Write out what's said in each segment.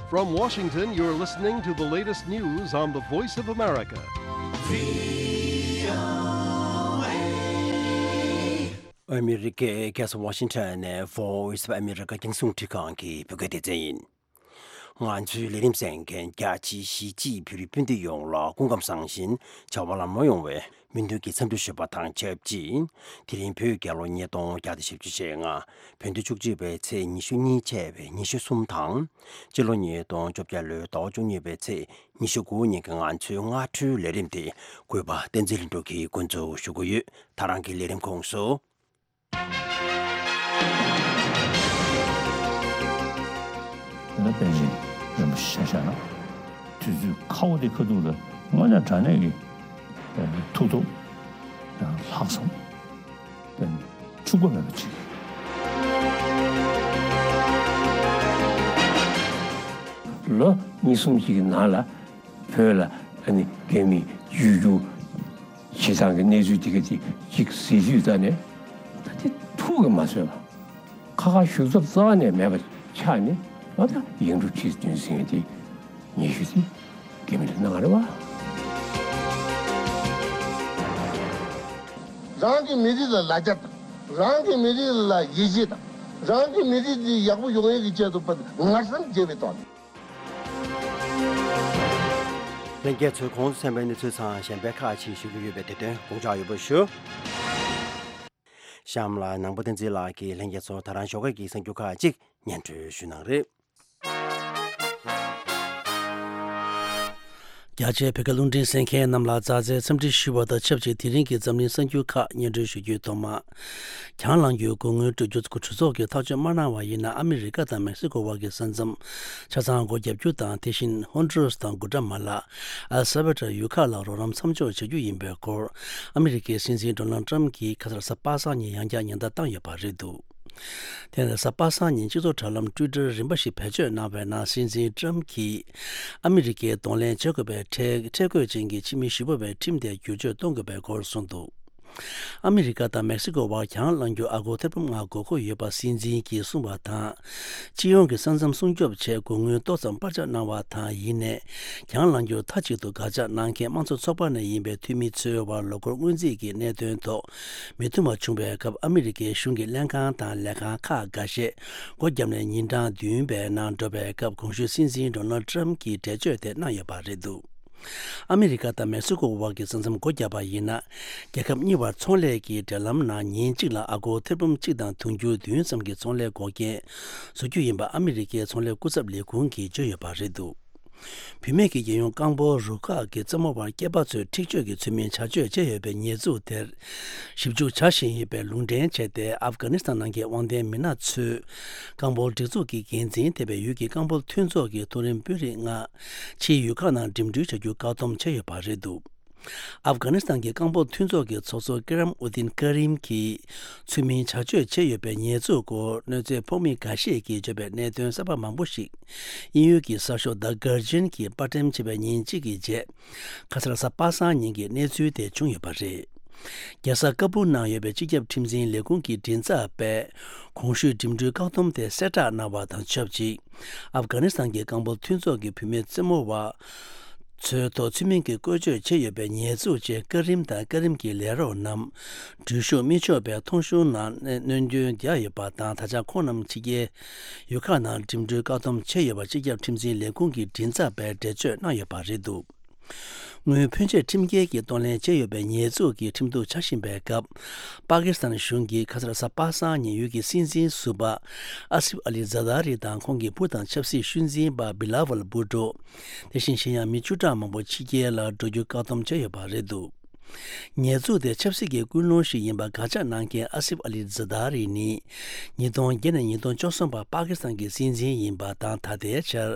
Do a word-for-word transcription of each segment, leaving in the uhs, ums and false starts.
From Washington, you're listening to the latest news on the Voice of America. ཨ་མི་རི་ཀའི་རྒྱལ་ས་ཝ་ཤིང་ཊོན་ནས་Voice of America རྒྱང་སྲིང་རླུང་འཕྲིན་ཁང་གི་བོད་སྐད་སྡེ་ཚན་ཡིན། ང་ཚོའི་ལས་རིམ་གསན་མཁན་རྒྱ་ཆེའི་གཞིས་བྱེས་བོད་རིགས་སྤུན་ཟླ་ཡོངས་ལ་སྐུ་ཁམས་བཟང་ཞིང་བྱ་བ་ལམ་ལྷོང་ཡོང་བའི་སྨོན་འདུན་གྱི་འཚམས་འདྲི་ཞུས་པ་དང་ཆབས་ཅིག་དེ་རིང་བོད་རྒྱལ་ལོ་ཉིས་སྟོང་བརྒྱ་དང་བཞི་བཅུ་ཞེ་ལྔ། བོད་ཟླ་བཅུ་གཅིག་པའི་ཚེས་ཉི་ཤུ་གཉིས་བཅས་པའི་ཉི་ཤུ་གསུམ་དང་། སྤྱི་ལོ་ཉིས་སྟོང་བཅོ་བརྒྱད་ལོའི་ཟླ་བ་བཅུ་གཉིས་པའི་ཚེས་ཉི་ཤུ་དགུ་ཉིན་གྱི་ང་ཚོའི་སྔ་དྲོའི་ལས་རིམ་དེ་གུས་པ་བསྟན་འཛིན་ལྷུན་གྲུབ་ཀྱིས་འགོ་འཛུགས་ཞུ་གི་ཡོད། ད་རང་གི་ལས་རིམ་ཁོངས་སུ། ད་ལྟ་པཎ་ཆེན་རིན་པོ་ཆེ་ཆ་བཞག་ན། དུས་ཚོད་ཁ་བོ་དེ་ཁ་ཐུག་ལ་དངོས་གནས་དྲང་གནས་ཀྱི་ཐུགས་སྟོབས་དང་ལྷག་བསམ་དང་འཕྱུག་པ་མེད་པ་ཅིག་ལོ་གཉིས་གསུམ་ཅིག་གི་ནང་ལ། བོད་ལ་ཨ་ནི་རྒྱ་མིས་བརྒྱུད་རྒྱུ་བྱེད་སྟངས་ཀྱི་གནས་ཚུལ་དེ་ག་དེ་གཅིག་གཟིགས་དུས་ད་ནས་ད་དེ་ཐུགས་ཀྱིས་མ་ཚོས་པ། ཁ་ཁ་བཞུགས་ཚབ་རྩ་བ་ནས་མེད་པ་ཆགས་ནས་ཨ་ད་ཡིག་འབྲུ་ཁྲི་བདུན་ཟེར་མཁན་དེ་ཉེ་ཤོས་དེ་རྒྱ་མི་ལ་གནང་བ་རེད་བ། རང་གི་མི་རིགས་ལ་ལ་རྒྱ་དང་། རང་གི་མི་རིགས་ལ་ཡིད་ཆེས་དང་། རང་གི་མི་རིགས་འདི་ཡག་པོ་ཡོང་ཡས་ཀྱི་ཆེད་དུ་ཕར་ངར་སེམས་བརྗེ་བའི་ཐོག་ནས། ལྷན་རྒྱས་ཚོས་གོང་དུ་གསན་པའི་གནས་ཚུལ་ཚང་གཞན་པའི་ཁག་ཅིག་ཞུ་རྒྱུ་ཡོད་པས་དེ་དོན་དགོངས་འཇགས་ཡོད་པ་ཞུ། གཤམ་ལ་ནང་པ་བསྟན་འཛིན་ལགས་ཀྱིས་ལྷན་རྒྱས་ཚོར་ད་རང་ཞོགས་ཀས་ཀྱི་གསར་འགྱུར་ཁག་ཅིག་སྙན་སྒྲོན་ཞུ་གནང་རེད། རྒྱ་ཆེའི་བོད་སྐད་རླུང་འཕྲིན་གསན་མཁན་རྣམས་ལ་མཛའ་བརྩེའི་འཚམས་འདྲི་ཞུ་བ་དང་ཆབས་ཅིག་དེ་རིང་གི་འཛམ་གླིང་གསར་འགྱུར་ཁག་སྙན་སྒྲོན་ཞུ་རྒྱུའི་ཐོག་མ། གྱང་ལངས་རྒྱུའི་སྒོ་དངུལ་སྤྲོད་རྒྱུ་གྲོས་ཚོགས་ཀྱིས་ཐག་གཅོད་མ་གནང་བ་ཡིན་ན། ཨ་མི་རི་ཀ་དང་མེག་སི་ཀོ་བར་གྱི་ས་མཚམས་ཆ་ཚང་སྒོ་བརྒྱབ་རྒྱུ་དང་། དེ་བཞིན་ཧོན་ཌུ་རུས་དང་གུ་ཏྲ་མ་ལ། ཨལ་ས་བྷ་ཏྲ་ཡུལ་ཁག་ལ་རོགས་རམ་མཚམས་འཇོག་བྱ་རྒྱུ་ཡིན་པའི་སྐོར། ཨ་མི་རི་ཀའི་སྲིད་འཛིན་ཌོ་ནལ་ཏྲམ་གྱིས་ཁ་སང་གཟའ་པ་སངས་ཉིན་ཡང་བསྐྱར་ཉེན་བརྡ་བཏང་ཡོད་པ་རེད་འདུག་དེ་ནས་གཟའ་པ་སངས་ཉིན་སྤྱི་ཚོགས་དྲ་ལམ་ཊུའི་ཊར་རིམ་པ་ཞིག་བེད་སྤྱོད་གནང་བའི་ནང་། སྲིད་འཛིན་ཏྲམ་གྱིས་ཨ་མི་རི་ཀའི་གདོང་ལེན་བྱེད་དགོས་པའི་ཁྲལ་ཁྲལ་དགོད་ཅན་གྱི་ཕྱི་མི་ཞེ་པོ་བའི་ཁྲིམས་དེ་བསྒྱུར་བཅོས་གཏོང་དགོས་པའི་སྐོར་གསུངས་འདུག་ཨ་མི་རི་ཀ་དང་མེག་སི་ཀོ་བར་གྱང་ལངས་རྒྱུ་ཨ་སྒོར་ཐེར་འབུམ་ལྔ་དགོས་མཁོ་ཡོད་པ་སྲིད་འཛིན་གྱིས་གསུངས་པ་དང་། སྤྱི་ཡོངས་ཀྱི་ས་མཚམས་སྲུང་སྐྱོབ་ཆེད་སྒོ་དངུལ་ཏོག་ཙམ་སྤར་ཆ་གནང་བ་དང་། ཡིན་ནའི་གྱང་ལངས་རྒྱུར་མཐའ་གཅིག་ཏུ་དགག་བྱ་གནང་མཁན་དམངས་གཙོ་ཚོགས་པ་ནས་ཡིན་པའི་འཐུས་མི་ཚོའི་དབར་ལོ་འཁོར་སྔོན་རྩིས་ཀྱི་གནད་དོན་ཐོག་མི་མཐུན་པ་བྱུང་བའི་སྐབས། ཨ་མི་རི་ཀའི་གཞུང་གི་ལྷན་ཁང་དང་ལས་ཁང་ཁག་འགའ་ཤས་སྒོ་བརྒྱབ་ནས་ཉིན་གྲངས་བདུན་པའི་ནང་འགྲོ་བའི་སྐབས། གོང་ཞུས་སྲིད་འཛིན་ཌོ་ནལ་ཏྲམ་གྱིས་འགྲེལ་བརྗོད་དེ་གནང་ཡོད་པ་རེད་འདུག་ཨ་མི་རི་ཀ་དང་མེག་སི་ཀོ་བར་གྱི་ས་མཚམས་སྒོ་བརྒྱབ་པ་ཡིན་ན། རྒྱལ་ཁབ་གཉིས་བར་ཚོང་ལས་ཀྱི་འབྲེལ་ལམ་ནང་ཉིན་གཅིག་ལ་ཨ་སྒོར་ཐེར་འབུམ་གཅིག་དང་དུང་ཕྱུར་བདུན་ཙམ་གྱི་ཚོང་ལས་འགོག་རྐྱེན་བཟོ་རྒྱུ་ཡིན་པ་ཨ་མི་རི་ཀའི་ཚོང་ལས་སྐུ་ཚབ་ལས་ཁུངས་ཀྱིས་བརྗོད་ཡོད་པ་རེད་འདུག་བུད་མེད་ཀྱི་རྒྱལ་ཡོངས་རྐང་སྤོལ་རུ་ཁག་གི་རྩེད་མོ་བར་སྐྱེས་པ་ཚོས་འཁྲིག་སྤྱོད་ཀྱི་ཚུལ་མིན་བྱ་སྤྱོད་བྱས་ཡོད་པའི་ཉེས་འཛུགས་དེར་ཞིབ་འཇུག་བྱ་བཞིན་ཡོད་པའི་ལུང་འདྲེན་བྱས་ཏེ། ཨབ་གྷ་ནི་སི་ཐན་ནང་གི་དབང་ལྡན་མི་སྣ་ཚོས་རྐང་སྤོལ་སྒྲིག་འཛུགས་ཀྱི་འགན་འཛིན་ཐེ་བའི་ཡུལ་གྱི་རྐང་སྤོལ་མཐུན་ཚོགས་ཀྱི་མཐོ་རིམ་དཔོན་རིགས་ལྔ་ཕྱིའི་ཡུལ་ཁག་ནང་འགྲིམ་འགྲུལ་བྱ་རྒྱུ་བཀག་སྡོམ་བྱས་ཡོད་པ་རེད་འདུག་ཨབ་གྷ་ནི་སི་ཐན་གྱི་རྐང་སྤོལ་མཐུན་ཚོགས་ཀྱི་ཚོགས་གཙོ་ཀི་རམ་ཨུ་དིན་ཀ་རིམ་གྱིས་ཚུལ་མིན་བྱ་སྤྱོད་བྱས་ཡོད་པའི་ཉེས་འཛུགས་སྐོར་གནོད་འཚེ་ཕོག་མི་འགའ་ཤས་ཀྱིས་བརྗོད་པའི་གནད་དོན་གསར་པ་མང་པོ་ཞིག་དབྱིན་ཡུལ་གྱི་གསར་ཤོག་The Guardian གྱིས་པར་འགྲེམས་བྱས་པའི་ཉིན་གཅིག་གི་རྗེས། ཁ་སང་གཟའ་པ་སངས་ཉིན་གྱི་གནས་ཚུལ་དེ་བྱུང་ཡོད་པ་རེད། རྒྱལ་ས་ཀ་སྦུལ་ནང་ཡོད་པའི་སྤྱི་ཁྱབ་ཁྲིམས་འཛིན་ལས་ཁུངས་ཀྱི་མགྲིན་ཚབ་པས་གོང་ཞུས་འགྲིམ་འགྲུལ་བཀག་སྡོམ་དེ་གསལ་བསྒྲགས་གནང་བ་དང་ཆབས་ཅིག་ཨབ་གྷ་ནི་སི་ཐན་གྱི་རྐང་སྤོལ་མཐུན་ཚོགས་ཀྱི་བུད་མེད་རྩེད་མོ་བ་ཚོའི་ཐོག་ཚུལ་མིན་གྱི་བཀོལ་སྤྱོད་བྱས་ཡོད་པའི་ཉེས་འཛུགས་བཅས་ཀ་རིམ་དང་ཀ་རིམ་གྱི་ལས་རོགས་རྣམས་འགྲུལ་བཞུད་མི་ཆོག་པའི་ཐོང་གཤོལ་ནང་སྣོན་སྐྱོན་བརྒྱབ་ཡོད་པ་དང་། ད་ཆ་ཁོང་རྣམས་ཕྱི་རྒྱལ་ཡུལ་ཁག་ནང་འགྲིམ་འགྲུལ་བཀག་སྡོམ་བྱས་ཡོད་པ་སྤྱི་ཁྱབ་ཁྲིམས་འཛིན་ལས་ཁུངས་ཀྱི་མགྲིན་ཚབ་པས་འགྲེལ་བརྗོད་གནང་ཡོད་པ་རེད་འདུག་དངུལ་ཕོན་ཆེ་ཁྲིམས་འགལ་གྱིས་གཏོང་ལེན་བྱས་ཡོད་པའི་ཉེས་འཛུགས་ཀྱིས་ཁྲིམས་གཏུག་བྱ་བཞིན་པའི་སྐབས། པ་ཀི་སི་ཐན་གཞུང་གིས་ཁ་སང་གཟའ་པ་སངས་ཉིན་ཡུལ་གྱི་སྲིད་འཛིན་ཟུར་པ་ཨ་སིབ་ཨ་ལི་ཛ་དཱ་རི་དང་ཁོང་གི་བུ་དང་ཆབ་སྲིད་ཤུལ་འཛིན་པ་བི་ལ་ཝལ་བྷུ་ཏོ། དེ་བཞིན་གཞན་ཡང་མི་བཅུ་ཕྲག་མང་པོ་ཕྱི་རྒྱལ་ལ་འགྲོ་རྒྱུ་བཀག་སྡོམ་བྱས་ཡོད་པ་རེད་འདུག་ཉེས་འཛུགས་དེ་ཆབ་སྲིད་ཀྱི་ཀུན་སློང་ཞིག་ཡིན་པ་དགག་བྱ་གནང་མཁན་ཨ་སིབ་ཨ་ལི་ཛ་དཱ་རི་ནི། ཉིས་སྟོང་བརྒྱད་ནས་ཉིས་སྟོང་བཅུ་གསུམ་བར་པ་ཀི་སི་ཐན་གྱི་སྲིད་འཛིན་ཡིན་པ་དང་། ད་ལྟའི་ཆར།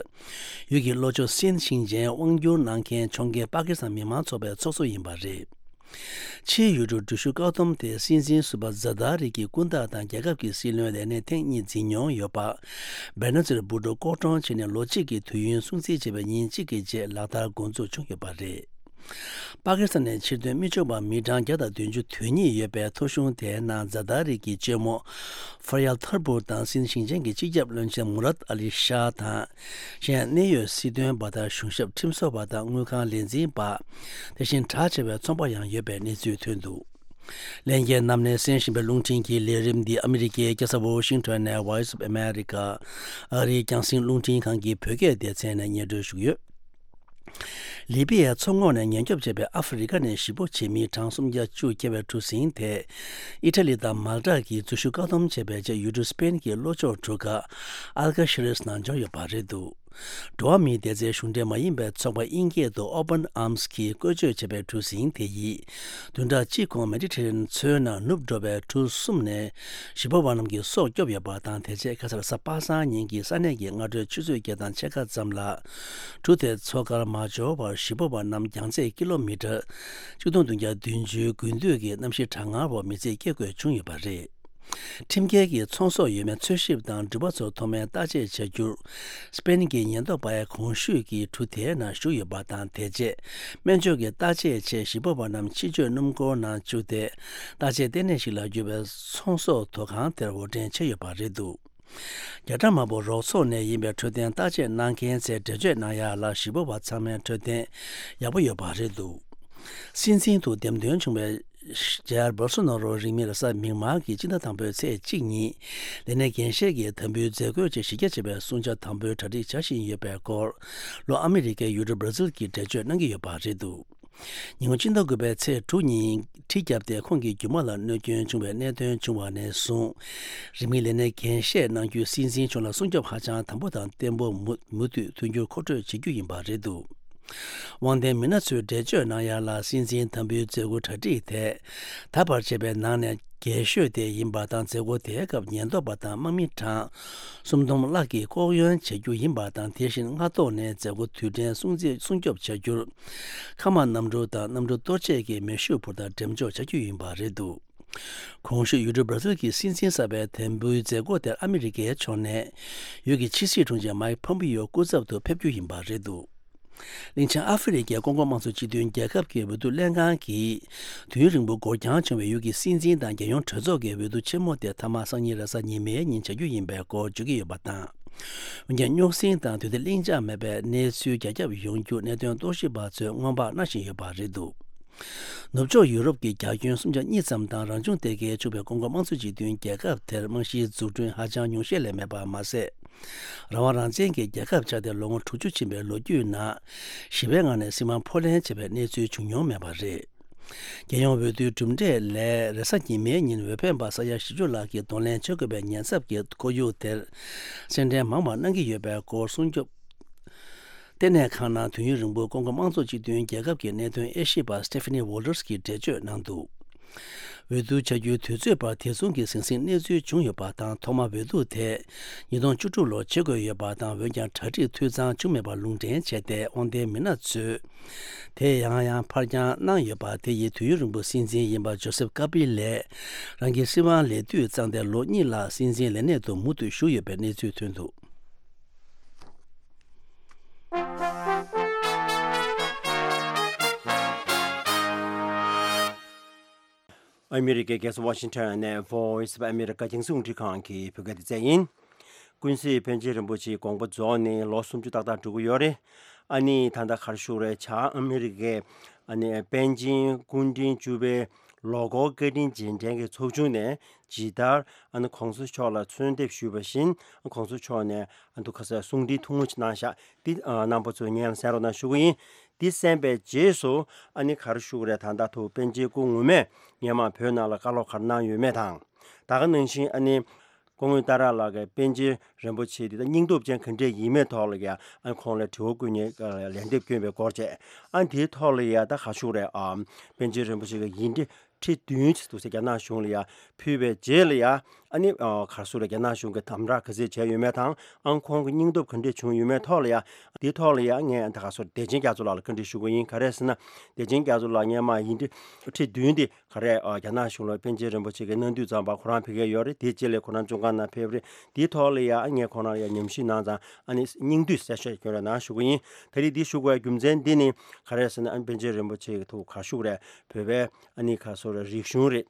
ཡུལ་གྱི་ལྷོ་ཕྱོགས་སིན་ཞིང་ཆེན་དབང་བསྒྱུར་གནང་མཁན་ཕྱོགས་འགལ་པ་ཀི་སི་ཐན་མི་མང་ཚོགས་པའི་ཚོགས་གཙོ་ཡིན་པ་རེད། ཕྱིའི་ཡུལ་གྲུ་འགྲུལ་བཞུད་བཀག་སྡོམ་དེ་སྲིད་འཛིན་ཟུར་པ་ཛ་དཱ་རི་གི་སྐུ་ཟླ་དང་རྒྱལ་ཁབ་ཀྱི་སྲིད་བློན་ལས་སྣེ་ཐེངས་གཉིས་འཛིན་མྱོང་ཡོད་པ། བེ་ན་ཛི་ལ་བྷུ་ཏོ་ལྐོག་གྲོང་བྱས་ནས་ལོ་གཅིག་གི་དུས་ཡུན་སྲུང་བརྩི་བྱས་པའི་ཉིན་གཅིག་གི་རྗེས་ལག་བསྟར་འགོ་འཛུགས་བྱུང་ཡོད་པ་རེད། པ་ཀི་སི་ཐན་ནས་ཕྱིར་ཐོན་མི་ཆོག་པ་མི་གྲངས་བརྒྱ་དང་བདུན་ཅུ་དོན་གཉིས་ཡོད་པའི་ཐོ་གཞུང་དེའི་ནང་ཛ་ཏཱ་རི་གི་གཅེན་མོ་ཧྥ་ཡལ་ཐར་པུར་དང་སིན་ཞིང་ཆེན་གྱི་སྤྱི་ཁྱབ་བློན་ཆེན་མུ་རཱད་ཨ་ལི་ཤཱ་དང་། གཞན་གནད་ཡོད་སྲིད་དོན་པ་དང་གཞུང་ཞབས་ཁྲིམས་བཟོ་བ་དང་དངུལ་ཁང་ལས་འཛིན་པ། དེ་བཞིན་གྲགས་ཆེ་བའི་ཚོང་པ་ཡང་ཡོད་པའི་གནས་ཚུལ་ཐོན་འདུག་ལས་འགན་ནམ་ནས་གསན་བཞིན་པའི་རླུང་འཕྲིན་གྱི་ལས་རིམ་འདི་ཨ་མི་རི་ཀའི་རྒྱལ་ས་ཝོ་ཤིང་ཊོན་ནས་Voice of America ཨ་རིའི་རྒྱང་སྲིང་རླུང་འཕྲིན་ཁང་གི་བོད་སྐད་སྡེ་ཚན་ནས་སྙན་སྒྲོན་ཞུ་གི་ཡོད། ལི་པི་ཡའི་མཚོ་ངོགས་ནས་ཉེན་སྐྱོབ་བྱས་པའི་ཨ་ཧྥེ་རི་ཁ་ནས་གཞིས་སྤོ་བྱེད་མི་གྲངས་སུམ་བརྒྱ་བཅུ་བརྒལ་བའི་གྲུ་གཟིངས་དེ། ཨི་ཊ་ལི་དང་མལ་ཏཱ་གིས་འཛུལ་ཞུགས་བཀག་སྡོམ་བྱས་པའི་རྗེས་ཡུལ་གྲུ་སི་པེན་གྱི་ལྷོ་ཕྱོགས་གྲུ་ཁ་ཨལ་ཀ་ཤི་རེས་ནང་འབྱོར་ཡོད་པ་རེད་འདུག་འགྲོ་བ་མིའི་བདེ་རྩའི་གཞུང་འབྲེལ་མ་ཡིན་པའི་ཚོགས་པ་དབྱིན་སྐད་དུ་Open Arms གིས་བཀོལ་སྤྱོད་བྱས་པའི་གྲུ་གཟིངས་དེ་ཡིས། བདུན་ཕྲག་གཅིག་གོང་མེ་ཌི་ཊེ་རེ་ནན་མཚོའི་ནང་ནུབ་འགྲོ་བའི་གྲུ་གསུམ་ནས་གཞིས་སྤོ་བ་རྣམས་ཀྱི་སྲོག་སྐྱོབ་ཡོད་པ་དང་། དེ་རྗེས་ཁ་སང་གཟའ་པ་སངས་ཉིན་གྱི་ས་གནས་ཀྱི་སྔ་དྲོའི་ཆུ་ཚོད་བརྒྱད་དང་ཕྱེད་ཀ་ཙམ་ལ། གྲུ་དེ་མཚོ་ཁར་མ་འབྱོར་བར་གཞིས་སྤོ་བ་རྣམས་རྒྱང་ཚད་ཀི་ལོ་མི་ཊར་གཅིག་སྟོང་བདུན་བརྒྱ་བདུན་ཅུའི་དགུན་དུས་ཀྱི་གནམ་གཤིས་གྲང་ངར་འོག་མི་ཚེ་སྐྱེལ་དགོས་བྱུང་ཡོད་པ་རེད། ཁྲིམས་འགལ་གྱི་ཚོང་ཟོག་ཡོད་མེད་འཚོལ་ཞིབ་དང་འགྲུལ་པ་ཚོར་ཐོག་མའི་བརྟག་དཔྱད་བྱ་རྒྱུར། སི་པེན་གྱི་ཉེན་རྟོག་པ་ཡང་གོང་ཞུས་ཀྱི་གྲུ་དེའི་ནང་ཞུགས་ཡོད་པ་དང་། དེ་རྗེས་སྨན་བཅོས་ཀྱི་བརྟག་དཔྱད་ཆེད་གཞིས་སྤོ་བ་རྣམས་ཕྱི་སྐྱོད་སྣུམ་འཁོར་ནང་བཅུག་སྟེ། བརྟག་དཔྱད་ལྟེ་གནས་ཤིག་ལ་གྱུར་པའི་ཚོང་ཟོག་དོ་ཁང་དེར་འོར་འདྲེན་བྱས་ཡོད་པ་རེད་འདུག་རྒྱ་གྲམ་དམར་པོ་རོགས་ཚོགས་ནས་ཡིན་པའི་འཕྲོད་བསྟེན་བརྟག་དཔྱད་གནང་མཁན་ཚོས་འགྲེལ་བརྗོད་གནང་ཡ་ལ། གཞིས་སྤོ་བ་ཚང་མའི་འཕྲོད་བསྟེན་ཡག་པོ་ཡོད་པ་རེད་འདུག་སྲིད་འཛིན་དུ་འདེམས་ཐོན་བྱུང་བའི་ཇའེར་བོལ་སོ་ནོ་རོ་རིང་མིན་རེས་གཟའ་མིག་དམར་གྱི་སྤྱི་ཟླ་དང་པོའི་ཚེས་གཅིག་ཉིན། ལས་གནས་འགན་བཞེས་ཀྱི་དམ་འབུལ་མཛད་སྒོའི་རྗེས་གཞི་རྒྱ་ཆེ་བའི་སྲུང་བྱ་དམ་པོའི་གྲ་སྒྲིག་བྱ་བཞིན་ཡོད་པའི་སྐོར། ལྷོ་ཨ་མི་རི་ཀའི་ཡུལ་གྲུ་བྷར་ཛིལ་གྱིས་འགྲེལ་བརྗོད་གནང་གི་ཡོད་པ་རེད་འདུག་ཉིན་གུང་སྤྱི་ཟླ་དགུ་པའི་ཚེས་དྲུག་ཉིན་གྲི་བརྒྱབ་སྟེ་ཁོང་གི་རྒྱུ་མ་ལ་གནོད་སྐྱོན་བྱུང་བའི་གནད་དོན་བྱུང་བ་ནས་བཟུང་། རིང་མིན་ལས་གནས་འགན་བཞེས་གནང་རྒྱུའི་སྲིད་འཛིན་གཞུང་ལ་སྲུང་སྐྱོབ་ཧ་ཅང་དམ་པོ་དང་བརྟན་པོ་མུ་མུ་མཐུད་མཐུན་འགྱུར་མཁོ་སྤྲོད་བྱེད་རྒྱུ་ཡིན་པ་རེད་འདུག་དབང་ལྡན་མི་སྣ་ཚོས་འགྲེལ་བརྗོད་གནང་ཡ་ལ། སྲིད་འཛིན་དམ་འབུལ་མཛད་སྒོ་གྲ་སྒྲིག་དེ་ད་བར་བྱས་པའི་ནང་ནས་རྒྱས་ཤོས་དེ་ཡིན་པ་དང་། མཛད་སྒོ་དེའི་སྐབས་ཉེན་རྟོག་པ་དང་དམག་མི་གྲངས་སུམ་སྟོང་ལྷག་གིས་ལྐོག་གཡོན་བྱེད་རྒྱུ་ཡིན་པ་དང་། དེ་བཞིན་སྔ་ཐོག་ནས་མཛད་སྒོ་དུས་དྲན་སྲུང་བརྩི་སྲུང་སྐྱོབ་བྱ་རྒྱུར། མཁའ་དམག་གནམ་གྲུ་དང་གནམ་གྲུ་གཏོར་ཆས་ཀྱི་མེ་ཤུགས་འཕུར་མདའ་འགྲེམས་འཇོག་བྱ་རྒྱུ་ཡིན་པ་རེད་འདུག་གོང་ཞུས་ཡུལ་གྲུ་བྷར་ཛིལ་གྱི་སྲིད་འཛིན་གསར་པའི་དམ་འབུལ་མཛད་སྒོ་དེར་ཨ་མི་རི་ཀའི་ཕྱོགས་ནས་ཡུལ་གྱི་ཕྱི་སྲིད་དྲུང་ཆེ་མའིག་ཕོམ་པིའོ་སྐུ་ཚབ་ཏུ་ཕེབས་རྒྱུ་ཡིན་པ་རེད་འདུག་གླིང་ཆེན་ཨ་ཧྥེ་རི་ཁའི་ཀོང་ཀོང་དམངས་གཙོ་སྤྱི་མཐུན་རྒྱལ་ཁབ་ཀྱི་འོས་བསྡུ་ལྷན་ཁང་གིས། དུས་ཡུན་རིང་པོ་འགོར་འགྱངས་བྱུང་བའི་ཡུལ་གྱི་སྲིད་འཛིན་དང་རྒྱལ་ཡོངས་གྲོས་ཚོགས་ཀྱི་འོས་བསྡུ་ཆེན་མོ་དེ་མཐའ་མ་སང་ཉིན་རེས་གཟའ་ཉི་མའི་ཉིན་བྱ་རྒྱུ་ཡིན་པའི་སྐོར་བརྗོད་ཀྱི་ཡོད་པ་དང་། འོན་ཀྱང་རྙོག་ཟིང་དང་དུས་བདེ་ལྷིང་འཇགས་མེད་པའི་གནས་ཚུལ་རྒྱ་ཁྱབ་ཡོང་རྒྱུ་གནད་དོན་རྟོག་ཞིབ་པ་ཚོས་སྔོན་དཔག་གནང་བཞིན་ཡོད་པ་རེད་འདུག་ནུབ་ཕྱོགས་ཡུ་རོབ་ཀྱི་རྒྱ་ཁྱོན་སུམ་བརྒྱ་གཉིས་ཙམ་དང་རང་བྱུང་སྡེ་དགེའི་ཕྱུག་པའི་ཀོང་ཀོ་དམངས་གཙོ་སྤྱི་མཐུན་རྒྱལ་ཁབ་དེར་རྨང་གཞིའི་འཛུགས་སྐྲུན་ཧ་ཅང་ཉུང་ཤས་ལས་མེད་པ་མ་ཟད། རང་དབང་རང་བཙན་གྱི་རྒྱལ་ཁབ་ཆགས་ཏེ་ལོ་ངོ་དྲུག་ཅུ་ཕྱིན་པའི་ལོ་རྒྱུས་ནང་། ཞི་བའི་ངང་ནས་སྲིད་དབང་ཕོ་ལེན་བྱས་པའི་གནས་ཚུལ་བྱུང་མྱོང་མེད་པ་རེད། རྒྱལ་ཡོངས་འོས་བསྡུའི་གྲུབ་འབྲས་ལས། རེས་གཟའ་ཉི་མའི་ཉིན་འོས་འཕེན་པ་ས་ཡ་བཞི་བཅུ་ལྷག་གིས་གདོང་ལེན་བྱེད་དགོས་པའི་ཉེན་ཚབས་ཀྱི་ཁོར་ཡུག་དེར། སེམས་ཁྲལ་མང་བ་གནང་གི་ཡོད་པའི་སྐོར་སྲུང་སྐྱོབ་ལྟེ་གནས་ཁང་ནང་དུས་ཡུན་རིང་པོའི་ཀོང་ཀོ་དམངས་གཙོ་སྤྱི་མཐུན་རྒྱལ་ཁབ་ཀྱི་གནད་དོན་དབྱེ་ཞིབ་པ་Stephanie Walters གིས་འགྲེལ་བརྗོད་གནང་འདུག་འོས་བསྡུ་བྱ་རྒྱུའི་དུས་ཚོད་བར་དེ་མཚུངས་ཀྱི་ཟང་ཟིང་གནས་ཚུལ་བྱུང་ཡོད་པ་དང་། ཐོག་མ་འོས་བསྡུ་དེ་ཉིས་སྟོང་བཅུ་དྲུག་ལོར་བྱེད་དགོས་ཡོད་པ་དང་། འོན་ཀྱང་གྲ་སྒྲིག་འཐུས་ཚང་བྱུང་མེད་པར་ལུང་འདྲེན་བྱས་ཏེ། དབང་ལྡན་མི་སྣ་ཚོས་དེ་ཡང་ཡང་ཕར་འགྱངས་གནང་ཡོད་པ་དེ་ཡིས་དུས་ཡུན་རིང་པོ་སྲིད་འཛིན་ཡིན་པ་ཇོ་སེབ་ཀ་པི་ལས་རང་གི་སྲིད་དབང་ལས་དུས་གཙང་སྟེ་ལོ་གཉིས་ལྷག་སྲིད་འཛིན་ལས་གནས་དུ་མུ་མཐུད་བཞུགས་ཡོད་པའི་གནས་ཚུལ་ཐོན་འདུག་ཨ་མི་རི་ཀའི་རྒྱལ་ས་ཝ་ཤིང་ཊོན་ནས་Voice of America རྒྱང་སྲིང་རླུང་འཕྲིན་ཁང་གི་བོད་སྐད་སྡེ་ཚན་ཡིན། ཀུན་གཟིགས་པཎ་ཆེན་རིན་པོ་ཆེའི་དགོངས་པ་རྫོགས་ནས་ལོ་སུམ་ཅུ་ཏག་ཏག་འགྲོ་གི་ཡོད་རེད། ཨ་ནི་ད་ལྟ་ག་རེ་ཞུ་དགོས་རེད། བྱང་ཨ་མི་རི་ཀའི་ཨ་ནི་པཎ་ཆེན་སྐུ་ཕྲེང་བཅུ་པའི་ལོ་འཁོར་བཀའ་དྲིན་རྗེས་དྲན་གྱི་ཚོགས་ཆུང་ནས་ཇི་ལྟར་ཨ་ནི་གོང་ས་མཆོག་ལ་གསོལ་འདེབས་ཞུས་པ་བཞིན། གོང་ས་མཆོག་ནས་ཨ་ནི་ཁ་སང་གསུང་འཕྲིན་ཐུང་ངུ་ཅིག་གནང་ཤག་འདི་ཨ་རྣམ་པ་ཚོས་སྙན་ལ་གསན་རོགས་གནང་ཞུ་གི་ཡིན། འདི་གསན་པའི་རྗེས་སུ་ཨ་ནི་ག་རེ་ཞུ་དགོས་རེད། ད་ལྟ་ཐུག་པཎ་ཆེན་སྐུ་ངོ་མས་སྔོན་མ་བོད་ནང་ལ་བཀའ་སློབ་ག་རེ་གནང་ཡོད་མེད་དང་། ད་ག་ནང་བཞིན་ཨ་ནི་སྐུ་ངོ་ཏཱ་ར་ལགས་ཀྱིས་པཎ་ཆེན་རིན་པོ་ཆེ་འདི་ད་སྙིང་སྟོབས་ཅན་ག་འདྲས་ཡིན་མིན་ཐོག་ལ་ཡ་ཨ་ནི་ཁོང་ལ་དྲི་བ་བཀོད་མཁན་ལན་འདེབས་བསྐྱོན་པའི་སྐོར་བཅས། ཨ་ནི་དེའི་ཐོག་ལ་ཡ་ད་ག་རེ་ཞུ་དགོས་རེད། ཨ་པཎ་ཆེན་རིན་པོ་ཆེ་གི་ཡིག་འབྲེལ་ ཁྲི་བདུན་ཅིག་འདུག་ཟེར་རྒྱ་ནག་གཞུང་ལ་ཡ་ཕུལ་བའི་རྗེས་ལ་ཡ། ཨ་ནི་ཨ་ག་རེ་ཟེར་རྒྱ་ནག་གཞུང་གིས་དམ་དྲག་ག་ཚད་བྱས་ཡོད་མེད་དང་། ཨང་ཁོང་གི་སྙིང་སྟོབས་ག་འདྲས་བྱུང་ཡོད་མེད་ཐོག་ལ་ཡ། དེའི་ཐོག་ལ་ཡ་ངས་ད་ག་རེ་ཟེར་བདེ་ཆེན་རྒྱ་མཚོ་ལགས་ལ་བཀའ་འདྲི་ཞུ་གི་ཡིན། ག་རེ་ཟེར་ན། བདེ་ཆེན་རྒྱ་མཚོ་ལགས་སྔོན་མ་ཡིན་དུས་ཁྲི་བདུན་དེ་ག་རེ་ཨ་རྒྱ་ནག་གཞུང་ལ་པཎ་ཆེན་རིན་པོ་ཆེ་གིས་གནང་དུས་ཙམ་པ་ཁོ་རང་ཕ་གིར་ཡོད་རེད། དེའི་རྗེས་ལ་ཁོ་རང་བཙོན་ཁང་ནང་ཕེབས་རེད། དེའི་ཐོག་ལ་ཡ་ངས་ཁོ་རང་ལ་ཡ་ཉམས་ཞིབ་གནང་ཙང་། ཨ་ནི་སྙིང་བསྡུས་གསལ་བཤད་སྐྱོན་རེ་གནང་ཞུ་གི་ཡིན། ད་རེས་འདི་ཞུ་དགོས་རྒྱུ་མཚན་འདི་ནི་ག་རེ་ཟེར་ན། ཨ་ནི་པཎ་ཆེན་རིན་པོ་ཆེ་གི་ཐུགས་ཁ་ཤུགས་རེད། བོད་པའི་ཨ་ནི་ག་རེ་ཟེར་རིག་གཞུང་རེད།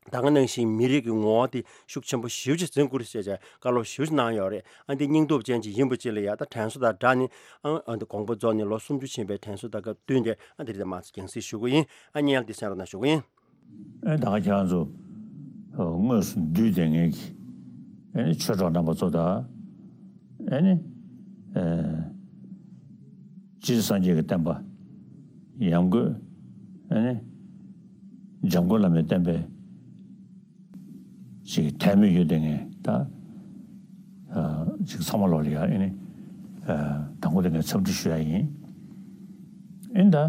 ད་ག་ནང་བཞིན་མི་རིགས་ཀྱི་ངོ་བོ་དེ་ཤུགས་ཆེན་པོ་ཞེ་པོ་ཅིག་འཛིན་དགོས་རེད་ཟེར་བྱས་བཀའ་སློབ་ཞེ་པོ་ཅིག་གནང་ཡོད་རེད། ཨ་འདི་སྙིང་སྟོབས་ཅན་ཅིག་ཡིན་པ་ཅིག་ལ་ཡ་ད་དྲན་གསོ་དང་སྦྲགས་ནས། ཨ་ཨ་འདི་དགོངས་པ་རྫོགས་ནས་ལོ་སུམ་ཅུ་ཕྱིན་པའི་དྲན་གསོ་དང་སྐབས་བསྟུན་ཏེ། ཨ་འདི་རེད། ད་མ་ཚོ་རྒྱང་སྲིང་ཞུ་གི་ཡིན། ཨ་ནི་ཡང་འདི་གསན་རོགས་གནང་ཞུ་གི་ཡིན། ཨེ་ད་ག་ཁྱེད་རང་ཚོ་དངོས་སུ་འདུས་བསྡད་མཁན་གྱི་ཨེ་ནི་ཆོས་གྲོགས་རྣམ་པ་ཚོ་དང་། ཨེ་ནི་ཨེ་སྤྱིར་སངས་རྒྱས་ཀྱི་བསྟན་པ་ཡང་སྒོས་ཨེ་ནི་འཇམ་མགོན་བླ་མའི་བསྟན་པའི་ཅིག་དད་མོས་ཡོད་བསྡད་མཁན་ད་ཨ་ཅིག་ཚང་མ་ལོག་ལ་ཡ་ཨེ་ནི་ཨ་དང་པོ་དེ་ངས་འཚམས་འདྲི་ཞུ་ཡ་ཡིན། ཨེ་ནི་ད། ཨ་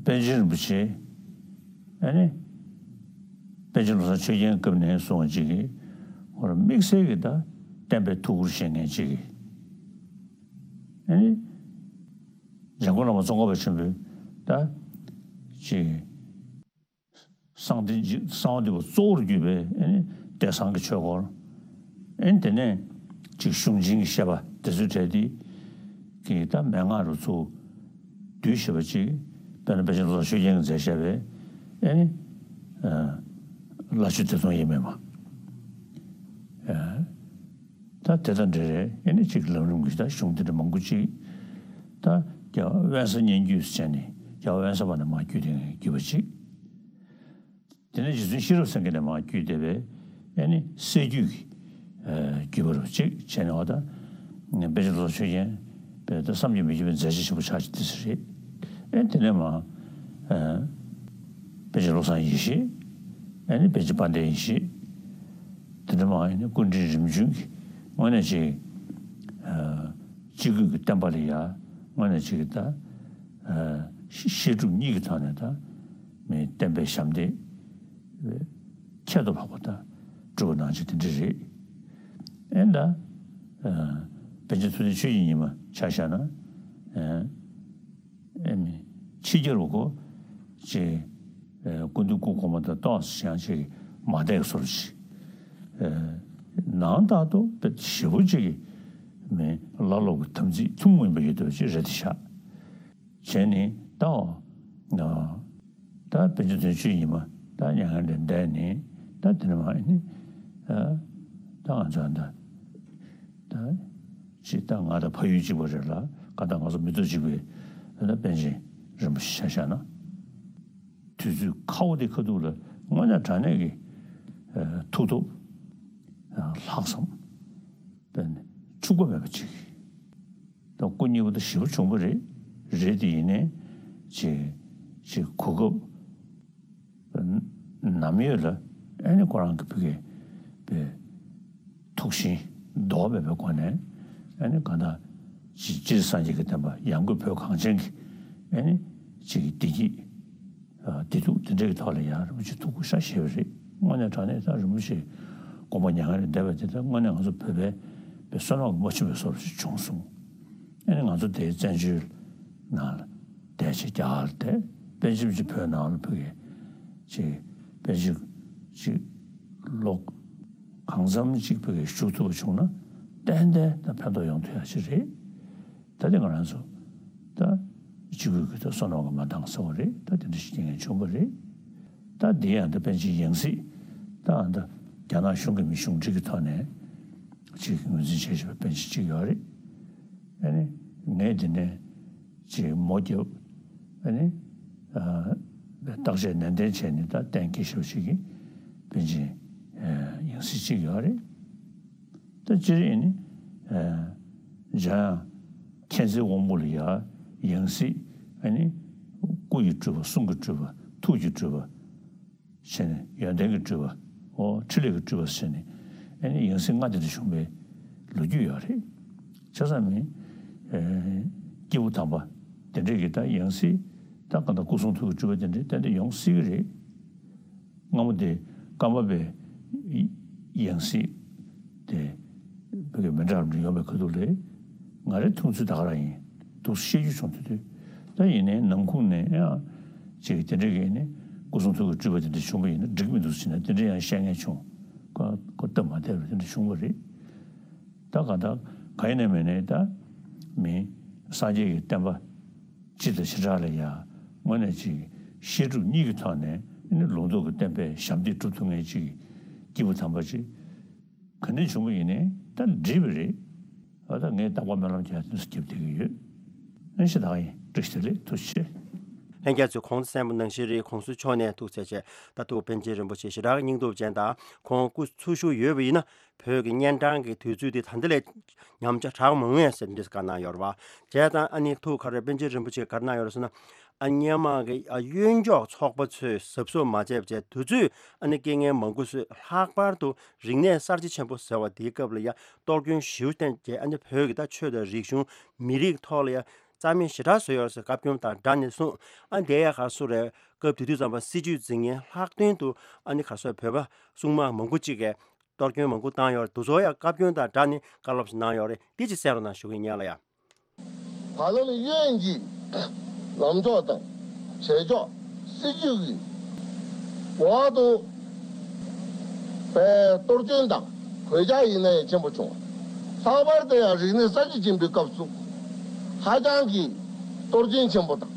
པཎ་ཆེན་རིན་པོ་ཆེ། ཨ་ནི་པཎ་ཆེན་བློ་བཟང་ཆོས་རྒྱན་སྐབས་ནས་བཟུང་བ་ཅིག་གིས་ཧོར་དམིགས་བསལ་གྱི་ད་བསྟན་པའི་ཐུགས་ཁུར་བཞེས་མཁན་ཅིག་གིས། ཨ་ནི་འཇམ་མགོན་བླ་མ་ཙོང་ཁ་པ་ཆེན་པོས་ད་ཅིག་གསང་བདེ་གསང་བ་འདུས་པ་གཙོ་བོར་གྱུར་པའི་ཨེ་ནི་བསྟན་བཟང་གི་ཆོས་སྐོར། ཨེ་ནི་དེ་ནས་ཅིག་གཞུང་ཆེན་གྱི་བཤད་པ་དེ་ཚོའི་གྲས་དེ་གི་ད་མན་ངག་རུ་ཚུགས་བསྡུས་བཞག་པ་ཅིག་དཔེར་ན་པཎ་ཆེན་བློ་བཟང་ཆོས་རྒྱན་གྱིས་མཛད་བཞག་པའི་ཨེ་ནི་ལྷ་ཆོས་སྡེ་སྟོང་དབྱེར་མེད་མ། ཨེ་ད་དེ་དང་འབྲེལ་རེད། ཨེ་ནི་ཅིག་ལམ་རིམ་གྱི་ད་གཞུང་དེ་འདྲ་མང་པོ་ཅིག་ད་རྒྱལ་བ་དབེན་ས་སྙན་བརྒྱུད་ཟེར་ནས་རྒྱལ་བ་དབེན་ས་པ་ནས་མར་བརྒྱུད་དེ་བརྒྱུད་པ་ཅིག་དེ་ནས་རྗེ་བཙུན་ཤེས་རབ་སེང་གེ་ནས་མར་བརྒྱུད་དེ་བས་ཨེ་ནི་སྲད་བརྒྱུད་ཀྱི་ཨ་བརྒྱུད་པ་རུ་གཅིག་བྱས་ནས། འོ་ད་པཎ་ཆེན་བློ་བཟང་ཆོས་རྒྱན་པས་ད་བསམ་གྱིས་མི་ཁྱབ་པའི་མཛད་རྗེས་ཆེན་པོ་ཆགས་ཀྱི་དེ་ཚོ་རེད། ཨེ་དེ་ནས་མར་ཨ་པཎ་ཆེན་བློ་བཟང་ཡེ་ཤེས། ཨེ་ནི་པཎ་ཆེན་དཔལ་ལྡན་ཡེ་ཤེས། དེ་འདྲ་མར་ཨེ་ནི་སྐུ་ཕྲེང་རིམ་བྱོན་གྱི་དངོས་གནས་ཅིག་ཨ་སྤྱི་སྒོས་ཀྱི་བསྟན་པ་ལ་ཡ་དངོས་གནས་ཅིག་ད་ཨ་བཤད་སྒྲུབ་གཉིས་ཀྱི་ཐོག་ནས་ད་མི་བསྟན་པའི་ཞབས་འདེགས་ཁྱད་དུ་འཕགས་པ་དང་སྒྲུབ་པ་ནང་བཞིན་དེ་འདྲ་རེད། ཨེ་ད་ཨ་པཎ་ཆེན་ཐུབ་བསྟན་ཆོས་ཀྱི་ཉི་མ་ཆ་བཞག་ན་ཨ་ཨེ་མི་ཕྱི་རྒྱལ་བ་གོ་ཅེས་ཨ་སྐུ་མདུན་སྐུ་གོང་མ་དང་ཏོག་ཙམ་ཡང་ཅིག་མ་བསྡད་བཟོ་འདྲ་ཅིག་ཨ་ནང་ལྟར་དུ་དཔེ་ཞེ་པོ་ཅིག་གི་མི་བླ་སློབ་ཀྱི་དམ་ཚིག་ཐུན་མོང་མ་ཡིན་པ་ཡོད་དོ་ཅིག་རེད་དེ་ཤག་བྱས་ནས་ད་ཨ་ད་པཎ་ཆེན་ཐུབ་བསྟན་ཆོས་ཀྱི་ཉི་མ་ད་མྱ་ངན་ལས་འདས་ནས་ད་དེ་ནས་མར་ཨེ་ནི་ཨ་ད་ང་ཚོ་ད་ད་ཅིག་ད་ང་དང་ཕ་ཡུལ་གཅིག་པ་རེད་ལ། གང་ལྟར་ང་ཚོ་མི་ཐོག་གཅིག་པའི་ཨ་ད་པཎ་ཆེན་རིན་པོ་ཆེ་ཆ་བཞག་ན། དུས་ཚོད་ཁ་བོ་དེ་ཁ་ཐུག་ལ་དངོས་གནས་དྲང་གནས་ཀྱི་ཨ་ཐུགས་སྟོབས་ཨ་ལྷག་བསམ་དཔེ་འཁྲུག་པ་མེད་པ་ཅིག་ད་སྐུ་མཉེལ་པོ་ད་ཞེ་པོ་བྱུང་བ་རེད། རེད་དེ་ཡིན་ནའི་ཅིག་ཅིག་གོ་སྐབས་ནམ་ཡོད་ལ་ཨ་ནི་ཁོ་རང་གི་ཕ་གི་པའི་ཐུགས་ཞེན་ལྡོག་མེད་པའི་སྒོ་ནས་ཨ་ནི་གང་ལྟར་ཅིག་སྤྱིར་སངས་རྒྱས་ཀྱི་བསྟན་པ་ཡང་སྒོས་བོད་གངས་ཅན་གྱི་ཨ་ནི་ཅིག་བདེ་སྐྱིད་ཨ་བདེ་སྡུག་དེ་འདྲ་གི་ཐོག་ལ་ཡང་རིན་པོ་ཆེ་ཐུགས་ཁུར་ཤ་བཞེས་པ་རེད། དངོས་གནས་དྲང་གནས་ད་རིན་པོ་ཆེ་དགོངས་པ་མྱ་ངན་ལས་འདས་པ་དེ་ད་དངོས་གནས་ང་ཚོ་བོད་པའི་པའི་བསོད་ནམས་ཀྱི་རྨ་ཆུ་བའི་བཟོ་འདྲ་ཞིག་བྱུང་སོང་། ཨ་ནི་ང་ཚོ་དེའི་བཙན་བྱོལ་ནང་ལ་བསྡད་ཅིག་རྒྱ་གར་ལ་བསྡད། དཔེ་ཅིག་ཅིག་བོད་ནང་ལ་ཕ་གི་ཅིག་དཔེ་ཅིག་ཅིག་ལོ་གང་འཚམ་ཅིག་ཕ་གི་བཞུགས་ཐུབ་པ་བྱུང་ན་ཏན་ཏན་ད་ཕན་ཐོགས་ཡོང་ཐུབ་ཡ་ཅིག་རེད། ད་དེ་ང་རང་ཚོ་ད་སྤྱི་སྒོས་ཀྱི་ད་བསོད་ནམས་ཀྱི་མ་འདང་ཟེར་བ་རེད། ད་དེ་འདྲ་ཞིག་རྐྱེན་ངན་བྱུང་བ་རེད། ད་འདི་ཡང་ད་པཎ་ཆེན་ཡང་སྲིད་ད་ཨ་ད་རྒྱ་ནག་གཞུང་གི་མི་གཞུང་འབྲེལ་གྱི་ཐོག་ནས་ཅིག་ངོས་འཛིན་བྱས་བཞག་པའི་པཎ་ཆེན་ཅིག་ཡོད་རེད། ཨ་ནི་ངས་འདི་ནས་ཅིག་མོ་རྒྱབ། ཨ་ནི་ཨ་བརྟག་དཔྱད་ནན་ཏན་བྱས་ནས་ད་གཏན་འཁེལ་ཞེ་པོ་ཅིག་གི་པཎ་ཆེན་ཡང་སྲིད་ཅིག་ཡོད་རེད། ད་སྤྱིར་ཨེ་ནི་ཨ་འཇམ་དབྱངས་མཁྱེན་བརྩེའི་དབང་པོ་ལ་ཡ་ཡང་སྲིད་ཨེ་ནི་སྐུ་ཡི་སྤྲུལ་པ། གསུང་གི་སྤྲུལ་པ། ཐུགས་ཀྱི་སྤྲུལ་པ་བྱས་ནས། ཡོན་ཏན་གྱི་སྤྲུལ་པ། འོ་འཕྲིན་ལས་ཀྱི་སྤྲུལ་པ་བྱས་ནས་ཨེ་ནི་ཡང་སྲིད་ལྔ་དེ་འདྲ་བྱུང་བའི་ལོ་རྒྱུས་ཡོད་རེད། བྱས་ཙང་ནི་ཨེ་སྐྱེས་བུ་དམ་པ་དེ་འདྲས་ཀྱི་ད་ཡང་སྲིད་ ད་གང་ལྟར་སྐུ་གསུང་ཐུགས་ཀྱི་སྤྲུལ་པ་དེ་འདྲའི་ཏན་ཏན་ཡོང་སྲིད་ཀྱི་རེད། སྔ་མོ་དེ་ཀརྨ་པའི་ཡང་སྲིད་དེ་བོད་ཀྱི་མི་འདྲ་བ་འདྲ་ཡོང་བའི་ཁ་ཐུག་ལས། ང་རའི་མཐོང་ཚུལ་ད་ག་རང་ཡིན། འདུག་སེ་བཤད་རྒྱུ་བྱུང་དུས་དུས། ད་ཡིན་ནའི་ནང་ཁུངས་ནས་ཡང་ཅིག་དེ་འདྲ་གི་ནི་སྐུ་གསུང་ཐུགས་ཀྱི་སྤྲུལ་པ་དེ་འདྲ་བྱུང་བ་ཡིན་ན་འགྲིག་མི་འདུག་ཟེར་ན། དེ་འདྲ་ཡང་བཤད་མཁན་བྱུང་། ཁོ་ཁོ་སྟབས་མ་བདེ་བ་དེ་འདྲ་བྱུང་བ་རེད། ད་གང་ལྟར་གང་ཡིན་ནའི་མིན་ནའི་ད་མི་སངས་རྒྱས་ཀྱི་བསྟན་པ་སྤྱི་དང་བྱེ་བྲག་ལ་ཡ་དངོས་གནས་ཅིག་བཤད་སྒྲུབ་གཉིས་ཀྱི་ཐོག་ནས་ནི་ལུང་རྟོགས་ཀྱི་བསྟན་པའི་ཞབས་འདེགས་སྒྲུབ་ཐུབ་མཁན་ཅིག་སྐྱེས་བུ་དམ་པ་ཅིག་ག་འདྲ་བྱུང་བ་ཡིན་ནའི་ད་འགྲིག་པ་རེད། ཨ་ད་ངས་རྟག་པར་སྨོན་ལམ་རྒྱག་དུས་སུ་སྐྱབས་བསྡད་ཀྱི་ཡོད། ཨ་ཞེ་དྲག་ཡིན། བཀྲ་ཤིས་བདེ་ལེགས། ཐུགས་རྗེ་ཆེ། ལྷན་རྒྱས་ཚོས་གོང་དུ་གསན་པ་ནང་བཞིན་རེད། གོང་ས་མཆོག་ནས་ཐུགས་རྗེ་ཆེ། ད་ཐུགས་པཎ་ཆེན་རིན་པོ་ཆེ་ཞེ་དྲག་སྙིང་སྟོབས་ཅན་དང་ཁོང་སྐུ་འཚོ་བཞུགས་ཡོད་པ་ཡིན་ན། བོད་ཀྱི་གཉན་འཕྲང་གི་དུས་ཚོད་འདི་ད་འདི་ལས་ཉམས་ཆག་དྲག་མ་འོང་ངེས་ཟེར་འདི་བཀའ་གནང་ཡོད་རེད་བ། བྱས་ཙང་ཨ་ནི་ཐུགས་ཁ་རེ་པཎ་ཆེན་རིན་པོ་ཆེས་ག་རེ་གནང་ཡོད་རེད་ཟེར་ན། ཨ་སྔོན་མ་གི་ཨ་གཡོན་ཕྱོགས་ཚོགས་པ་ཚོས་གཟབ་གཟབ་མ་བྱས་པ་བྱས་དུས་ཚོད་ཨ་ནི་རྐྱེན་ངན་མང་པོ་བཟོས། ལྷག་པར་དུ་རིག་གནས་གསར་བརྗེ་ཆེན་པོ་ཟེར་བ་དེའི་སྐབས་ལ་ཡ་གཏོར་སྐྱོན་ཞེ་པོ་བསྟན་བྱས། ཨ་ནི་བོད་ཀྱི་ད་ཆོས་དང་རིག་གཞུང་མི་རིགས་ཐོག་ལ་ཡ་རྩ་མེད་ཞེ་དྲག་བཟོས་ཡོད་ཟེར་བཀའ་བཀྱོན་དང་སྦྲགས་ནས་གསུངས། ཨ་དེ་ཡ་ག་སུ་རེད། སྐབས་དེ་དུས་ཙམ་པ་སྲིད་བྱུས་འཛིན་མཁན་ལྷག་དོན་དུ་ཨ་ནི་ག་སོ་བོད་པ་སྲུང་མ་མང་པོ་གཅིག་གིས་གཏོར་སྐྱོན་མང་པོ་བཏང་ཡོད་རེད། དེ་ཚོ་ཡང་བཀའ་བཀྱོན་དང་སྦྲགས་ནས་བཀའ་སློབ་ཞིག་གནང་ཡོད་རེད། དེ་ཅིག་གསན་རོགས་གནང་ཞུ་གི་ཡིན། ཡ་ལ་ཡ། བར་ལམ་གཡོན་གྱི་ལམ་ཕྱོགས་དང་བྱེད་ཕྱོགས་སྲིད་བྱུས་ཀྱི་འོག་ཏུ་པའི་གཏོར་སྐྱོན་དང་གོད་ཆག་ཡིན་ན་ཡང་ཆེན་པོ་བྱུང་བ། ལྷག་པར་དུ་ཡང་རིག་གནས་གསར་བརྗེ་ཆེན་པོའི་སྐབས་སུ་ཧ་ཅང་གི་གཏོར་སྐྱོན་ཆེན་པོ་དང་།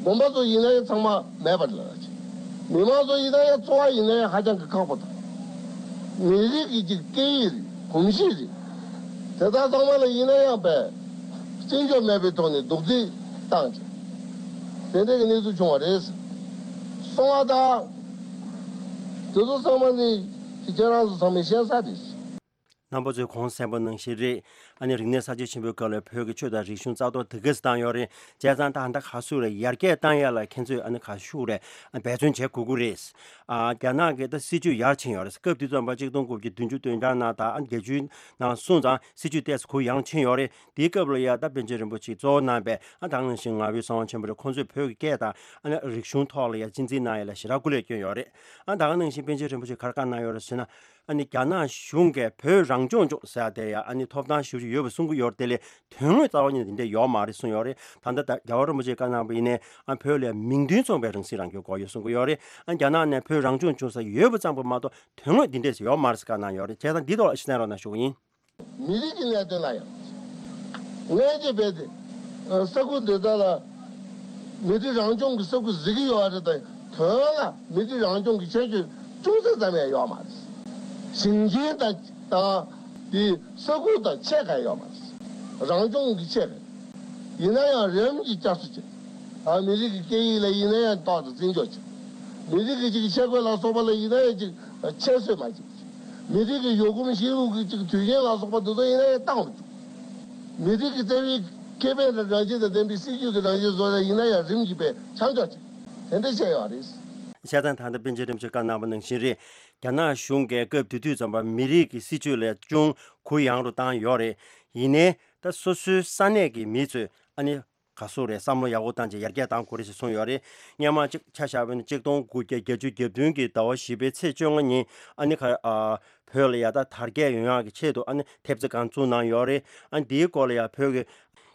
དགོན་པ་ཚོ་ཡིན་ན་ཡང་ཚང་མ་མེད་པ་ལ། མི་མང་ཚོ་ཡིན་ན་ཡང་འཚོ་བ་ཡིན་ན་ཡང་ཧ་ཅང་གི་ཁག་པོ་དང་། མི་རིགས་ཀྱི་ཅིག་སྐད་ཡིག་རེད། གོམས་གཤིས་རེད། དེ་དག་ཚང་མ་ལ་ཡིན་ན་ཡང་པས་བརྩི་འཇོག་མེད་པའི་ཐོག་ནས་གདུག་རྩུབ་བཏང་བྱས། དེ་འདྲ་གི་གནས་ཚུལ་བྱུང་བ་རེད། སོང་བ་དང་། དེ་ཚོ་ཚང་མ་ནི་ཁྱེད་རང་ཚོ་ཚང་མས་ཤེས་གསལ་རེད། རྣམ་པ་ཚོས་གོང་གསན་པ་ནང་བཞིན་རེད། ཨ་ནི་རིག་གནས་གསར་བརྗེ་ཆེན་པོའི་སྐབས་ལ་བོད་ཀྱི་ཆོས་དང་རིག་གཞུང་རྩ་གཏོར་དེ་ག་ཙམ་བཏང་ཡོད་རེད། བྱས་ཙང་ད་ལྟ་ག་ཚོད་རེད། ཡར་རྒྱས་བཏང་ཡ་ལ་ཁྱེད་ཚོས་ཨ་ནི་ག་ཤུགས་རེད། འབད་བརྩོན་བྱེད་དགོས་ཀྱི་རེད། ཨ་རྒྱ་ནག་གི་ད་སྲིད་བྱུས་ཡར་ཕྱིན་ཡོད་རེད། སྐབས་དེ་ཙམ་པ་གཅིག་སྟོང་དགུ་བརྒྱ་བདུན་ཅུ་དོན་གྲངས་ནང་དང་ཨ་བརྒྱད་ཅུའི་ནང་སོང་ཙང་སྲིད་བྱུས་ཏོག་ཙམ་གུ་ཡངས་ཕྱིན་ཡོད་རེད། དེའི་སྐབས་ལ་ཡ་ད་པཎ་ཆེན་རིན་པོ་ཆེས་གཙོ་བོ་གནང་པའི་ཨ་ད་ག་ནང་བཞིན་ངག་དབང་གསང་བ་ཆེན་པོ་རེད། ཁོང་ཚོས་བོད་ཀྱི་སྐད་དང་ཨ་ནི་རིག་གཞུང་ཐོག་ལ་ཡ་གཅེས་འཛིན་གནང་ཡ་ལ་ཞེ་དྲག་སྐུ་ལས་བསྐྱོན་ཡོད་རེད། ཨ་ད་ག་ནང་བཞིན་པཎ་ཆེན་རིན་པོ་ཆེས་ག་རེ་བཀའ་གནང་ཡོད་རེད་ཟེར་ན། ཨ་ནི་རྒྱ་ནག་གཞུང་གིས་བོད་རང་སྐྱོང་ལྗོངས་ཟེར་ཡ་དེ་ཡ་ཨ་ནི་ཐོབ་ཐང་ཞེ་པོ་ཅིག་ཡོད་པ་གསུང་གི་ཡོད་རེད། དེ་ལས་དོན་དངོས་རྩ་བ་ཉིད་ནས་དེ་འདྲ་ཡོད་མ་རེད་གསུངས་ཡོད་རེད། ད་ལྟ་ད་རྒྱལ་བ་རིན་པོ་ཆེས་བཀའ་གནང་པ་ཡིན་ནའི་ཨ་བོད་ལ་མིང་དོན་མཚུངས་པའི་རང་སྲིད་རང་སྐྱོང་དགོས་ཡོད་གསུང་གི་ཡོད་རེད། ཨ་རྒྱ་ནག་ནས་བོད་རང་སྐྱོང་བྱུང་ས་ཡོད་པ་ཙམ་པ་མ་གཏོགས་དོན་དངོས་འདི་འདྲས་ཡོད་མ་རེད་ཟེར་བཀའ་གནང་ཡོད་རེད། བྱས་ཙང་འདི་ཐོག་ལ་ཤེས་གསལ་རོགས་གནང་ཞུ་གི་ཡིན། མི་རིགས་ཀྱི་གནད་དོན་ལ་ཡང་། སྔོན་གྱི་བོད་དེ་ས་ཁུལ་འདི་དག་ལ་མི་རིགས་རང་སྐྱོང་གི་ས་ཁུལ་ཟེར་གྱི་ཡོད་རེད་དེ། དོན་ལ་མི་རིགས་རང་སྐྱོང་གི་ཁྱད་ཆོས་ཅུང་ཟད་ཙམ་ཡང་ཡོད་མ་རེད། ཞིང་ཆེན་དང་དང་དེ་ས་ཁུལ་དང་ཕྱེད་ཀ་ཡོད་མ་རེད། རང་སྐྱོང་གི་ཕྱེད་ཀ་ཡིན་ན་ཡང་རིམ་གྱིས་བསྐྱར་གསོ་བྱེད། ཨ་མི་རིགས་ཀྱི་སྐད་ཡིག་ལ་ཡིན་ན་ཡང་ཏོག་ཙམ་བརྩི་འཇོག་བྱེད། མི་རིགས་ཀྱི་ཅིག་ཆས་གོས་ལ་སོགས་པ་ལ་ཡིན་ན་ཡང་ཅིག་ཁྱད་གསོད་མ་བྱེད། མི་རིགས་ཀྱི་ཡུལ་གོམས་གཤིས་ལུགས་ཀྱི་ཅིག་དུས་ཆེན་ལ་སོགས་པ་འདི་ཚོ་ཡིན་ན་ཡང་བཏང་རུ་བཅུག། མི་རིགས་ཀྱི་རྩ་བའི་ཁེ་ཕན་དང་རང་བཞིན་དང་ལྡན་པའི་སྲིད་ཇུས་ཀྱི་རང་བཞིན་བཟོ་ཡ་ཡིན་ན་ཡང་རིམ་གྱིས་པས་ཆ་འཇོག་བྱེད། དེ་འདྲ་བྱས་ཡོད་རེད། བྱས་ཙང་ད་ལྟ་པཎ་ཆེན་རིན་པོ་ཆེས་བཀའ་གནང་པ་ནང་བཞིན་རེད། རྒྱ་ནག་གཞུང་གིས་སྐབས་དེ་དུས་ཙམ་པ་མི་རིགས་ཀྱི་སྲིད་ཇུས་ལ་ཅུང་གུ་ཡངས་རུ་བཏང་ཡོད་རེད། ཡིན་ནའི་ད་སོ་སོའི་ས་གནས་ཀྱི་མི་ཚོས་ཨ་ནི་ག་ཟུག་རེད། བསམ་བློ་ཡག་པོ་བཏང་བྱས་ཡར་རྒྱས་གཏང་དགོས་རེད་ཅེས་གསུངས་ཡོད་རེད། སྔོན་མ་གཅིག་ཆ་བཞག་པ་ཡིན་ན་གཅིག་སྟོང་དགུ་བརྒྱ་བརྒྱད་ཅུ་གྱ་བདུན་གྱི་ཟླ་བ་བཞི་པའི་ཚེས་བཅོ་ལྔ་ཉིན་ཨ་ནི་ཁ་ཨ་བོད་ལ་ཡ་ད་དར་རྒྱས་ཡོང་ཡག་གི་ཆེད་དུ་ཨ་ནི་ཐེབས་རྩ་སྒང་བཙུགས་གནང་ཡོད་རེད། ཨ་ནི་འདིའི་སྐོར་ལ་ཡ་བོད་ཀྱི་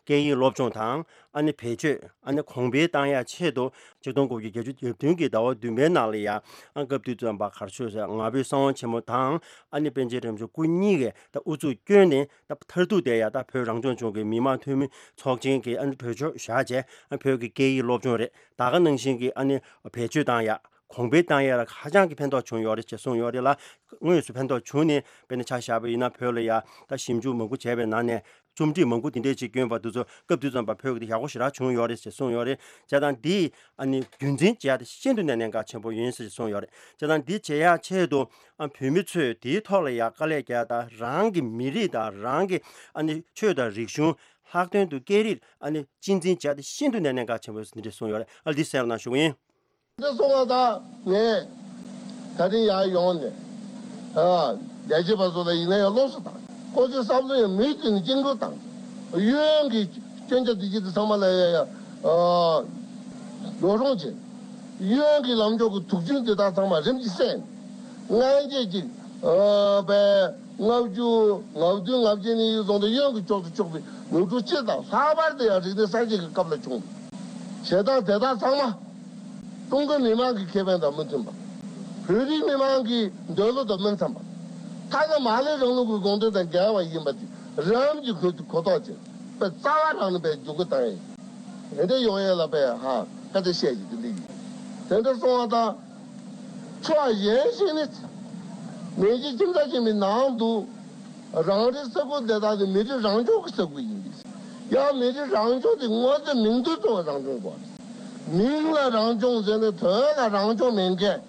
སྐད་ཡིག་སློབ་སྦྱོང་དང་ཨ་ནི་བེད་སྤྱོད་ཨ་ནི་གོང་འཕེལ་བཏང་ཡག་ཆེད་དུ་གཅིག་སྟོང་དགུ་བརྒྱ་བརྒྱད་ཅུ་གྱ་བདུན་གྱི་ཟླ་བ་བདུན་པའི་ནང་ལ་ཡ་ཨ་སྐབས་དུས་ཙམ་པ་ག་རེ་ཟེར་ཟེར་ངག་དབང་གསང་བ་ཆེན་པོ་དང་ཨ་ནི་པཎ་ཆེན་རིན་པོ་ཆེ་སྐུ་གཉིས་ཀས་ད་ཨུ་ཚུགས་བསྐྱོན་ནས། ད་མཐར་ཐུག་དེ་ཡ་ད་བོད་རང་སྐྱོང་ལྗོངས་ཀྱི་མི་དམངས་འཐུས་མི་ཚོགས་ཆེན་གྱི་ཨ་ནི་གྲོས་ཆོད་བཞག་བྱས་ཨ་བོད་ཀྱི་སྐད་ཡིག་སློབ་སྦྱོང་རེད། ད་ག་ནང་བཞིན་གྱི་ཨ་ནི་བེད་སྤྱོད་བཏང་ཡ། གོང་འཕེལ་བཏང་ཡ་ལ་ཧ་ཅང་གི་ཕན་ཐོགས་བྱུང་ཡོད་རེད་ཅེས་གསུངས་ཡོད་རེད་ལ། དངོས་སུ་ཕན་ཐོགས་བྱུང་ནས་དཔེར་ན་ཆ་བཞག་པ་ཡིན་ན་བོད་ལ་ཡ་ད་ཞིབ་འཇུག་མང་པོ་བྱས་པའི་ནང་ནས་རྩོམ་སྒྲིག་མང་པོ་དེ་འདྲས་ཅིག་བསྐྱོན་པ་དེ་ཚོ་སྐབས་དེ་ཙམ་པ་བོད་ཀྱི་དེ་ཡག་པོ་ཞེ་དྲག་བྱུང་ཡོད་རེད་ཅེས་གསུངས་ཡོད་རེད། བྱས་ཙང་འདི་ཨ་ནི་རྒྱུན་འཛིན་བྱེད་ཡ་དེ་ཤིན་ཏུ་ནས་གནད་འགག་ཆེན་པོ་ཡིན་ཟེར་གསུངས་ཡོད་རེད། བྱས་ཙང་འདི་བྱེད་ཡ་ཆེད་དུ། ཨ་བོད་མི་ཚོས་དེའི་ཐོག་ལ་ཡ་དཀའ་ལས་བརྒྱབ་དང་རང་གི་མི་རིགས་དང་རང་གི་ཨ་ནི་ཆོས་དང་རིག་གཞུང་ལྷག་དོན་དུ་སྐད་རིགས་ཨ་ནི་གཅེས་འཛིན་བྱས་ཏེ་ཤིན་ཏུ་ནས་གནད་འགག་ཆེན་པོ་ཡིན་ཟེར་འདི་འདྲ་གསུངས་ཡོད་རེད། ཨ་འདི་གསན་རོགས་གནང་ཞུ་གི་ཡིན། འདི་གསུངས་པ་དང་ངས་ད་རིང་ཡར་ཡོང་ནས་ཨ་ལས་བྱེད་པ་ཚོ་ལ་ཡིན་ན་ཡང་སློབ་གསོ་དང་ཁོ་ཚོའི་བསམ་བློ་ཡང་མུ་མཐུད་ནས་བཅིངས་འགྲོལ་དང་གཡོན་གྱི་སྐྱོན་ཆ་འདི་ཅི་འདི་ཚང་མ་ལ་ཡ་ཡ་ཨ་ ཡོ་རོང་ཅན། གཡོན་གྱི་ལམ་ཕྱོགས་ཀྱི་དུག་ཆུ་འདི་དག་ཚང་མ་རིམ་གྱིས་བསལ། སྔན་ཆད་ཅིག་ཨ་པའི་ལྔ་བཅུ་ང་བདུན་ལྔ་བཅུ་ནས་བཟུང་སྟེ་གཡོན་གྱི་ཕྱོགས་སུ་ཕྱོགས་པའི་ནུབ་ཕྱོགས་སྤྱི་དང་ལྷག་པར་དུ་ཡང་རིག་གནས་གསར་བརྗེ་གི་སྐབས་ལ་བྱུང་། བྱེད་སྟངས་དེ་དག་ཚང་མ་ཀྲུང་གོ་མི་དམངས་ཀྱི་ཁེ་ཕན་དང་མི་མཐུན་པ། བོད་རིགས་མི་དམངས་ཀྱི་འདོད་བློ་དང་མི་འཚམ་པ། ཐ་ན་མར་ལེ་རིང་ལུགས་ཀྱི་དགོངས་དོན་དང་འགལ་བ་ཡིན་པ་དེ་རང་གི་གོ་གོ་རྟོགས་བྱས་པའི་རྩ་བ་རང་ནས་པའི་འཇུག་སྒོ་བཏང་ཡས། དེ་འདྲ་ཡོང་ཡས་ལ་པའི་ཧ་ཁ་ཏ་བཤད་ཀྱི་དེ་འདྲ་ཡིན། དེ་འདྲ་སོང་བ་དང་། ཕྱོགས་གཞན་ཞིག་ནི། མེས་རྒྱལ་ཁྱིམ་ཚང་ཆེན་མོའི་ནང་དུ། རང་རེའི་ས་ཁུལ་དེ་དག་ནི་མི་རིགས་རང་སྐྱོང་གི་ས་ཁུལ་ཡིན་པས། ཡང་མི་རིགས་རང་སྐྱོང་དེ་དངོས་གཙོ་མིང་དོན་གཙོ་བོ་རང་སྐྱོང་དགོས། མིང་ལ་རང་སྐྱོང་ཟེར་ནས་དོན་ལ་རང་སྐྱོང་མེད་མཁན།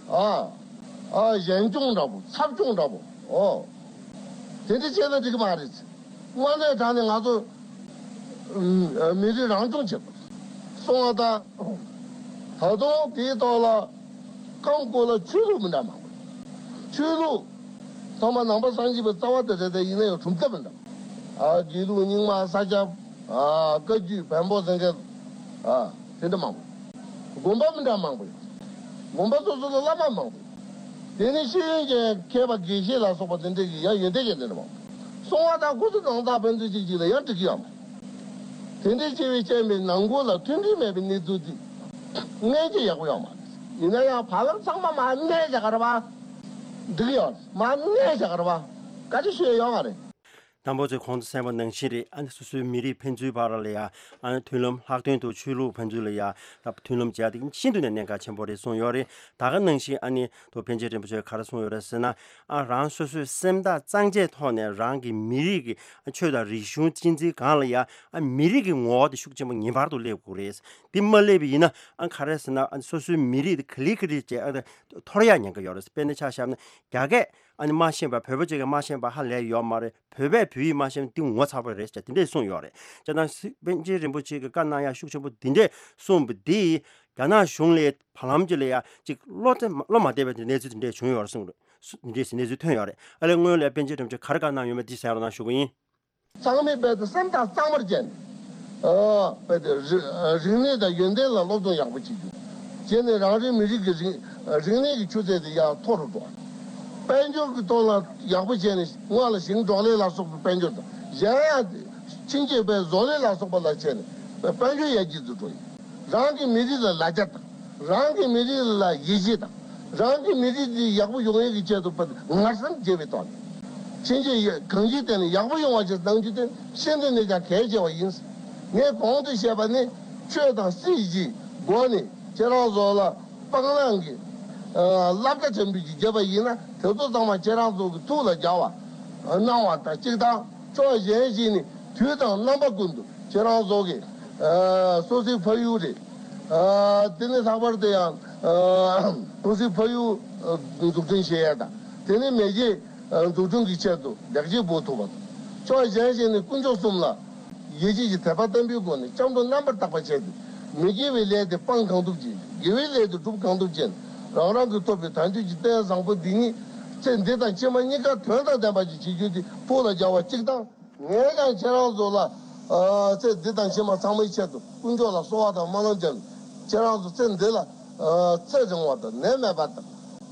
ཨ། ཨ་གཞན་སྐྱོང་འདྲ་པོ་ཚབ་སྐྱོང་འདྲ་པོ། ཨོ། དེ་འདྲ་བྱས་ན་འགྲིག་གི་མ་རེད། དངོས་གནས་དྲང་ནས་ང་ཚོ་ཨ་མི་རིགས་རང་སྐྱོང་བྱེད་དགོས། སོང་བ་དང་། ད་དུང་དེའི་ཐོག་ལ་ཁམས་སྐོར་ལ་ཆོས་ལུགས་མི་འདྲ་མང་པོ། ཆོས་ལུགས་ཚང་མ་ནང་པ་སངས་རྒྱས་པའི་རྩ་བ་དེ་རེད་དེ། ཡིན་ན་ཡང་གྲུབ་མཐའ་མི་འདྲ། ཨ་དགེ་ལུགས་རྙིང་མ་ས་སྐྱ། ཨ་བཀའ་བརྒྱུད་བོན་པོ་ཟེར་མཁན། ཨ་དེ་འདྲ་མང་པོ། དགོན་པ་མི་འདྲ་མང་པོ་ཡོད། དགོན་པ་སོ་སོ་ལ་བླ་མ་མང་པོ་ཡོད། དེ་ནས་ཤེས་ཡོན་ཅན་མཁས་པ་དགེ་བཤེས་ལ་སོགས་པ་དེ་འདྲ་གི་ཡང་ཡོན་ཏན་ཅན་དེ་འདྲ་མང་པོ། སོང་བ་དང་ཁོ་ཚོ་ནང་ཚགས་ཕན་ཚུན་གཅིག་གཅིག་ལ་ཡང་འགྲིག་གི་ཡོད་མ་རེད། དེ་འདྲའི་སྐྱེ་བའི་སྐྱེ་མེད་ནང་ཁུལ་ལ་མཐུན་སྒྲིལ་མེད་པའི་གནས་ཚུལ་འདི་སྔོན་ཆད་ཡག་པོ་ཡོད་མ་རེད། ཡིན་ན་ཡང་བར་ལམ་ཚང་མ་མར་གནས་བཞག་ག་རེད་པ། འགྲིག་གི་ཡོད་རེད། མར་གནས་བཞག་ག་རེད་པ། བཀའ་དྲིན་ཆེ་ཡོད་མ་རེད། དང་པོ་ཚོས་གོང་དུ་གསན་པ་ནང་བཞིན་རེད། ཨ་ནི་སོ་སོའི་མི་རིགས་ཕན་ཚུན་བར་ལ་ཡ་ཨ་ནི་མཐུན་ལམ། ལྷག་དོན་དུ་ཆོས་ལུགས་ཕན་ཚུན་ལ་ཡ་ད་མཐུན་ལམ་བྱས་ཏེ་ཤིན་ཏུ་ནས་གནད་འགག་ཆེན་པོ་རེད་གསུངས་ཡོད་རེད། ད་ག་ནང་བཞིན་ཨ་ནི་ཐུབ་པཎ་ཆེན་རིན་པོ་ཆེས་ག་རེ་གསུངས་ཡོད་རེད་ཟེར་ན། ཨ་རང་སོ་སོའི་སེམས་ཐག་གཙང་བཅད་ཐོག་ནས་རང་གི་མི་རིགས་ཀྱི་ཆོས་དང་རིག་གཞུང་གཅེས་འཛིན་སྒང་ལ་ཡ་ཨ་མི་རིགས་ཀྱི་ངོ་བོ་དེ་ཤུགས་ཆེན་པོ་ངེས་པར་དུ་སླེབས་དགོས་རེད། དེ་མ་སླེབས་པ་ཡིན་ན་ཨ་ག་རེ་ཟེར་ན། ཨ་སོ་སོའི་མི་རིགས་དེ་ག་ལེ་ག་ལེ་བྱས་ཨ་འཐོར་ཡག་ཉེན་ཁ་ཡོད་རེད། དཔེར་ན་ཆ་བཞག་ན་རྒྱ་སྐད་ཨ་ནི་མ་ཤེས་པ། བོད་པ་གཅིག་གིས་མ་ཤེས་པ་ཧ་ལས་ཡོད་མ་རེད། བོད་པས་བོད་ཡིག་མ་ཤེས་ན་དེ་ངོ་ཚ་པོ་རེད་ཟེར་དེ་འདྲས་གསུངས་ཡོད་རེད། བྱས་ཙང་སི་པཎ་ཆེན་རིན་པོ་ཆེ་གིས་བཀའ་གནང་ཡག་ཤུགས་ཆེན་པོ་དེ་འདྲས་གསུངས་པ་འདིས་རྒྱ་ནག་གཞུང་ལ་བར་ལམ་གཅིག་ལ་ཡ་གཅིག་བློ་བདེ་བློ་མ་བདེ་བའི་གནས་ཚུལ་དེ་འདྲས་བྱུང་ཡོད་རེད་གསུངས་རེད། སུ་དེ་འདྲས་སུ་གནས་ཚུལ་ཐོན་ཡོད་རེད། ཨ་ལས་སྔོན་ལ་པཎ་ཆེན་རིན་པོ་ཆེས་ག་རེ་བཀའ་གནང་ཡོད་མེད་དེ་གསན་རོགས་གནང་ཞུ་གི་ཡིན། ཚང་མས་རྦད་དེ་སེམས་ཐག་གཙང་མར་བཅད་ནས། ཨ་རྦད་དེ་རིག་རིག་གནས་དང་ཡོན་ཏན་ལ་སློབ་སྦྱོང་ཡག་པོ་བྱེད་རྒྱུ། བྱས་ནས་རང་རེའི་མི་རིགས་ཀྱི་རིག་རིག་གནས་ཀྱི་ཆུ་ཚད་དེ་ཡར་མཐོ་རུ་འགྲོ། དཔལ་འབྱོར་གྱི་ཐོག་ལ་ཡག་པོ་བྱས་ནས་སྔོན་ལ་ཞིང་འབྲོག་ལས་ལ་སོགས་པའི་དཔལ་འབྱོར་དང་། གཞན་ཡང་ཕྱིན་ཆད་པའི་བཟོ་ལས་ལ་སོགས་པ་ལ་བྱས་ནས་དཔལ་འབྱོར་ཡར་རྒྱས་སུ་འགྲོ་ཡི། རང་གི་མི་རིགས་ལ་ལ་རྒྱ་དང་། རང་གི་མི་རིགས་ལ་ཡིད་ཆེས་དང་། རང་གི་མི་རིགས་འདི་ཡག་པོ་ཡོང་ཡག་གི་ཆེད་དུ་ངར་སེམས་བརྗེ་བའི་ཐོག་ནས། ཕྱིན་ཆད་གང་ཅིའི་སྟེང་ནས་ཡག་པོ་ཡོང་བ་ཞིག་གནང་རྒྱུ་དེ་ཤིན་ཏུ་ནས་ཀྱང་གལ་ཆེ་བ་ཡིན། ངས་གོང་དུ་བཤད་པ་ནི་ཆོས་དང་སྲིད་ཀྱི་སྒོ་ནས་ཁྱེད་རང་ཚོ་ལ་སྤང་བླང་གི་ཨ་བསླབ་བྱ་ཆེན་པོ་ཞིག་བརྒྱབ་པ་ཡིན་ན། དེ་ཚོ་ཚང་མ་ཁྱེད་རང་ཚོ་གི་ཐུགས་ལ་འཇགས་པ་གནང་བ་དང་གཅིག་དང་། ཕྱོགས་གཞན་ཞིག་ནས་དུས་དང་རྣམ་པ་ཀུན་ཏུ་ཁྱེད་རང་ཚོ་གི་ཨ་སོ་སོའི་ཕ་ཡུལ་རེད། ཨ་དེ་ནས་ལྷག་པར་དུ་ཡང་ཨ་སོ་སོའི་ཕ་ཡུལ་ཨ་འཛུགས་སྐྲུན་བྱེད་ཡས་དང་། དེ་ནས་མེས་རྒྱལ་ཨ་འཛུགས་སྐྲུན་གྱི་ཆེད་དུ་ལེགས་སྐྱེས་འབུལ་ཐུབ་པ་དང་། ཕྱོགས་གཞན་ཞིག་ནས་དཀོན་མཆོག་གསུམ་ལ་ཡིད་ཆེས་ཀྱི་དད་པ་བརྟན་པོའི་སྒོ་ནས་སྐྱབས་འགྲོ་རྣམ་པར་དག་པ་བྱས་ཏེ། མི་དགེ་བའི་ལས་དེ་སྤང་གང་ཐུབ་ཅིང་། དགེ་བའི་ལས་དེ་སྒྲུབ་གང་ཐུབ་ཅིང་། རང་རང་གིས་ཐོབ་པའི་དལ་འབྱོར་གྱི་རྟེན་བཟང་པོ་འདི་ཉིད་ཚེ་འདི་དང་ཕྱི་མ་གཉིས་ཀ་དོན་དང་ལྡན་པ་ཞིག་བྱེད་རྒྱུ་དེ་ཐུགས་ལ་འཇགས་པ་གཅིག་དང་། ངས་ཀྱང་ཁྱེད་རང་ཚོ་ལ་ཨ་ཚེ་འདི་དང་ཕྱི་མ་ཚང་མའི་ཆེད་དུ་དཀོན་མཆོག་ལ་གསོལ་བ་དང་སྨོན་ལམ་བརྒྱབ་ནས། ཁྱེད་རང་ཚོ་ཚེ་འདི་ལ་ཨ་ཚེ་རིང་བ་དང་ནད་མེད་པ་དང་།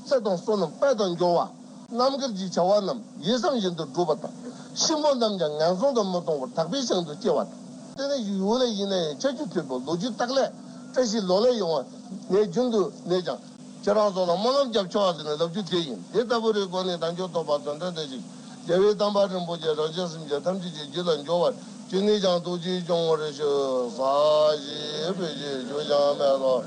ཚེ་དང་བསོད་ནམས་དཔལ་དང་འབྱོར་བ། རྣམ་དཀར་གྱི་བྱ་བ་རྣམས་ཡིད་བསམ་བཞིན་དུ་འགྲུབ་པ་དང་། གཤིན་པོ་རྣམས་ཀྱང་ངན་སོང་དུ་མི་ལྟུང་བར་དག་པའི་ཞིང་དུ་སྐྱེ་བ་དང་། དེ་ནས་ཡུལ་ལ་ཡིན་ན་ཡང་ཆར་ཆུ་དྲོད་འབབ། ལོ་རྒྱུས་རྟགས་ལས་བཀྲ་ཤིས་ལོ་ལེགས་ཡོང་བ་ངས་རྒྱུན་དུ་ནས་ཀྱང་ཁྱེད་རང་ཚོ་ལ་སྨོན་ལམ་རྒྱབ་ཆོག་ཟེར་ནས་ལབ་རྒྱུ་དེ་ཡིན། དེ་ལྟ་བུ་རེའི་སྒོ་ནས་དལ་འབྱོར་ཐོབ་པ་དོན་དམ་བདེ་ཞིང་རྒྱལ་བའི་བསྟན་པ་རིན་པོ་ཆེ་རང་གཞན་སེམས་ཅན་ཐམས་ཅད་ཀྱི་རྒྱུད་ལ་འབྱོར་བར་ཅི་ནས་ཀྱང་ཐུགས་རྗེ་སྐྱོང་བར་ཞུ། ས་གཞི་བོད་ཀྱི་རྒྱུ་ཞིང་མེ་ཏོག་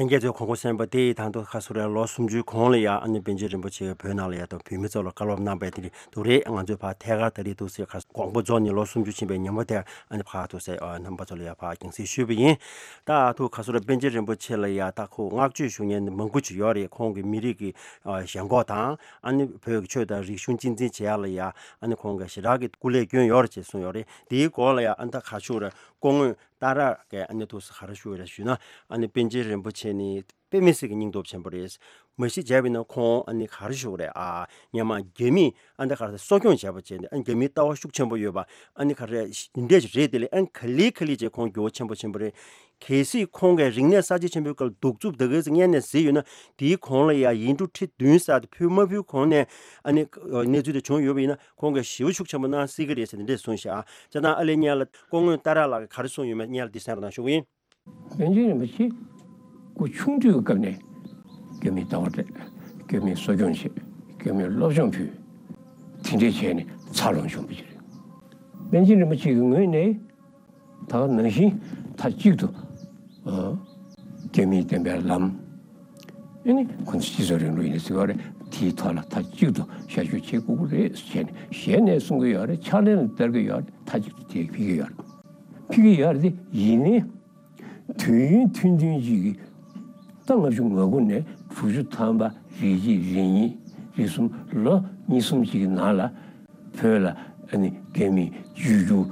ལྷན་རྒྱས་ཚོས་གོང་གོང་གསན་པ་དེ་ཡི་དང་དུ་ཁ་སོ་རེ་ལོ་སུམ་ཅུའི་གོང་ལ་ཡ་ཨ་ནི་པཎ་ཆེན་རིན་པོ་ཆེ་གིས་བོད་ནང་ལ་ཡ་དང་བོད་མི་ཚོ་ལ་བཀའ་སློབ་གནང་པའི་དེ་རིང་དུ་རེད། ང་ཚོས་ཕར་ཐད་ཀར་ད་རེས་དུ་སེ་ཁ་དགོངས་པ་རྫོགས་ནས་ལོ་སུམ་ཅུ་ཕྱིན་པའི་ཉིན་མོ་དེར་ཨ་ནི་ཕར་དུ་སེ་ཨ་རྣམ་པ་ཚོ་ལ་ཡ་ཕར་རྒྱང་སྲིང་ཞུས་པ་ཡིན། ད་ཐུགས་ཁ་སོ་རེ་པཎ་ཆེན་རིན་པོ་ཆེ་ལ་ཡ་ད་ཁོ་བསྔགས་བརྗོད་ཞུ་མཁན་མང་པོ་ཅིག་ཡོད་རེད། ཁོང་གི་མི་རིགས་ཀྱི་ཨ་ཞེན་ཁོག་དང་ཨ་ནི་བོད་ཀྱི་ཆོས་དང་རིག་གཞུང་གཅེས་འཛིན་བྱེད་ཡ་ལ་ཡ་ཨ་ནི་ཁོང་གིས་ཞེ་དྲག་གི་སྐུ་ལས་བསྐྱོན་ཡོད་རེད་ཅེས་གསུངས་ཡོད་རེད། དེའི་སྐོར་ལ་ཡ་ཨ་ནི་ད་ག་ཞུ་རེད། སྐུ་ངོ་ཏཱ་ར་གིས་ཨ་ནི་ཐུགས་སུ་ག་རེ་ཞུ་བ་རེད་ཞུས་ན། ཨ་ནི་པཎ་ཆེན་རིན་པོ་ཆེ་ནི་དཔེ་མི་སྲིད་ཀྱི་སྙིང་སྟོབས་ཆེན་པོ་རེད། མ་གཞི་བྱས་པ་ཡིན་ན་ཁོང་ཨ་ནི་ག་རེ་ཞུ་དགོས་རེད། ཨ་སྔོན་མ་རྒྱ་མིས་ཨ་ནི་ག་རེ་གསོ་སྐྱོང་བྱས་པ་བྱས་ནས་ཨ་ནི་རྒྱ་མིའི་ལྟ་བ་ཤུགས་ཆེན་པོ་ཡོད་པ་ཨ་ནི་ག་རེ་འདི་འདྲས་ཞིག་རེད། དེ་ལས་ཨ་ནི་ག་ལེ་ག་ལེ་བྱས་ཁོང་འགྱུར་བ་ཆེན་པོ་ཕྱིན་པ་རེད། གལ་སྲིད་ཁོང་གིས་རིག་གནས་གསར་བརྗེ་ཆེན་པོའི་སྐབས་གདུག་རྩུབ་ད་ག་ཙམ་སྔོན་ནས་བཟོས་ཡོད་ན། དེའི་གོང་ལ་ཡང་ཡིག་འབྲུ་ཁྲི་བདུན་ཙམ་དེ་ཕུལ་མ་ཕུལ་གོང་ནས་ཨ་ནི་གནས་ཚུལ་དེ་བྱུང་ཡོད་པ་ཡིན་ན། ཁོང་གིས་ཞི་བ་ཤུགས་ཆེན་པོ་གནང་སྲིད་ཀྱི་རེད་ཟེར་ནས་འདྲས་གསུངས་ཤག། ཨ་ཅག་དང་ཨ་ལེ་སྔོན་ལ་སྐུ་ངོ་ཏཱ་ར་ལགས་ཀྱིས་ག་རེ་གསུངས་ཡོད་མེད་སྔོན་ལ་འདི་གསན་རོགས་གནང་ཞུ་གི་ཡིན། པཎ་ཆེན་རིན་པོ་ཆེ་སྐུ་ཆུང་དུས་སྐབས་ནས་རྒྱ་མིའི་ལྟ་བ་སྤྲད། རྒྱ་མིའི་གསོ་སྐྱོང་བྱས། རྒྱ་མིའི་སློབ་སྦྱོང་ཕུལ། དེ་འདྲས་བྱས་ནས་འཚར་ལོངས་བྱུང་བ་ཞིག་རེད། པཎ་ཆེན་རིན་པོ་ཆེ་གི་ངོས་ནས་ད་ག་ནང་བཞིན་མཐའ་གཅིག་ཏུ་ཨ་རྒྱ་མིའི་བསྟན་པའི་ལམ། ཨ་ནི་ཁོང་ཚོ་སྤྱི་ཚོགས་རིང་ལུགས་ཡིན་ན་ཟེར་བ་རེད། དེའི་ཐོག་ལ་མཐའ་གཅིག་ཏུ་ཤར་བསྐྱོད་བྱེད་དགོས་ཀྱི་རེད་ཟེར་བྱས་ནས་ཞལ་ནས་གསུང་གི་ཡོད་རེད། ཕྱག་ལེན་ལ་བསྟར་གྱི་ཡོད་རེད། མཐའ་གཅིག་ཏུ་དེ་ཕེབས་ཀྱི་ཡོད་རེད། ཕེབས་ཀྱི་ཡོད་རེད་དེ་ཡིན་ནའི། དུས་ཡུན་ཐུང་ཐུང་ཅིག་གི་ད་ལྔ་བཅུ་ང་དགུ་ནས་དྲུག་ཅུ་ཐམ་པ་རེ་གཅིག་རེ་གཉིས་རེ་གསུམ་ལོ་གཉིས་གསུམ་ཅིག་གི་ནང་ལ་བོད་ལ་ཨ་ནི་རྒྱ་མིས་བཅོས་བསྒྱུར་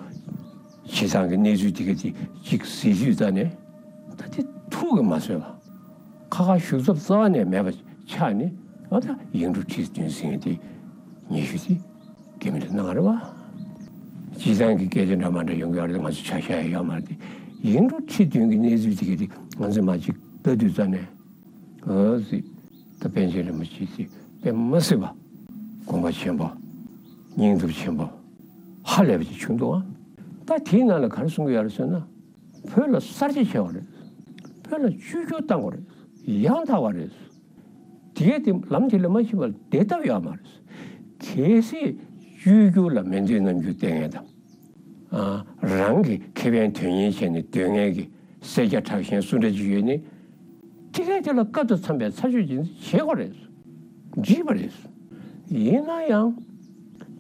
བྱེད་སྟངས་ཀྱི་གནས་ཚུལ་དེ་ག་དེ་ཅིག་གཟིགས་དུས་ཙ་ནས་ད་དེ་ཐུགས་ཀྱིས་མ་བཟོད་པ། ཁ་ཁ་ཞུ་ཚབ་རྩ་བ་ནས་མེད་པ་ཆགས་ནས། ཨ་ད་ཡིག་འབྲུ་ཁྲི་བདུན་ཟེར་མཁན་དེ་ཉེ་ཤོས་དེ་རྒྱ་མི་ལ་གནང་བ་རེད་བ། སྤྱིར་བཏང་གི་སྐད་ཆ་འདྲ་མ་འདྲ་ཡོང་གི་ཡོད་རེད། ང་ཚོ་ཆ་བཞག་ཡ་ཡོད་མ་རེད་དེ། ཡིག་འབྲུ་ཁྲི་བདུན་གྱི་གནས་ཚུལ་དེ་ག་དེ་ང་ཚོས་མར་ཅིག་ལྟ་དུས་ཙ་ནས། ཨ་ཙི། ད་པཎ་ཆེན་རིན་པོ་ཆེ་ཅིག་དཔེ་མ་སྲིད་པ་དགོངས་པ་ཆེན་པོ། སྙིང་སྟོབས་ཆེན་པོ། ཧ་ལས་པ་ཅིག་བྱུང་འདུག་ཨ། ད་དེའི་ནང་ལ་ག་རེ་གསུང་གི་ཡོད་རེད་ཟེར་ན། བོད་ལ་གསར་བརྗེ་བྱས་པ་རེད། བོད་ལ་བཅོས་བསྒྱུར་བཏང་བ་རེད། ཡང་དག་པ་རེད། དེ་གས་དེ་ལམ་དེ་ལ་མ་ཕྱིན་པར་བསྡད་ཐབས་ཡོད་མ་རེད། གལ་སྲིད་བཅོས་བསྒྱུར་ལ་མི་འདོད་རྣམ་འགྱུར་བསྟན་མཁན་དང་། ཨ་རང་གི་ཁེ་ཕན་དོན་གཉེར་བྱས་ནས་སྡོད་མཁན་གྱི་སེར་སྐྱ་དྲག་ཞན་སུ་འདྲ་ཅིག་ཡོད་ནའི། དེ་གས་དེ་ལ་སྐབས་དང་འཚམས་པའི་ཚར་གཅོད་ཅིག་བྱེད་དགོས་རེད། འགྲིག་པ་རེད། ཡིན་ན་ཡང་།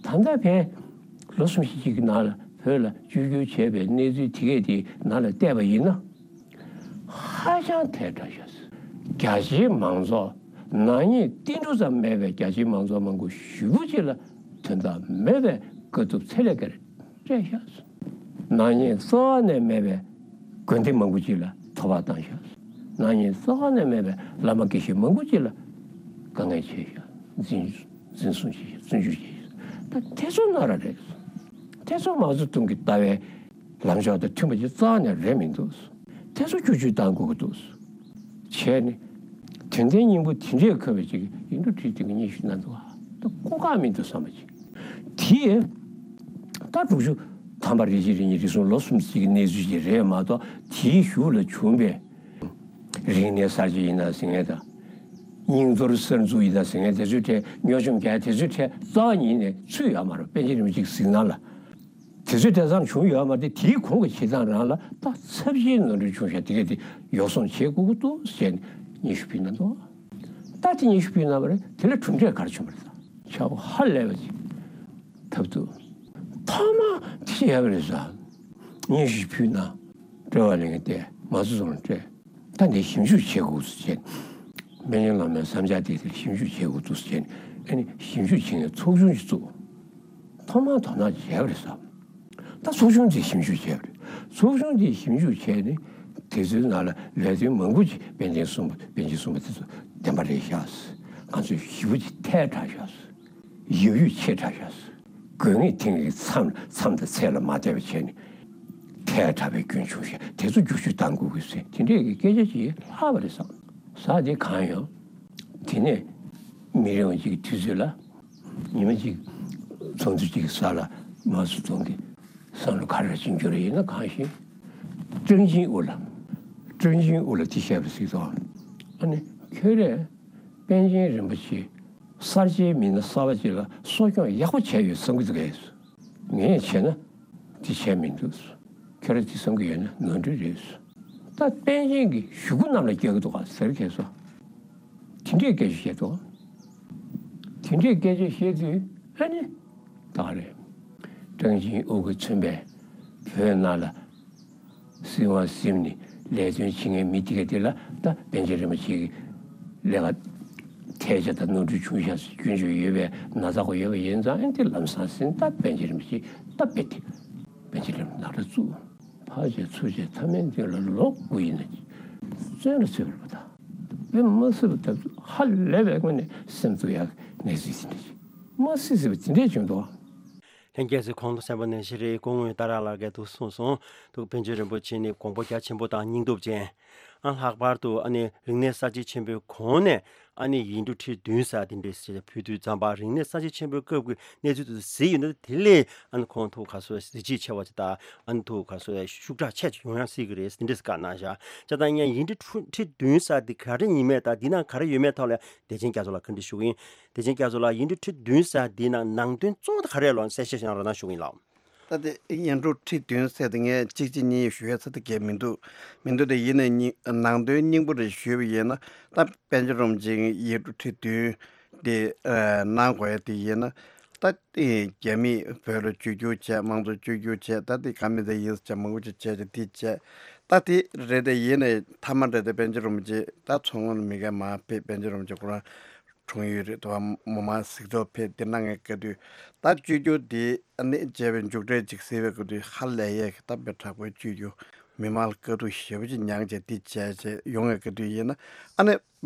ད་ལྟ་བས་ལོ་གསུམ་བཞི་ཅིག་གི་ནང་ལ་བོད་ལ་བཅོས་བསྒྱུར་བྱས་པའི་གནས་ཚུལ་དེ་གས་དེ་ནང་ལ་བལྟས་པ་ཡིན་ན། ཧ་ཅང་ཐལ་དྲགས་ཤག། རྒྱ་ཆེའི་མང་ཚོགས་ནག་ཉེས་ཏིལ་འབྲུ་ཙམ་མེད་པའི་རྒྱ་ཆེའི་མང་ཚོགས་མང་པོ་ཞེ་པོ་ཅིག་ལ་དོན་དག་མེད་པའི་དཀའ་སྡུག་ཚད་ལས་བརྒལ་སྤྲད་ཤག། ནག་ཉེས་རྩ་བ་ནས་མེད་པའི་དགོན་སྡེ་མང་པོ་ཅིག་ལ་ཐོ་བ་བཏང་ཤག། ནག་ཉེས་རྩ་བ་ནས་མེད་པའི་བླ་མ་དགེ་བཤེས་མང་པོ་ཅིག་ལ་དཀའ་ངལ་ཆེ་ཤག། འཛིན་འཛིན་བཟུང་བྱས་ཤག། བཙོན་འཇུག་བྱས་ཤག། ད་དེ་ཚོ་ནོར་ར་རེད། དེ་ཚོ་མའོ་ཙེ་ཏུང་གི་ལྟ་བའི་ལམ་ཕྱོགས་དང་མཐུན་པ་ཅིག་རྩ་བ་ནས་རེད་མི་འདུག། དེ་ཚོ་བསྒྱུར་བཅོས་གཏང་དགོས་ཀྱི་འདུག། བྱས་ནས་དོན་ལྡན་སྙིང་པོ་དེ་འདྲས་འཁོད་པའི་ཅིག་ཡིག་འབྲུ་ཁྲི་བདུན་གྱི་སྙན་ཞུ་གནང་འདུག། ད་གོ་སྐབས་མི་འདུག་བསམ་པ་ཅིག། དེ་ད་དྲུག་ཅུ་ཐམ་པ་རེ་གཅིག་རེ་གཉིས་རེ་གསུམ་ལོ་གསུམ་ཅིག་གི་གནས་ཚུལ་ཅིག་རེད་མ་གཏོགས། དེའི་གཞུག་ལ་བྱུང་བའི་རིག་གནས་གསར་བརྗེ་ཡིན་ན་ཟེར་མཁན་དང་། རྙིང་གཏོར་གསར་འཛུགས་ཡིན་ན་ཟེར་མཁན་དེ་ཚོའི་གྲས། སྨྱོ་ཆུང་རྒྱག་དེ་ཚོའི་གྲས་རྩ་བ་ཉིད་ནས་ཚུད་ཡོད་མ་རེད། པཎ་ཆེན་རིན་པོ་ཆེའི་གཟིགས་སྣང་ལ། དེ་ཚོ་དེ་ཙམ་བྱུང་ཡོད་མ་རེད། དེའི་གོང་གི་བྱེད་སྟངས་རང་ལ་ད་ཚབས་ཆེའི་ནོར་འཁྲུལ་བྱུང་ཤག། དེ་གས་དེ་ཡོ་བསྲང་བྱེད་དགོས་ཀྱི་འདུག་ཟེར་ནས་སྙན་ཞུ་ཕུལ་གནང་འདུག། ད་དེ་སྙན་ཞུ་ཕུལ་གནང་བ་རེད། དེ་ལ་གྲུབ་འབྲས་ག་རེ་བྱུང་བ་རེད། ད་ཆག་སྒོ་ཧ་ལས་པ་ཅིག་ཐབས་འདུག། ཐ་མ་དེ་ཡག་པ་རེད་ཟེར། སྙན་ཞུ་ཕུལ་གནང་། དཔྲལ་བ་ལེན་གྱི་བལྟས། མའོ་ཙེ་ཏུང་ལ་སྤྲད། ད་འདི་ཞིབ་འཇུག་བྱེད་དགོས་ཟེར་བྱས། སྨན་ལམ་ནས་བསམ་འཆར་དེ་དེར་ཞིབ་འཇུག་བྱེད་དགོས་འདུག་ཟེར་བྱས། ཨ་ནི་ཞིབ་འཇུག་བྱེད་མཁན་ཚོགས་ཆུང་ཞིག་བཙུགས། ཐོག་མར་དོ་སྣང་བྱས་པ་རེད་ཟེར། ད་ཚོགས་ཆུང་དེས་ཞིབ་འཇུག་བྱས་པ་རེད། ཚོགས་ཆུང་དེས་ཞིབ་འཇུག་བྱས་ནས། དེ་ཚོའི་ནང་ལ་ལས་དོན་མང་པོ་ཅིག་པཎ་ཆེན་གསུངས་པ། པཎ་ཆེན་གསུངས་པ་དེ་ཚོ་བདེན་པ་རེད་ཤག། ང་ཚོས་ཞེ་པོ་ཅིག་ཐལ་དྲགས་ཤག། ཡབ་ཡུམ་ཆེ་དྲགས་ཤག། དགོས་ངེས་དེང་གི་མཚམས་མཚམས་དང་ཚད་ལ་མ་བསྡད་པ་བྱས་ནས་ཐལ་དྲགས་པའི་སྐྱོན་བྱུང་ཤག། དེ་ཚོ་བསྒྱུར་བཅོས་གཏང་དགོས་ཀྱི་ཟེར། དེ་འདྲས་ཀྱི་སྐད་ཆ་ཅིག་ལྷག་པ་རེད་བསམ། ཟ་དེ་གང་ཡོང་། དེ་ནས་མི་རིང་བ་ཅིག་གི་དུས་ཚོད་ལ། ཉི་མ་གཅིག་ཚོགས་འདུ་གཅིག་གི་ས་ལ་མའོ་ཙེ་ཏུང་གི་བསམ་བློ་ག་རེ་ཕྱིན་རྒྱུ་རེད། ཡིན་ན་གང་ཞིག་ཀྲང་ཅིན་ཨུ་ལ། ཀྲང་ཅིན་ཨུ་ལ་དེ་བཤད་པ་ཟིག་དང་། ཨ་ནི་ཁྱོད་རས་པཎ་ཆེན་རིན་པོ་ཆེ་གསར་བརྗེའི་མི་སྣ་གསར་པ་ཅིག་ལ་གསོ་སྐྱོང་ཡག་པོ་བྱས་ཡོད་བསམ་གྱི་འདུག་གས། ངས་བྱས་ན་དེ་བྱས་མི་འདུག། ཁྱོད་ར་དེ་བསམ་གྱི་ཡོད་ན་ནོར་འཁྲུལ་རེད། ད་པཎ་ཆེན་གྱི་ཞུ་སྐུལ་གནམ་ལ་བཀལ་གྱི་འདུག་ག་ཟེར་མཁན་སོ། དེ་འདྲའི་སྐད་ཆ་བཤད་འདུག། དེ་འདྲའི་སྐད་ཆ་བཤད་དུས་ཨ་ནི་ད་ག་རེད། ཀྲང་ཅིན་ཨུ་གིས་མཚོན་པའི་བོད་ནང་ལ་སྲིད་དབང་ཟིན་ནས་ལས་དོན་བྱེད་མཁན་མི་དེ་ག་དེ་ལ་ད་པཎ་ཆེན་རིན་པོ་ཆེ་གི་ལས་ཀ་ཐལ་ཆ་དང་ནོར་འཁྲུལ་བྱུང་ཤག་ཟེར་སྐྱོན་བརྗོད་ཡོད་པའི་ན་ཚ་གོ་ཡོད་པ་ཡིན་ཙང་། ཨ་ནི་དེ་ལམ་སང་ཟིན། ད་པཎ་ཆེན་རིན་པོ་ཆེ་ད་རྦད་དེ་པཎ་ཆེན་རིན་པོ་ཆེ་ནག་ཁྲ་བཙུགས། ཕར་བྱས་ཚུར་བྱས་མཐའ་མའི་མདུན་ལ་ལོ་དགུ་ཡིན་ན་བཙོན་ལ་ཚུད་པ་རེད་པ། ད་ དེ་མ་སྲིད་པ་ད་ཧ་ལས་པའི་ངོས་ནས་སེམས་སྡུག་ཡག་གནས་ཚུལ་ཅིག་རེད། མ་སྲིད་སྲིད་པ་ཅི་འདྲས་བྱུང་འདུག་ལྷན་རྒྱས་ཚོས་གོང་དུ་གསན་པ་ནང་བཞིན་རེད། སྐུ་ངོ་ཏཱ་ར་ལགས་ཀྱིས་འདུག་གསུངས་སོང་། འདུག་པཎ་ཆེན་རིན་པོ་ཆེ་ནི་དགོངས་པ་རྒྱ་ཆེན་པོ་དང་སྙིང་སྟོབས་ཅན། ཨ་ལྷག་པར་དུ་ཨ་ནི་རིག་གནས་གསར་བརྗེ་ཆེན་པོའི་གོང་ནས་ཨ་ནི་ཡིག་འབྲུ་ཁྲི་བདུན་ཟེར་དེ་འདྲས་ཕུལ་དུས་ཙམ་པ། རིག་གནས་གསར་བརྗེ་ཆེན་པོའི་སྐབས་ཀྱི་གནས་ཚུལ་དེ་ཚོ་གཟིགས་ཡོང་དུས་དེ་ལས་ཨ་ནི་ཁོང་ཐུགས་ཁ་སོ་གཟི་བརྗིད་ཆེ་བ་ཅིག་དང་། ཨ་ནི་ཐུགས་ཁ་སོ་ཤུགས་དྲག་ཆེ་ཡོང་ཡང་སྲིད་ཀྱི་རེད། དེ་འདྲས་བཀའ་གནང་བཞག་བྱས་ཙང་ཡང་ཡིག་འབྲུ་ཁྲི་བདུན་ཟེར་དེ་ག་རེ་ཡིན་མེད་དང་འདི་ནང་ག་རེ་ཡོད་མེད་ཐོག་ལ་བདེ་ཆེན་རྒྱ་མཚོ་ལགས་བཀའ་འདྲི་ཞུ་གི་ཡིན། བདེ་ཆེན་རྒྱ་མཚོ་ལགས། ཡིག་འབྲུ་ཁྲི་བདུན་ཟེར་འདི་ནང་ནང་དོན་གཙོ་བོ་དེ་ག་རེ་ལབ་ན་གསལ་བཤད་ཞིག་རོགས་གནང་ཞུ་གི་ཡིན་ལགས། ད་དེ་ཡིག་འབྲུ་ཁྲི་བདུན་ཟེར་དེ་ངས་གཅིག་གཅིག་གཉིས་ཞུ་ཡ་ཚོད་ལྟ་གས་མི་འདུག་མི་འདུག་དེ་ཡིན་ནའི་ནང་དོན་སྙིང་པོ་རེ་ཞུས་པ་ཡིན་ན། ད་པཎ་ཆེན་རིན་པོ་ཆེ་ཡིག་འབྲུ་ཁྲི་བདུན་དེ་གནང་དགོས་ཡ་དེ་ཡིན་ན། ད་དེ་རྒྱ་མིས་བོད་ལ་བཅོས་བསྒྱུར་བྱས། དམངས་གཙོ་བཅོས་བསྒྱུར་བྱས། ད་དེ་ག་མི་དེ་ཡིན་ཟེར་མང་པོ་ཅིག་བྱས་ཀྱི་དེ་བྱས། ད་དེ་རེད། དེ་ཡིན་ནའི་མཐའ་མ་རེད། དེ་པཎ་ཆེན་རིན་པོ་ཆེ་ད་མཚོ་སྔོན་མི་སྒེར་མར་ཕེབས། པཎ་ཆེན་རིན་པོ་ཆེ་ཁོ་རང་འཁྲུངས་ཡུལ་རེད་དོ། མོ་མ་གཟིགས་རྟོག་ཕེབས། དེ་གནང་ངེས་སྐབས་དུས་ད་བཅོས་བསྒྱུར་དེ་ཨ་ནི་བྱས་པའི་མཇུག་འབྲས་ཅིག་གཟིགས་པའི་སྐབས་དུས་ཧ་ལས་ཡས་ཀྱི་ད་དཔེ་དྲག་པོའི་བཅོས་བསྒྱུར་མི་མང་ལ་དཀའ་སྡུག་ཞེ་པོ་ཅིག་མྱངས་བྱས་དེ་བྱས་བྱས་ཡོང་ངེས་སྐབས་དུས་ཡིན་ན། ཨ་ནི་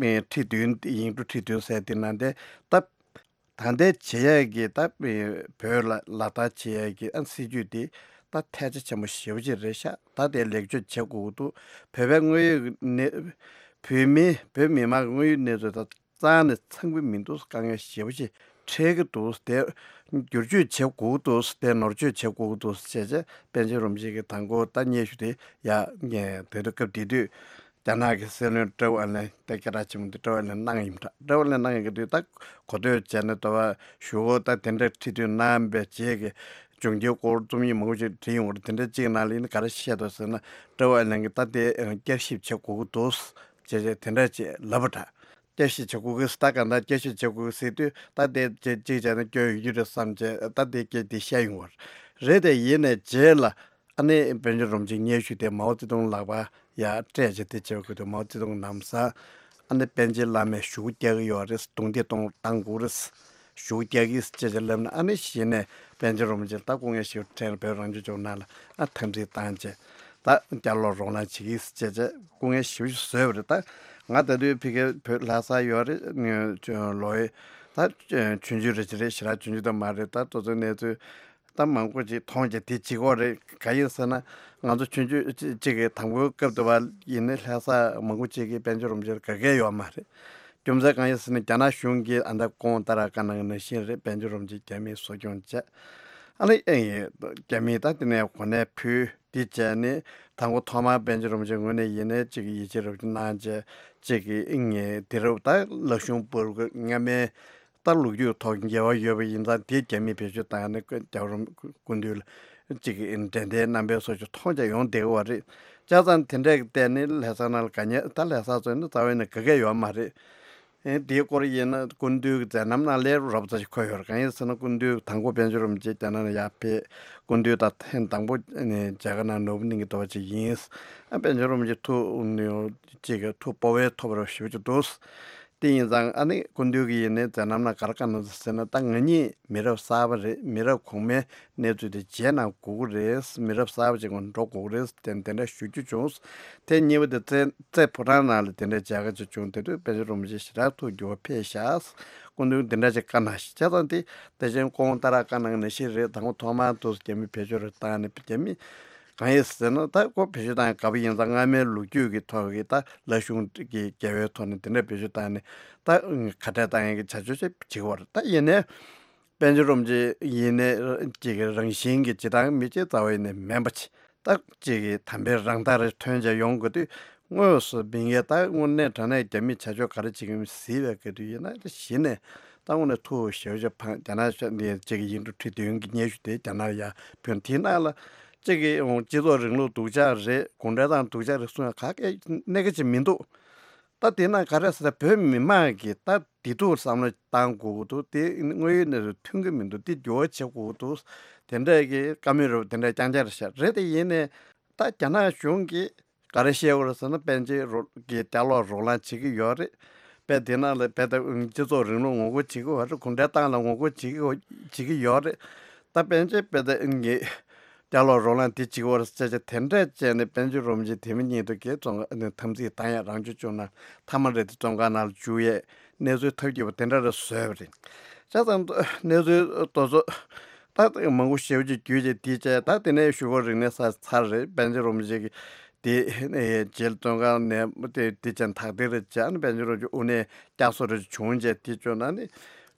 ཁྲི་བདུན། ཡིག་འབྲུ་ཁྲི་བདུན་ཟེར་དེ་ནང་དེ་ད། ད་ལྟའི་བྱེད་ཡས་ཀྱི་ད་བོད་ལ་ལག་བསྟར་བྱེད་ཡས་ཀྱི་ཨ་སྲིད་ཇུས་དེ་ད་ཐལ་ཆ་ཆེན་པོ་ཞེ་པོ་ཅིག་རེད་ཤག་ད་དེ་ལེགས་བཅོས་བྱེད་དགོས་ཀྱི་འདུག་བོད་པའི་དངོས་ཡོད་གནས། བོད་མི། བོད་མི་མང་གི་དངོས་ཡོད་གནས་ཚུལ་དང་རྩ་ནས་འཚམ་གྱི་མི་འདུག་དཀའ་ངལ་ཞེ་པོ་ཅིག་འཕྲད་ཀྱི་འདུག་དེ་བསྒྱུར་བཅོས་བྱེད་དགོས་ཀྱི་འདུག་དེ་ནོར་བཅོས་བྱེད་དགོས་ཀྱི་འདུག་ཅེས་བྱས། པཎ་ཆེན་རིན་པོ་ཆེ་གིས་དང་པོ་ད་སྙན་ཞུ་དེ་ཡ་དེ་དུས་སྐབས་དེ་དུས། རྒྱ་ནག་གི་སྲིད་བློན་ཀྲོའུ་ཨེན་ལེ། དེ་སྐད་གྲགས་ཆེན་པོ་འདི་ཀྲོའུ་ཨེན་ལེ་གནང་ཡིན་པ་འདྲ། ཀྲོའུ་ཨེན་ལེ་གནང་ཡིན་གྱི་དུས་ད་གོ་ཐོས་བྱས་ནས་ལྟ་བ་ཞུ་འོ། ད་དེ་འདྲ་ཁྲི་བདུན་གནང་བའི་རྗེས་ཀྱི་བྱུང་རྐྱེན་སྐོར་རྩོམ་ཡིག་མང་པོ་ཞིག་བྲིས་ཡོང་གི་རེད། དེ་འདྲ་གཅིག་ནང་ལ་ཡིན་ན་ག་རེ་བཤད་འདུག་ཟེར་ན། ཀྲོའུ་ཨེན་ལེ་གིས་ད་དེ་བསྐྱར་ཞིབ་བྱེད་དགོས་ཀྱི་འདུག་ཅེས་བྱས་དེ་འདྲ་ཅིག་ལབ་པ་འདྲ། བསྐྱར་ཞིབ་བྱེད་དགོས་ཀྱི། ད་ག་འདྲ་བསྐྱར་ཞིབ་བྱེད་དགོས་ཀྱི་ཟེར་དུས་ད་དེ་གཅིག་བྱས་ན་སྐྱོན་ཡོད་ཀྱི་རེད་བསམ་བྱས་ད་དེ་སྐད་དེ་བཤད་ཡོང་བ་རེད། དེ་ཡིན་ནའི་རྗེས་ལ། ཨ་ནི་པཎ་ཆེན་རིན་པོ་ཆེའི་སྙན་ཞུ་དེ་མའོ་ཙེ་ཏུང་ལག་པ་ཡར་སྤྲད་བྱས་དེ་བྱེད་དགོས་དུས། མའོ་ཙེ་ཏུང་ལམ་སང་ཨ་ནི་པཎ་ཆེན་བླ་མས་ཞུ་སྐུལ་རྒྱག་གི་ཡོད་རེད། རྡུང་རྡེག་གཏོང་བཏང་དགོས་རེད། ཞུ་སྐུལ་རྒྱག་གི་ཅེས་བྱས་ལབ་ནས། ཨ་ནི་གཞི་ནས་པཎ་ཆེན་རིན་པོ་ཆེ་ད་སྐུ་ངལ་ཞེ་པོ་འཕྲད་ནས་བོད་རང་སྐྱོང་ལྗོངས་ནང་ལ་ཨ་འཐབ་འཁྲུག་བཏང་བྱས་ད་བསྐྱར་ལོག་རོགས་གནང་བྱེད་ཀྱི་ཅེས་བྱས་སྐུ་ངལ་ཞེ་པོ་ཞིག་བཟོས་པ་རེད། ད་ང་ད་དུས་ཕ་གིར་བོད་ལྷ་སར་ཡོད་རེད། ལོ་ཡི་ད་ཆུང་ཆུང་རེ་ཅིག་རེད། ཞེ་དྲག་ཆུང་ཆུང་ད་མ་རེད། ད་དེ་ཚོའི་གནས་ཚུལ། ད་མང་པོ་ཅིག་མཐོང་རྒྱུ་དེ་གཅིག་པོ་རེད། ག་ཡིན་ཟེར་ན། ང་ཚོ་ཆུང་ཆུང་ཅིག་གི་དང་པོའི་སྐབས་དུ་བ་ཡིན་ནའི་ལྷ་ས་མང་པོ་ཅིག་གིས་པཎ་ཆེན་རིན་པོ་ཆེར་དགའ་གས་ཡོད་མ་རེད། རྒྱུ་མཚན་གང་ཡིན་ཟེར་ན། རྒྱ་ནག་གཞུང་གིས་ཨ་ད་ཁོང་ཏཱ་ར་བཀའ་གནང་གི་ནང་བཞིན་རེད། པཎ་ཆེན་རིན་པོ་ཆེ་རྒྱ་མིས་གསོ་སྐྱོང་བྱས། ཨ་ནི་ཨེ་རྒྱ་མིས་ད་དེ་ནས་གོ་གནས་ཕུལ། དེ་བྱས་ནས་དང་པོ་ཐོག་མར་པཎ་ཆེན་རིན་པོ་ཆེའི་ངོས་ནས་ཡིན་ནའི་ཅིག་ཡིད་ཆེས་རབ་ཏུ་གནང་བྱས། ཅིག་གི་ཨེ་དེ་རབ་ད་ལག་ཤུང་པུར་སྔ་མའི་ད་ལོ་རྒྱུས་ཐོག་འགལ་བ་ཡོད་པ་ཡིན་ཙང་དེ་རྒྱ་མིས་བེད་སྤྱོད་བཏང་ནས་རྒྱལ་བ་རིན་པོ་སྐུ་མདུན་ལ་ཅིག་གི་འགྲན་ཟླའི་རྣམ་པའི་སོགས་ཀྱི་མཐོང་རྒྱ་ཡོང་བསྡད་ཀྱི་ཡོད་རེད། བྱས་ཙང་དེ་འདྲ་གི་ཐད་ནས་ལྷ་ས་ནང་ལ་དགའ་ཉེ། ད་ལྷ་ས་ཚོ་ནི་རྩ་བའི་ནས་དགའ་གས་ཡོད་མ་རེད། ཨེ་དེའི་སྐོར་ཡིན་ན་སྐུ་མདུན་གྱི་མཛད་རྣམ་ནང་ལས་རོབ་ཙམ་ཞིག་འཁོད་ཡོད་རེད། གང་ཡིན་ཟེར་ན་སྐུ་མདུན་དང་པོ་པཎ་ཆེན་རིན་པོ་ཆེ་རྒྱ་ནག་ལ་ཡར་ཕེབས། སྐུ་མདུན་དང་ཐེངས་དང་པོ་ནས་མཇལ་ཁ་གནང་ནོར་བུ་གླིང་གི་རྡོ་རྗེ་ཡིན། ཨ་པཎ་ཆེན་རིན་པོ་ཆེ་ཐུགས་ཅིག་གི་ཐུགས་སྤོབས་པའི་ཐོབ་རབས་ཞེ་པོ་ཅིག་འདུག་དེ་ཡིན་ཙང་ཨ་ནི་སྐུ་མདུན་གྱི་ཡིན་ནའི་མཛད་རྣམ་ནང་ག་རེ་བཀའ་གནང་འདུག་ཟེར་ན། ད་ང་གཉིས་མི་རབས་གསར་པ་རེད། མི་རབས་གོང་མའི་གནས་ཚུལ་དེ་བརྗེད་གནང་དགོས་ཀྱི་རེད། མི་རབས་གསར་པ་ཅིག་འགྲོ་དགོས་ཀྱི་རེད་དེ་འདི་འདྲ་ཞུ་རྒྱུ་བྱུང་། དེ་གཉིས་པ་དེ་རྩེ་རྩེ་ཕོ་བྲང་ནང་ལ་དེ་འདྲ་མཇལ་ཁ་ཅིག་བྱུང་། དེ་དུས་པཎ་ཆེན་རིན་པོ་ཆེ་ཞེ་དྲག་ཐུགས་འགྱུར་བ་འཕེལ་ཤག་སྐུ་མདུན་འདི་འདྲ་ཅིག་བཀའ་གནང་ཞིག་བྱས་ཙང་། དེ་བདེ་ཆེན་ཀོང་ཏཱ་ར་བཀའ་གནང་ནང་བཞིན་རེད། དང་པོ་ཐོག་མར་དུ་རྒྱ་མི་བེད་སྤྱོད་རེ་བཏང་ནས། རྒྱ་མི་གང་ཡིན་ཟེར་ན། ད་ཁོ་བེད་སྤྱོད་བཏང་ཡ་དགའ་པོ་ཡིན་ཙང་སྔ་མའི་ལོ་རྒྱུས་ཀྱི་ཐོག་གི་ད་ལ་གཞུང་གི་འགལ་བའི་ཐོག་ནས་དེ་འདྲ་བེད་སྤྱོད་བཏང་ནས་ད་ཁ་བྲལ་བཏང་ཡ་གི་བྱ་སྤྱོད་ཅིག་བྱེད་ཀྱི་ཡོད་རེད། ད་ཡིན་ནའི་པཎ་ཆེན་རིན་པོ་ཆེ་ཡིན་ནའི་ཅིག་གི་རང་བཞིན་གྱི་སྤྱིར་བཏང་མི་གཅིག་རྩ་བ་ཡིན་ནའི་མིན་པ་ཅིག་ད་ཅིག་གི་དམ་པའི་རང་མདངས་རེ་ཐོན་བྱས་ཡོང་དགོས་དུས། དངོས་སུ་མི་ངན་ད་དངོས་གནས་དྲང་གནས་རྒྱ་མིས་བྱ་སྤྱོད་ག་རེ་བྱེད་ཀྱི་ཡོད་མེད་གཟིགས་པའི་སྐབས་དུས་ཡིན་ན། གཞི་ནས་ད་དངོས་གནས་ཐུགས་ཞེ་པོ་ཅིག་ཕངས། རྒྱ་ནག་ནས་ཅིག་གི་ཡིག་འབྲུ་ཁྲི་བདུན་གྱི་སྙན་ཞུ་དེ་རྒྱ་ནག་ལ་ཡར་ཕུལ། དེའི་ནང་ལ་ཅིག་གི་སྤྱི་ཚོགས་རིང་ལུགས་སྡུག་ཅག་རེད། གུང་ཁྲན་ཏང་སྡུག་ཅག་རེད་གསུང་ཡ་ག་གེ་གནད་འགག་ཅིག་མི་འདུག་ད་དེ་ན་ག་རེ་ཟེར་ན། བོད་མི་མང་གིས་ད་བདེ་སྡུག་བསམ་བློ་བཏང་དགོས་ཀྱི་འདུག་དེ་དངོས་ཡོད་གནས་ཚུལ་མཐུན་གྱི་མི་འདུག་དེ་འགྱུར་བ་བྱེད་དགོས་ཀྱི་འདུག་དེ་འདྲ་གི་བཀའ་མོལ་རབ་དེ་འདྲ་རྐྱང་རྐྱང་རེད་ཤག་རེད། དེ་ཡིན་ནའི་ད་རྒྱ་ནག་གཞུང་གིས་ག་རེ་བཤད་ཡོད་རེད་ཟེར་ན། པཎ་ཆེན་རོ་གི་བསྐྱར་ལོག་རོགས་གླེང་བྱེད་ཀྱི་ཡོད་རེད། དཔེ་དེ་ནང་ལ་དཔེ་ད་སྤྱི་ཚོགས་རིང་ལུགས་ངོ་རྒོལ་བྱེད་ཀྱི་ཡོད་རེད། གུང་ཁྲན་ཏང་ལ་ངོ་རྒོལ་བྱེད་ཀྱི་ཡོད་བྱེད་ཀྱི་ཡོད་རེད། ད་པཎ་ཆེན་དཔེ་ད་ངེད་ སྐྱ་ལོག་རོ་ལངས་དེ་གཅིག་བོར་ཟེར་བྱས་དེ་འདྲས་བྱས་ནས་པཎ་ཆེན་རིན་པོ་ཆེ་དེ་མིན་ཉིད་དུ་གི་བཙོན་ཁང་ནས་འཐབ་འཛིང་བཏང་ཡ་རང་སྐྱོན་བྱུང་ན་མཐའ་མ་རེད་དེ་བཙོན་ཁང་ནང་ལ་འཇུག་ཡས་གནས་ཚུལ་ཐབས་སྐྱོ་པོ་དེ་འདྲ་རེ་བཟོས་པ་རེད། བྱས་ཙང་གནས་ཚུལ་དེ་ཚོ་ད་མང་པོ་ཞེ་པོ་ཅིག་བརྒྱུད་བྱས་དེ་བྱས་ད་དེ་ནས་ཞུ་སྒོ་རིག་གནས་ས་ཚར་རེད། པཎ་ཆེན་རིན་པོ་ཆེ་གི་དེ་རྗེས་ལ་བཙོན་ཁང་ནས་དེ་དེ་བྱས་ཐག་དེ་རེད་བྱས་ཨ་ནི་པཎ་ཆེན་རིན་པོ་ཆེ་དབུ་ནས་བསྐྱར་གསོ་རེ་བྱུང་བྱས་དེ་བྱུང་ན་ནི།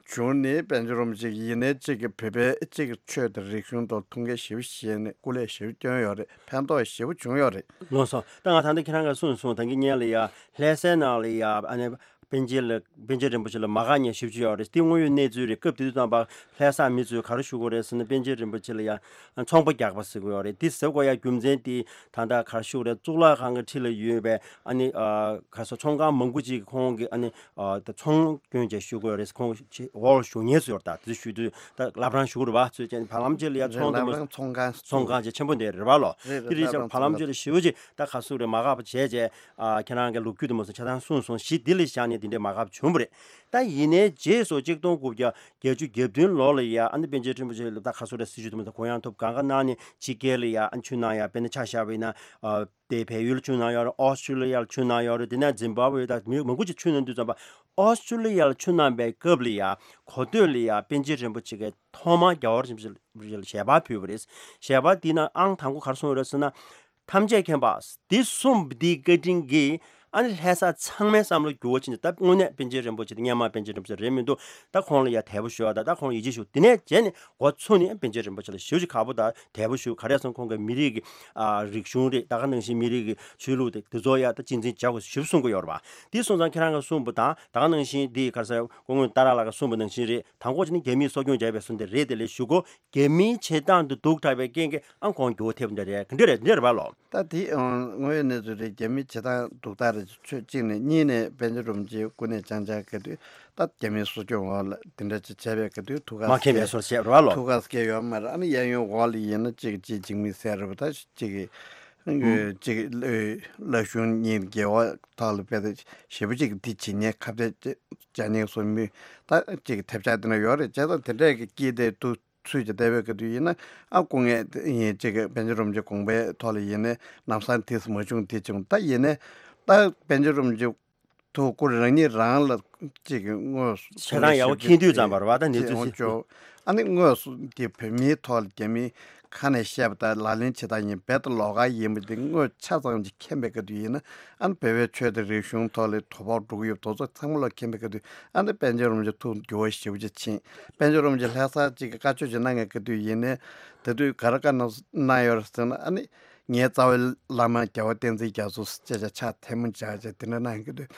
བྱུང་ནས་པཎ་ཆེན་རིན་པོ་ཆེ་ཡིན་ནའི་གཅིག་གི་བོད་པའི་གཅིག་གི་ཆོས་དང་རིག་གཞུང་ཐོག་ཐུགས་འགན་ཞེ་པོ་བཞེས་ནས་སྐུ་ལས་ཞེ་པོ་བསྐྱོན་ཡོད་རེད། ཕན་ཐོགས་ཞེ་པོ་བྱུང་ཡོད་རེད། ལགས་སོ། ད་ང་ད་ལྟ་ཁྱེད་རང་གིས་གསུངས་སོང་། ད་གིན་སྔོན་ལ་ཡ་ལྷ་སའི་ནང་ལ་ཡ་ཨ་ནི་པཎ་ཆེན་ལ་པཎ་ཆེན་རིན་པོ་ཆེ་ལ་མ་དགའ་མཁན་ཞེ་པོ་ཅིག་ཡོད་རེད། དེ་དངོས་ཡོད་གནས་ཚུལ་རེད། སྐབས་དེ་དུས་ཙམ་པ་ལྷ་ས་མི་ཚོས་ག་རེ་ཞུ་གི་ཡོད་རེད་ཟེར་ན་པཎ་ཆེན་རིན་པོ་ཆེ་ལ་ཡ་ཚོང་པ་རྒྱག་པ་ཟེར་གི་ཡོད་རེད། དེ་ཟེར་དགོས་ཡ་རྒྱུ་མཚན་དེ་ད་ལྟ་ག་རེ་ཞུ་གི་རེད། གཙུག་ལག་ཁང་གི་འཁྲིས་ལ་ཡོད་པའི་ཨ་ནི་ཨ་ག་རེ་ཟེར་ཚོང་ཁང་མང་པོ་ཅིག་ཁོང་གི་ཨ་ནི། ཨ་ད་ཚོང་སྐྱོན་བྱས་ཞུ་དགོས་རེད། ཁོང་ཆེ་འོག་ལ་བཞུགས་མཁན་ཚོ་ཡོད་རེད། ད་དེ་ཞུ་དུས་ད་བླ་བྲང་བཞུགས་རེད་པ། ཚོས་ཅན་བར་ལམ་ཅིག་ལ་ཡ་ཚོང་དུ་མ་ཚོང་ཁང་ཚོང་ཁང་ཅིག་ཆེན་པོ་འདི་རེད་པ་ལོ། རེད་རེད། དེ་རིགས་ཀྱང་བར་ལམ་ཅིག་ལ་ཞེ་པོ་ཅིག་ད་ག་ཟུག་རེད་མ་དགའ་པ་བྱས་བྱས་ཨ་ཁྱེད་རང་གི་ལོ་རྒྱུས་དུ་མ་ཚོ་ཆ་ཚང་གསུངས་སོང་། གཞི་འདི་ལ་བཞག་ནས་འདི་འདྲའི་མ་དགའ་པ་བྱུང་བ་རེད། ད་ཡིན་ནའི་རྗེས་སུ་གཅིག་སྟོང་དགུ་བརྒྱ་བརྒྱད་ཅུ་གྱ་བདུན་ལོ་ལ་ཡ་ཨ་ནི་པཎ་ཆེན་ཁྲི་པ་ཆེ་ལ་ད་ག་ཟུག་རེད་སྲིད་བྱུས་དུ་མ་ཚོ་གུ་ཡངས་ཐོབ་གང་ག་གནང་ནས་ཕྱི་རྒྱལ་ལ་ཡ་ཨ་ནི་ཆུ་ནང་ཡ་དཔེར་ན་ཆ་བཞག་པ་ཡིན་ན་ཨ། དེ་བལ་ཡུལ་ཆུ་ནང་ཡོད་རེད། ཨོ་སི་ཀྲི་ལི་ཡར་ཆུ་ནང་ཡོད་རེད། དེ་ནས་ཛིམ་བྷ་ཝེ་དང་མི་མང་པོ་ཅིག་ཆུ་ནང་འདུས་ཙམ་པ། ཨོ་སི་ཀྲི་ལི་ཡར་ཆུ་ནང་པའི་སྐབས་ལ་ཡ་གོ་ཐོས་ལ་ཡ་པཎ་ཆེན་རིན་པོ་ཆེ་གིས་ཐོག་མར་རྒྱལ་བ་རིན་པོ་ཆེ་ལ་ཞལ་པར་ཕུལ་བ་རེད། ཞལ་པར་འདི་ནང་ཨང་དང་པོ་ག་རེ་གསུངས་ཡོད་རེད་ཟེར་ན། ཐམས་ཅད་མཁྱེན་པ། འདི་གསུངས་པ་འདིའི་བཀའ་དྲིན་གྱིས་ཨ་ནི་ལྷ་ས་ཚང་མའི་བསམ་བློ་འགྱུར་བ་ཕྱིན་ནས་ད་དངོས་གནས་པཎ་ཆེན་རིན་པོ་ཆེ་དེ་སྔོན་མ་པཎ་ཆེན་རིན་པོ་ཆེ་རེད་མི་འདུག་ད་ཁོང་ལ་ཡ་དད་པ་ཞུ་བ་དང་ད་ཁོང་ལ་ཡིད་ཆེས་ཞུ། དེ་ནས་རྗེས་ནས་འགོ་ཚུགས་ནས་པཎ་ཆེན་རིན་པོ་ཆེ་ལ་ཞེ་པོ་ཅིག་ཁག་པོ་དང་དད་པ་ཞུ། ག་རེ་ཟེར་ན་ཁོང་གི་མི་རིགས་ཀྱི་ཨ་རིག་གཞུང་རེད། ད་ག་ནང་བཞིན་མི་རིགས་ཀྱི་ཆོས་ལུགས་དེ་དེ་ཚོ་ཡ་ད་གཅེས་འཛིན་བྱ་དགོས་ཞེ་པོ་གསུང་གི་ཡོད་རེད་པ། དེ་སོང་ཙང་ཁྱེད་རང་གིས་གསུངས་པ་དང་ད་ག་ནང་བཞིན་དེ་ག་རེ་ཟེར་སྐུ་ངོ་ཏཱ་ར་ལགས་ཀྱིས་གསུངས་པ་ནང་བཞིན་རེད། དང་པོ་ཅིག་ནི་རྒྱ་མིས་གསོ་སྐྱོང་བྱས་པའི་བཟོ་འདི་རེད། དེ་ལས་ཞུ་གོ་རྒྱ་མིའི་བྱེད་སྟངས་དེ་སྡུག་དྲགས་པའི་རྐྱེན་གྱིས་ཨང་ཁོང་འགྱུར་བ་ཐེབས་འདི་རེད། ག་འདྲ་རེད་འདི་རེད་པ་ལོ། ད་དེ་ཨང་དངོས་ཡོད་གནས་ཚུལ་རེད། རྒྱ་མིའི་བྱེད་སྟངས་སྡུག་དྲགས་རེད། ཆོས་གཅིག་ནས་གཉིས་ནས་པཎ་ཆེན་རིན་པོ་ཆེ་སྐུ་ནས་ཅང་ཅང་གི་དུས་ད་རྒྱ་མིའི་གསོ་སྐྱོང་འོག་ལ་དེ་འདྲ་ཅིག་བྱས་པའི་གི་དུས་ཐུགས་ཁག་མ་མཁྱེན་པའི་བཟོ་བྱས་རེད་པ་ལོ། ཐུགས་ཁག་སྐྱེ་ཡོད་མ་རེད། ཨ་ནི་གཡས་གཡོན་འོག་ལ་ཡིན་ན་གཅིག་གཅིག་འཇིགས་མེད་ཟེར་རེད་པ། ད་གཅིག་གིས་གཅིག་གིས་བླ་གཞུང་གཉིས་འགལ་བ་ཐོག་ལ་དཔེ་ཞེ་པོ་ཅིག་འདི་བྱེད་མཁན་ཁ་གཏད་བཅག་མཁན་སོགས་མི་ད་གཅིག་གི་ཐེབས་ཆག་དེ་འདྲ་ཡོད་རེད། བྱས་ཙང་དེ་འདྲས་ཀྱི་སྐྱིད་དེ་དུ་ཚུལ་གྱི་བསྡད་པའི་སྐབས་དུས་ཡིན་ན་ཨ་སྐུ་ངལ་ཡིན་གཅིག་གི་པཎ་ཆེན་རིན་པོ་ཆེ་དགོངས་པའི་ཐོག་ལ་ཡིན་ནའི་ལམ་སང་དེས་མ་བྱུང་དེ་བྱུང་། ད་ཡིན་ནའི་ད་པཎ་ཆེན་རིན་པོ་ཆེ་ཐུགས་སྐུ་རང་ཉིད་རང་ལ་གཅིག་གི་དངོས་སུ་ཆེ་ཐང་ཡག་པོ་མཁྱེན་དུས་ཙམ་པར་བ་ད་གནས་ཚུལ་ཅིག་ཨོ་ཅོ། ཨ་ནི་དངོས་སུ་དེ་བོད་མིའི་ཐོག་ལ་རྒྱ་མིའི་ཁ་ནས་བཤད་པ་དང་ལག་ལེན་བྱེད་སྟངས་ཡིན་རྦད་དེ་ལོགས་ཀ་ཡིན་པ་དེ་དངོས་ཆ་ཙམ་ཅིག་མཁྱེན་པའི་སྐབས་དུས་ཡིན་ན་ཨ་ནི་བོད་པའི་ཆོས་དང་རིག་གཞུང་ཐོག་ལ་དོ་ཕོག་འགྲོ་གི་ཡོད་དོ་ཚོ་ཚང་མ་ལ་མཁྱེན་པའི་སྐབས་དུས་ཨ་ནི་པཎ་ཆེན་རིན་པོ་ཆེ་ཐུགས་འགྱུར་བ་ཞེ་པོ་ཅིག་ཕྱིན། པཎ་ཆེན་རིན་པོ་ཆེ་ལྷ་ས་གཅིག་གི་བཀའ་ཆོས་ཅིག་གནང་མཁན་སྐབས་དུས་ཡིན་ནའི་དེ་དུས་ག་རེ་བཀའ་གནང་གནང་ཡོད་རེད་ཟེར་ན་ཨ་ནི་ངའི་རྩ་བའི་བླ་མ་རྒྱལ་བ་བསྟན་འཛིན་རྒྱ་མཚོ་ཅེས་བྱ་ཕྱག་ཐལ་མོ་སྦྱར་བྱས་དེ་འདྲ་གནང་གི་འདུག་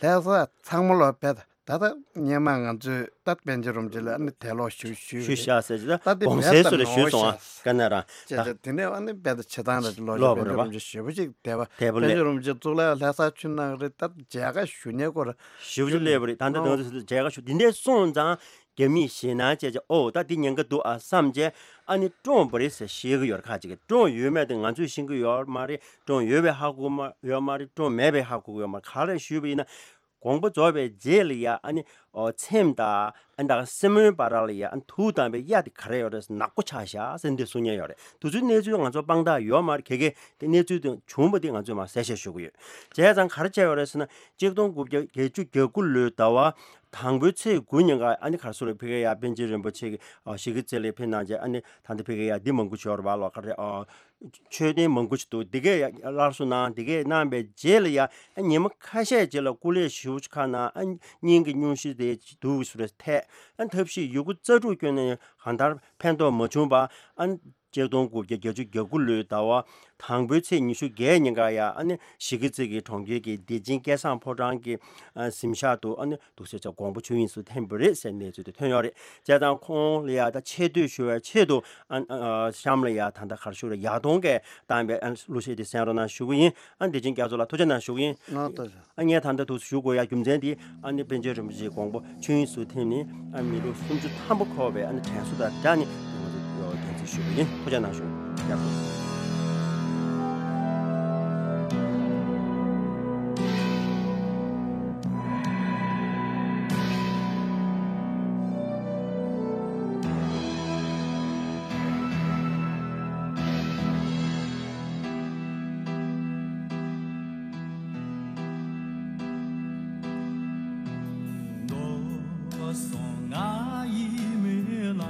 ལྷ་ས་ཚང་མ་ལོ་བས་ད་ལྟ་སྔོན་མ་ང་ཚོས་ད་པཎ་ཆེན་རིན་པོ་ཆེ་ལ་ཨ་ནི་དད་ལོག་ཞུ་ཞུ་ཞུ་ཤག་ཟེར་གྱི་ད་ད་དེ་གོང་གསལ་བས་སུ་ད་རེ་ཞུས་ནོར་སོང་ཨ། ཤག་ཀ་ན་ར་ཅེས་ད་བྱས་དེ་ནས་ཨ་ནི་བས་ད་བྱེད་སྟངས་ལ་ལོ་ལོག་པ་པཎ་ཆེན་རེད་པ། རིན་པོ་ཆེ་ཞེ་པོ་ཅིག་དད་པ་དད་པ་པཎ་ལས་ཆེན་རིན་པོ་ཆེ་གཙུག་ལག་ལྷ་ས་ཆུ་ནང་རེད། ད་མཇལ་ཁ་ཞུ་ཉེ་སྐོར་ཞེ་པོ་ཅིག་སླེབས་པ་རེད། ད་ལྟ་ང་ཚོས་མཇལ་ཁ་ཞུ་དེ་འདྲས་སོང་ཙང་རྒྱ་མིས་ཞེད་སྣང་བྱས་བྱས་ཨོ་ད་འདི་ཉེན་ཁ་འདུག་ཨ་བསམ་བྱས་ཨ་ནི་བཀྲོངས་པ་རེད་ཟེར་བཤད་ཀྱི་ཡོད་རེད། ཁ་ཅིག་གིས་བཀྲོངས་ཡོད་མེད་དེ་ང་ཚོས་ཤེས་ཀྱི་ཡོད་མ་རེད། བཀྲོངས་ཡོད་པའི་ཧ་གོ་མ་ཡོད་མ་རེད། བཀྲོངས་མེད་པའི་ཧ་གོ་གི་ཡོད་མ་རེད། ག་རེ་ཞུས་པ་ཡིན་ན། དགོངས་པ་རྫོགས་པའི་རྗེས་ལ་ཡ་ཨ་ནི་ཨོ་ཚེམས་དང་ཨ་ནི་ད་ག་སེན་མོའི་བར་ལ་ཡ་ཨ་ནི་དུག་བཏང་བའི་གཡའ་དེ་ག་རེ་ཡོད་རེད་ཟེར་ནག་པོ་ཆགས་ཤག་ཟེར་འདི་གསུང་མཁན་ཡོད་རེད། དུས་ཚོད་གནས་ཚུལ་ང་ཚོ་དཔང་རྟགས་ཡོད་མ་རེད། གལ་གལ་དེ་གནས་ཚུལ་དེ་བྱུང་བ་དེ་ང་ཚོས་མར་གསལ་བཤད་ཞུ་གི་ཡོད། བྱས་ཙང་ག་རེ་བྱས་ཡོད་རེད་ཟེར་ན་གཅིག་སྟོང་དགུ་བརྒྱ་བརྒྱད་ཅུ་གྱ་དགུ་ལོའི་ཟླ་བ་དང་པོའི་ཚེས་དགུ་ཉིན་ཀ་ཨ་ནི་ག་རེ་ཟེར་རེད། ཕ་གི་ཡ་པཎ་ཆེན་རིན་པོ་ཆེ་གི་ཨ་གཞིས་ཀ་རྩེ་ལ་ཕེབས་གནང་བྱས་ཨ་ནི་ད་ལྟ་ཕ་གི་ཡ་འདི་མང་པོ་ཞིག་ཡོད་རེད་པ་ལོ། ག་རེ་ཨ། མཆོད་རྟེན་མང་པོ་ཞིག་འདུག་འདི་གས་ཡ་སླར་གསོ་གནང་། འདི་གས་གནང་བའི་རྗེས་ལ་ཡ་ཉི་མ་ཁ་ཤས་རྗེས་ལ་སྐུ་ལས་ཞེ་པོ་ཅིག་ཁག་གནང་། ཨ་སྙིང་གི་སྙུང་གཞི་དེ་སྡུག་སུ་རེ་ཐེག་ཨ་ཐབས་ཤེས་ཡོད་རྒུ་རྩལ་སྤྲུགས་བསྐྱོན་ནས་གང་ལྟར་ཕན་ཐོགས་མ་བྱུང་བ། ཨ་གཅིག་སྟོང་དགུ་བརྒྱ་བརྒྱད་ཅུ་གྱ་དགུ་ལོའི་ཟླ་བ་དང་པོའི་ཚེས་ཉི་ཤུ་བརྒྱད་ཉིན་ཀ་ཡ་ཨ་ནི་གཞིས་ཀ་རྩེ་གི་གྲོང་ཁྱེར་གྱི་བདེ་ཆེན་སྐལ་བཟང་ཕོ་བྲང་གི་ཨ་གཟིམ་ཤག་ཏུ་ཨ་ནི། འདུག་ཟེར་ཚེ་དགོངས་པ་ཆོས་དབྱིངས་སུ་ཐིམ་པ་རེད་ཟེར་གནས་ཚུལ་དེ་ཐོན་ཡོད་རེད། བྱས་ཙང་ཁོང་ལ་ཡ་ད་ཆེ་བསྟོད་ཞུ་བའི་ཆེད་དུ་ཨ་ཨ་གཤམ་ལ་ཡ་ད་ལྟ་ག་རེ་ཞུ་རེད། ཡག་སྟོང་གིས་བཏང་བའི་ཨ་གླུ་གཞས་དེ་གསན་རོགས་གནང་ཞུ་གི་ཡིན། ཨ་བདེ་ཆེན་རྒྱ་མཚོ་ལགས་ཐུགས་རྗེ་གནང་ཞུ་གི་ཡིན། ང་ལྟ་ཞུ། ཨ་ངས་ད་ལྟ་འདུག་ཞུ་དགོས་ཡ་རྒྱུ་མཚན་དེ་ཨ་ནི་པཎ་ཆེན་རིན་པོ་ཆེའི་དགོངས་པ་ཆོས་དབྱིངས་སུ་ཐིམ་ནས་ཨ་མི་ལོ་སུམ་ཅུ་ཐམ་པ་འཁོར་བའི་ཨ་ནི་དྲན་གསོ་དང་སྦྲགས་ནས་ང་ཚོ་རྒྱ་མཚོ་ཞུ་གི་ཡིན། ཐུགས་རྗེ་གནང་ཞུ། རྒྱ་མཚོ། སོང་ང་ཡི་མི་ལ།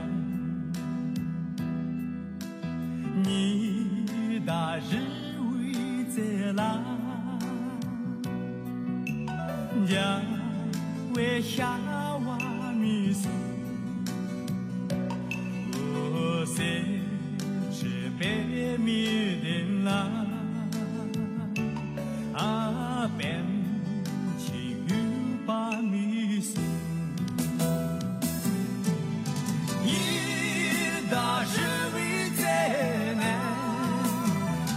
ཉི་ཟླ་རི་བོའི་རྩེ་ལ། འཇའ་འོད་ཤར་བ་མི་སོང་། འོ་གསེར་ཁྲི་པད་མའི་གདན་ལ། ཨ་པཎ་ཆེན་འོད་དཔག་མི་སོང་། ཉི་ཟླ་རི་བོའི་རྩེ་ནས་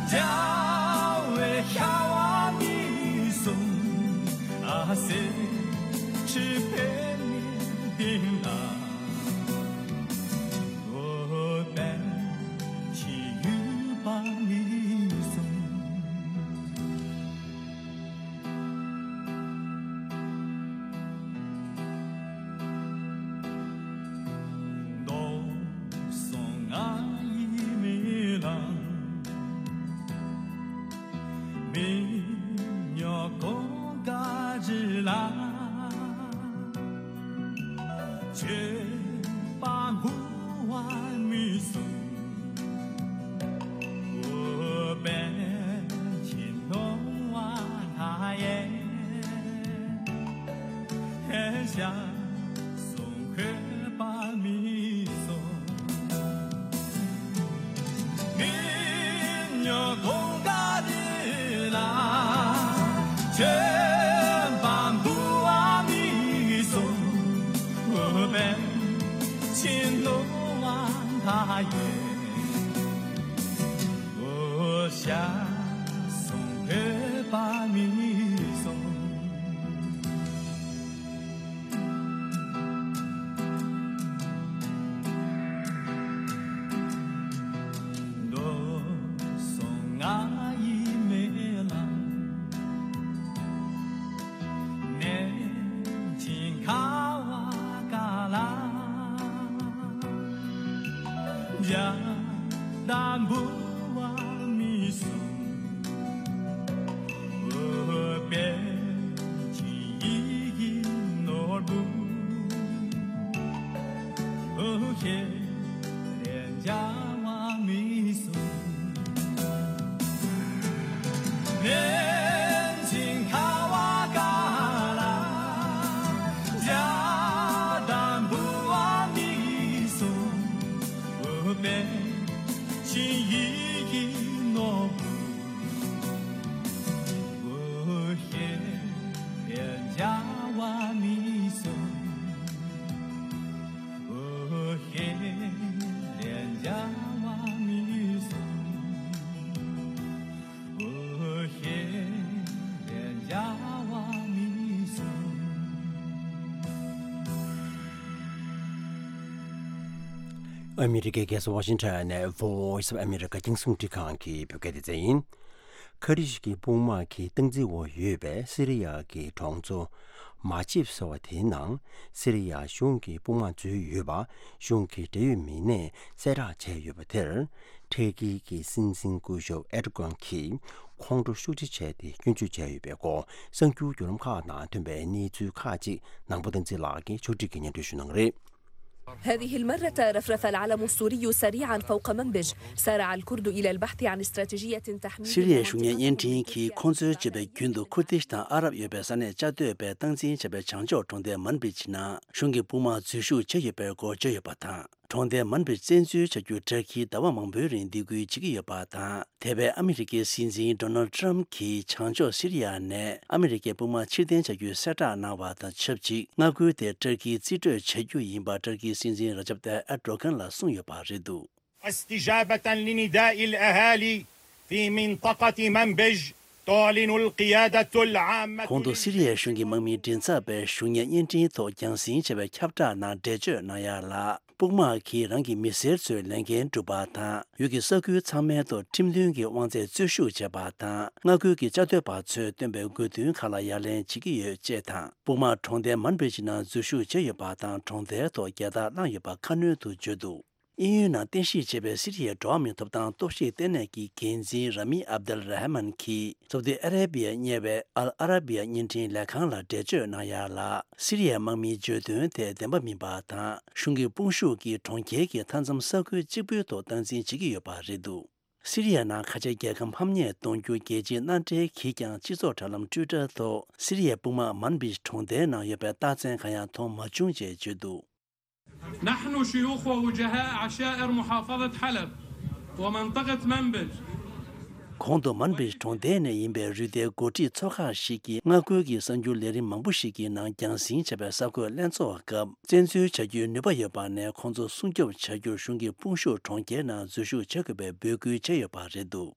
འཇའ་འོད་ཤར་བ་མི་སོང་། ཨ་གསེར་ཁྲི་པད་མའི་གདན་ལ། འོ་པཎ་ཆེན་འོད་དཔག་མི་སོང་། མདོ་སོང་ང་ཡི་མི་ལ། མི་ཉོ་གོང་དཀར་རི་ལ། ཆོས་པ་འབུལ་བ་མི་སོང་། འོ་པཎ་ཆེན་ནོར་བ་ལྷ་ཡི། ཤ་སོང་འཁོད་པ་མི་སོང་། མི་ཉོ་གོང་དཀར་རི་ལ། ཆོས་པ་འབུལ་བ་མི་སོང་། འོ་པཎ་ཆེན་ནོར་བ་ལྷ་ཡི། འོ་ཤ་སོང་འཁོད་པ་མི་སོང་། མདོ་སོང་ང་ཡི་མི་ལ། ནས་ཅིང་ཁ་བ་ཀ་ལ། འཇའ་དང་འབུལ་བ་མི་སོང་། འོ་པཎ་ཆེན་ཡིད་ཀྱི་ནོར་བུ། འོ་ཤེས་རེ་འཇའ་བ་མི་སོང་། ནན་ཅིང་ཁ་བ་ཀ་ལ། འཇའ་དང་འབུལ་བ་མི་སོང་། འོ་པཎ་ཆེན་ཡིད་ཀྱི་ནོར་བུ། འོ་ཤེས་རེ་འཇའ་བ་མི་སོང་། འོ་ཤེས་རེ་འཇའ་བ་མི་སོང་། འོ་ཤེས་རེ་འཇའ་བ་མི་སོང་། ཨ་མི་རི་ཀའི་རྒྱལ་ས་ཝ་ཤིང་ཊོན་ནས་Voice of America རྒྱང་སྲིང་འཕྲིན་ཁང་གི་བོད་སྐད་སྡེ་ཚན་ཡིན། ཁ་ཏ་ཞི་གི་དཔུང་དམག་གི་སྟངས་འཛིན་འོག་ཡོད་པའི་སི་རི་ཡ་གི་གྲོང་ཚོ་མ་ཆིབ་ཟེར་བ་དེའི་ནང་སི་རི་ཡ་གཞུང་གི་དཔུང་དམག་འཛུལ་ཡོད་པ་གཞུང་གི་འབྲེལ་ཡོད་མི་སྣས་གསལ་བསྒྲགས་བྱས་ཡོད་པ་དེར། ཏུར་ཀི་གི་སྲིད་འཛིན་སྐུ་ཞབས་ཨེར་ཌོ་གྷན་གྱིས་ཁོང་ཁྲོ་ཤུགས་ཆེ་བྱས་ཏེ་སྐྱོན་བརྗོད་བྱས་ཡོད་པའི་སྐོར་གསར་འགྱུར་བརྒྱུད་ལམ་ཁག་ནང་ཐོན་པའི་གནས་ཚུལ་ཁག་ཅིག་ནང་པ་བསྟན་འཛིན་ལགས་ཀྱིས་ཕྱོགས་སྒྲིག་གིས་སྙན་སྒྲོན་ཞུ་གནང་གི་རེད། هذه المرة رفرف العلم السوري سريعا فوق منبج. سارع الكرد إلى البحث عن استراتيجية تحميهم. སི་རི་ཡའི་གཞུང་གཉེར་བརྙན་འཕྲིན་གྱིས་ཁོང་ཚོའི་སྤྱོད་པའི་རྒྱུན་དུ་ཁུར་དིཤ་དང་ཨ་རབ་ཡོད་པའི་ས་གནས་བཅའ་སྡོད་པའི་སྟངས་འཛིན་བྱས་པའི་བྱང་ཕྱོགས་གྲོང་རྡལ་མན་བིཇ་ནང་གཞུང་གི་དཔུང་དམག་འཛུལ་ཞུགས་བྱས་ཡོད་པའི་སྐོར་བརྗོད་ཡོད་པ་དང་། གྲོང་རྡལ་མན་བིཇ་བཙན་འཛུལ་བྱ་རྒྱུར་ཏུར་ཀིས་ཟླ་བ་མང་པོའི་རིང་སྡིགས་སྐུལ་བྱེད་ཀྱི་ཡོད་པ་དང་། འདས་པའི་ཨ་མི་རི་ཀའི་སྲིད་འཛིན་ཌོ་ནལ་ཊམ་གྱིས་བྱང་ཕྱོགས་སི་རི་ཡ་ནས་ཨ་མི་རི་ཀའི་དཔུང་དམག་ཕྱིར་འཐེན་བྱ་རྒྱུའི་གསལ་བསྒྲགས་གནང་བ་དང་ཆབས་ཅིག་མངའ་ཁུལ་དེ་ཏུར་ཀིས་རྩིས་སྤྲོད་བྱ་རྒྱུ་ཡིན་པ་ཏུར་ཀིའི་སྲིད་འཛིན་ར་ཇབ་ཏཱ་ཨེར་ཌོ་གྷན་ལ་གསུངས་ཡོད་པ་རེད་འདུག استجابة لنداء الأهالي في منطقة منبج تعلن القيادة العامة. གོང་དུ་སི་རི་ཡའི་གཞུང་གི་དམག་མིའི་མགྲིན་ཚབ་པས་གཞུང་གཉེར་བརྙན་འཕྲིན་ཐོག་རྒྱང་སྲིང་བྱས་པའི་ཁྱབ་བསྒྲགས་ནང་འགྲེལ་བརྗོད་གནང་ཡ་ལ། དཔུང་དམག་གིས་རང་གི་མི་སེར་ཚོའི་ལས་འགན་བསྒྲུབས་པ་དང་། ཡུལ་གྱི་ས་ཁུལ་ཚང་མའི་ཐོག་ཁྲིམས་མཐུན་གྱི་དབང་ཚད་རྩོད་ཤུགས་བྱས་པ་དང་། མངའ་ཁུལ་གྱི་བཅའ་སྡོད་པ་ཚོས་བཏོན་པའི་དགོས་འདུན་ཁག་ལ་ཡ་ལན་བྱེད་ཀྱི་ཡོད་ཅེས་དང་། དཔུང་དམག་གྲོང་རྡལ་མན་བིཇ་ནང་འཛུལ་ཞུགས་བྱས་ཡོད་པ་དང་། གྲོང་རྡལ་ཐོག་རྒྱལ་དར་བསླངས་ཡོད་པ་ཁ་སྣོན་དུ་བརྗོད་འདུག་དབྱིན་ཡུལ་ནང་རྟེན་གཞི་བྱས་པའི་སི་རི་ཡའི་འགྲོ་བ་མིའི་ཐོབ་ཐང་རྟོག་ཞིབ་ལྟེ་གནས་ཀྱི་འགན་འཛིན་ར་མི་ཨབ་དེལ་ར་ཧ་མན་གྱིས་སོ་ཏི་ཨ་ར་བི་ཡར་གཉེར་བའི་ཨལ་ཨ་ར་བི་ཡ་བརྙན་འཕྲིན་ལས་ཁང་ལ་འགྲེལ་བརྗོད་གནང་ཡ་ལ། སི་རི་ཡའི་དམག་མིའི་བརྗོད་དོན་དེ་བདེན་པ་མིན་པ་དང་། གཞུང་གི་དཔུང་ཤུགས་ཀྱིས་གྲོང་ཁྱེར་གྱི་མཐའ་མཚམས་ས་ཁུལ་གཅིག་པུའི་ཐོག་སྟངས་འཛིན་བྱེད་ཀྱི་ཡོད་པ་རེད་འདུག་སི་རི་ཡ་ནང་ཁ་ཆེ་རྒྱལ་ཁམས་ཕམ་ཉེས་གཏོང་རྒྱུ་རྒྱལ་སྤྱིའི་མནའ་འབྲེལ་གྱིས་ཀྱང་སྤྱི་ཚོགས་དྲ་ལམ་ཊུའི་ཊར་ཐོག་སི་རི་ཡའི་དཔུང་དམག་མན་བིཇ་གྲོང་རྡལ་ནང་ཡོད་པའི་རྟགས་མཚན་གང་ཡང་མཐོང་མ་བྱུང་ཅེས་བརྗོད་འདུག نحن شيوخ ووجهاء عشائر محافظة حلب ومنطقة منبج. གོང་དུ་མན་བིཇ་གྲོང་རྡལ་ནས་ཡིན་པའི་རུས་སྡེའི་འགོ་ཁྲིད་ཚོ་ཁག་ཞིག་གིས་མངའ་ཁུལ་གྱི་གསར་འགྱུར་ལས་རིམ་མང་པོ་ཞིག་གི་ནང་རྒྱང་སྲིང་བྱས་པའི་གསར་འགོད་ལྷན་ཚོགས་སྐབས། བཙན་འཛུལ་བྱ་རྒྱུའི་ནུས་པ་ཡོད་པ་ནས་ཁོང་ཚོ་སྲུང་སྐྱོབ་བྱ་རྒྱུར་གཞུང་གི་དཔུང་ཤུགས་གྲོང་ཁྱེར་ནང་འཛུལ་ཞུགས་བྱ་དགོས་པའི་འབོད་སྐུལ་བྱས་ཡོད་པ་རེད་འདུག་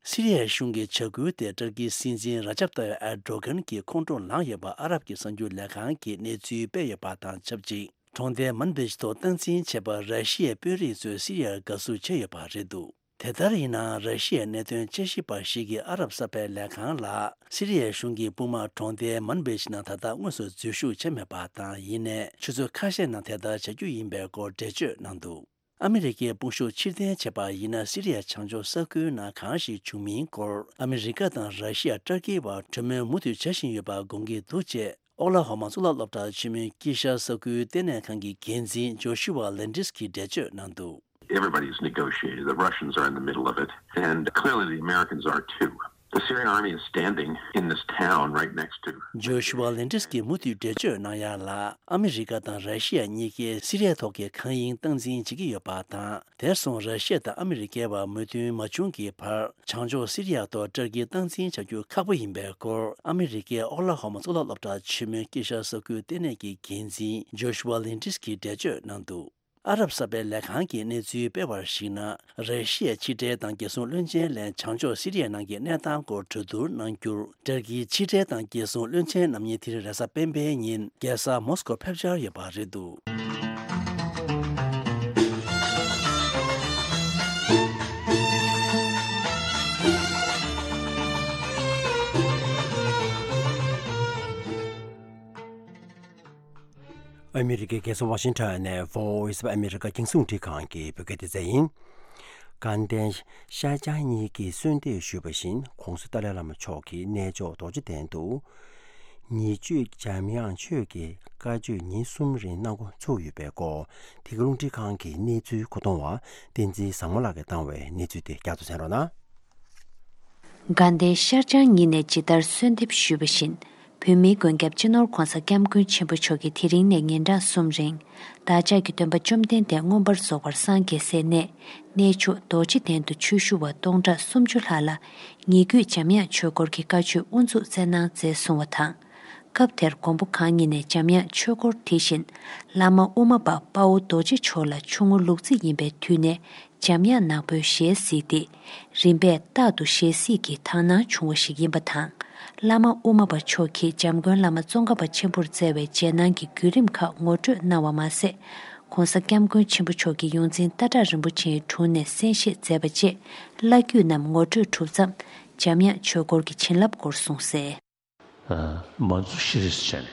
སི་རི་ཡའི་གཞུང་གི་བྱ་འགུལ་དེ་ཏུར་ཀིའི་སྲིད་འཛིན་ར་ཇབ་ཏཱ་ཡིབ་ཨེར་ཌོ་གྷན་གྱི་ཁོང་ཁྲོ་ལངས་ཡོད་པ་ཨ་རབ་ཀྱི་གསར་འགྱུར་ལས་ཁང་གིས་གནས་ཚུལ་སྤེལ་ཡོད་པ་དང་ཆབས་ཅིག་གྲོང་རྡལ་མན་བིཇ་ཐོག་སྟངས་འཛིན་བྱས་པར་ར་ཤི་ཡའི་དཔོན་རིགས་ཚོས་སི་རི་ཡར་དགའ་བསུ་བྱས་ཡོད་པ་རེད་འདུག་དེ་ལྟར་ཡིན་ནའང་། ར་ཤི་ཡའི་གནད་དོན་དཔྱད་ཞིབ་པ་ཞིག་གིས་ཨ་རབ་གསར་པའི་ལས་ཁང་ལ། སི་རི་ཡའི་གཞུང་གི་དཔུང་དམག་གྲོང་རྡལ་མན་བིཇ་ནང་ད་ལྟ་དངོས་སུ་འཛུལ་ཞུགས་བྱས་མེད་པ་དང་། ཡིན་ནའི་ཆུ་ཚོད་ཁ་ཤས་ནང་དེ་ལྟར་བྱ་རྒྱུ་ཡིན་པའི་སྐོར་འགྲེལ་བརྗོད་གནང་འདུག་ཨ་མི་རི་ཀའི་དཔུང་ཤུགས་ཕྱིར་འཐེན་བྱས་པ་ཡིན་ན། སི་རི་ཡ་བྱང་ཕྱོགས་ས་ཁུལ་ནང་གང་ཞིག་བྱུང་མིན་སྐོར། ཨ་མི་རི་ཀ་དང་ར་ཤི་ཡ། ཏུར་ཀི་བར་གྲོས་མོལ་མུ་མཐུད་བྱ་བཞིན་ཡོད་པ་དགོངས་ཀྱི་འདུག་ཅེས། ཨོ་ཀླ་ཧོ་མ་གཙུག་ལག་སློབ་གྲྭ་ཆེན་མོའི་དཀྱིལ་ཤར་ས་ཁུལ་ལྟེ་གནས་ཁང་གི་འགན་འཛིན་ཇོ་ཤུ་ཝ་ལེན་ཏིས་ཀྱིས་འགྲེལ་བརྗོད་གནང་འདུག Everybody is negotiating. The Russians are in the middle of it, and clearly the Americans are too. The Syrian army is standing in this town right next to. ཇོ་ཤུ་ཝ་ལེན་ཏིས་ཀྱིས་མུ་མཐུད་འགྲེལ་བརྗོད་གནང་ཡ་ལ། ཨ་མི་རི་ཀ་དང་ར་ཤི་ཡ་གཉིས་ཀས་སི་རི་ཡ་ཐོག་གི་མཁའ་དབྱིངས་སྟངས་འཛིན་བྱེད་ཀྱི་ཡོད་པ་དང་། དེར་སོང་ར་ཤི་ཡ་དང་ཨ་མི་རི་ཀའི་བར་མོས་མཐུན་མ་བྱུང་གི་བར། བྱང་ཕྱོགས་སི་རི་ཡ་ཐོག་ཏུར་ཀིས་སྟངས་འཛིན་བྱ་རྒྱུ་ཁག་པོ་ཡིན་པའི་སྐོར། ཨ་མི་རི་ཀའི་ཨོ་ཀླ་ཧོ་མ་གཙུག་ལག་སློབ་གྲྭ་ཆེན་མོའི་དཀྱིལ་ཤར་ས་ཁུལ་ལྟེ་གནས་ཀྱི་འགན་འཛིན་ཇོ་ཤུ་ཝ་ལེན་ཏིས་ཀྱིས་འགྲེལ་བརྗོད་གནང་འདུག་ཨ་རབ་གསར་པའི་ལས་ཁང་གིས་གནས་ཚུལ་སྤེལ་བར་གཞིགས་ན། ར་ཤི་ཡའི་ཕྱི་འབྲེལ་དང་རྒྱལ་སྲུང་བློན་ཆེན་ལས་བྱང་ཕྱོགས་སི་རི་ཡའི་ནང་གི་གནས་སྟངས་སྐོར་གྲོས་བསྡུར་གནང་རྒྱུར། ཏུར་ཀིའི་ཕྱི་འབྲེལ་དང་རྒྱལ་སྲུང་བློན་ཆེན་རྣམ་གཉིས་དེ་རིང་རེས་གཟའ་སྤེན་པའི་ཉིན་རྒྱལ་ས་མོ་སྐོར་ཕེབས་འཆར་ཡོད་པ་རེད་འདུག་ཨ་མི་རི་ཀའི་རྒྱལ་ས་ཝ་ཤིང་ཊོན་ནས་Voice of America རྒྱང་སྲིང་རླུང་འཕྲིན་ཁང་གི་བོད་སྐད་སྡེ་ཚན་ཡིན། དགའ་ལྡན་ཤར་བྱང་གཉིས་ཀྱིས་གསོལ་འདེབས་ཞུས་པ་བཞིན། ༸གོང་ས་ཏཱ་ལའི་བླ་མ་མཆོག་གིས་གནས་མཆོག་རྡོ་རྗེ་གདན་དུ་ཉེ་བརྗོད་འཇམ་དབྱངས་ཆོས་ཀྱི་བཀའ་ཆོས་ཉིན་གསུམ་རིང་གནང་འགོ་ཚུགས་ཡོད་པའི་སྐོར། འདི་ག་རླུང་འཕྲིན་ཁང་གི་གནས་ཚུལ་མཁོ་གཏོང་བ་བསྟན་འཛིན་བཟང་མོ་ལགས་ཀྱིས་བཏང་བའི་གནས་ཚུལ་དེ་བསྐྱར་དུ་གསན་རོགས་གནང་། དགའ་ལྡན་ཤར་བྱང་གཉིས་ནས་ཇི་ལྟར་གསོལ་འདེབས་ཞུས་པ་བཞིན། བོད་མིའི་མགོན་སྐྱབས་སྤྱི་ནོར་༸གོང་ས་༸སྐྱབས་མགོན་ཆེན་པོ་མཆོག་གིས་དེ་རིང་ནས་ཉིན་གྲངས་གསུམ་རིང་། བདག་ཅག་གི་སྟོན་པ་བཅོམ་ལྡན་འདས་མངོན་པར་རྫོགས་པར་སངས་རྒྱས་སའི་གནས། གནས་མཆོག་རྡོ་རྗེ་གདན་དུ་ཆོས་ཞུ་བ་སྟོང་ཕྲག་སུམ་ཅུ་ལྷག་ལ། ཉེ་བརྒྱུད་འཇམ་དབྱངས་ཆོས་སྐོར་གྱི་བཀའ་ཆོས་དབུ་འཛུགས་སྩལ་གནང་མཛད་གསུང་བ་དང་། སྐབས་དེར་མགོན་པོ་གང་ཉིད་ནས་འཇམ་དབྱངས་ཆོས་སྐོར་དེ་བཞིན། བླ་མ་དབུ་མ་པ་དཔའ་བོ་རྡོ་རྗེ་མཆོག་ལ་ཆུང་ངུ་ལུག་རྫི་ཡིན་པའི་དུས་ནས། འཇམ་དབྱངས་ནག་པོའི་ཞལ་གཟིགས་ཏེ། རིམ་པས་རྟག་ཏུ་ཞལ་གཟིགས་ཀྱི་དག་སྣང་བྱུང་བ་ཞིག་ཡིན་པ་དང་། བླ་མ་དབུ་མ་པ་མཆོག་གིས་འཇམ་མགོན་བླ་མ་ཙོང་ཁ་པ་ཆེན་པོར་བསྩལ་བའི་རྗེས་གནང་གི་བརྒྱུད་རིམ་ཁག་ངོ་སྤྲོད་གནང་བ་མ་ཟད། ༸གོང་ས་༸སྐྱབས་མགོན་ཆེན་པོ་མཆོག་གི་ཡོངས་འཛིན་སྟག་བྲག་རིན་པོ་ཆེའི་དྲུང་ནས་གསན་བཞེས་མཛད་པ་བཅས་བླ་བརྒྱུད་རྣམས་ངོ་སྤྲོད་གྲུབ་མཚམས། འཇམ་དབྱངས་ཆོས་སྐོར་གྱི་བྱིན་རླབས་སྐོར་གསུངས་གསལ། མ་འཛུགས་ཤི་རེས་བྱས་ནས།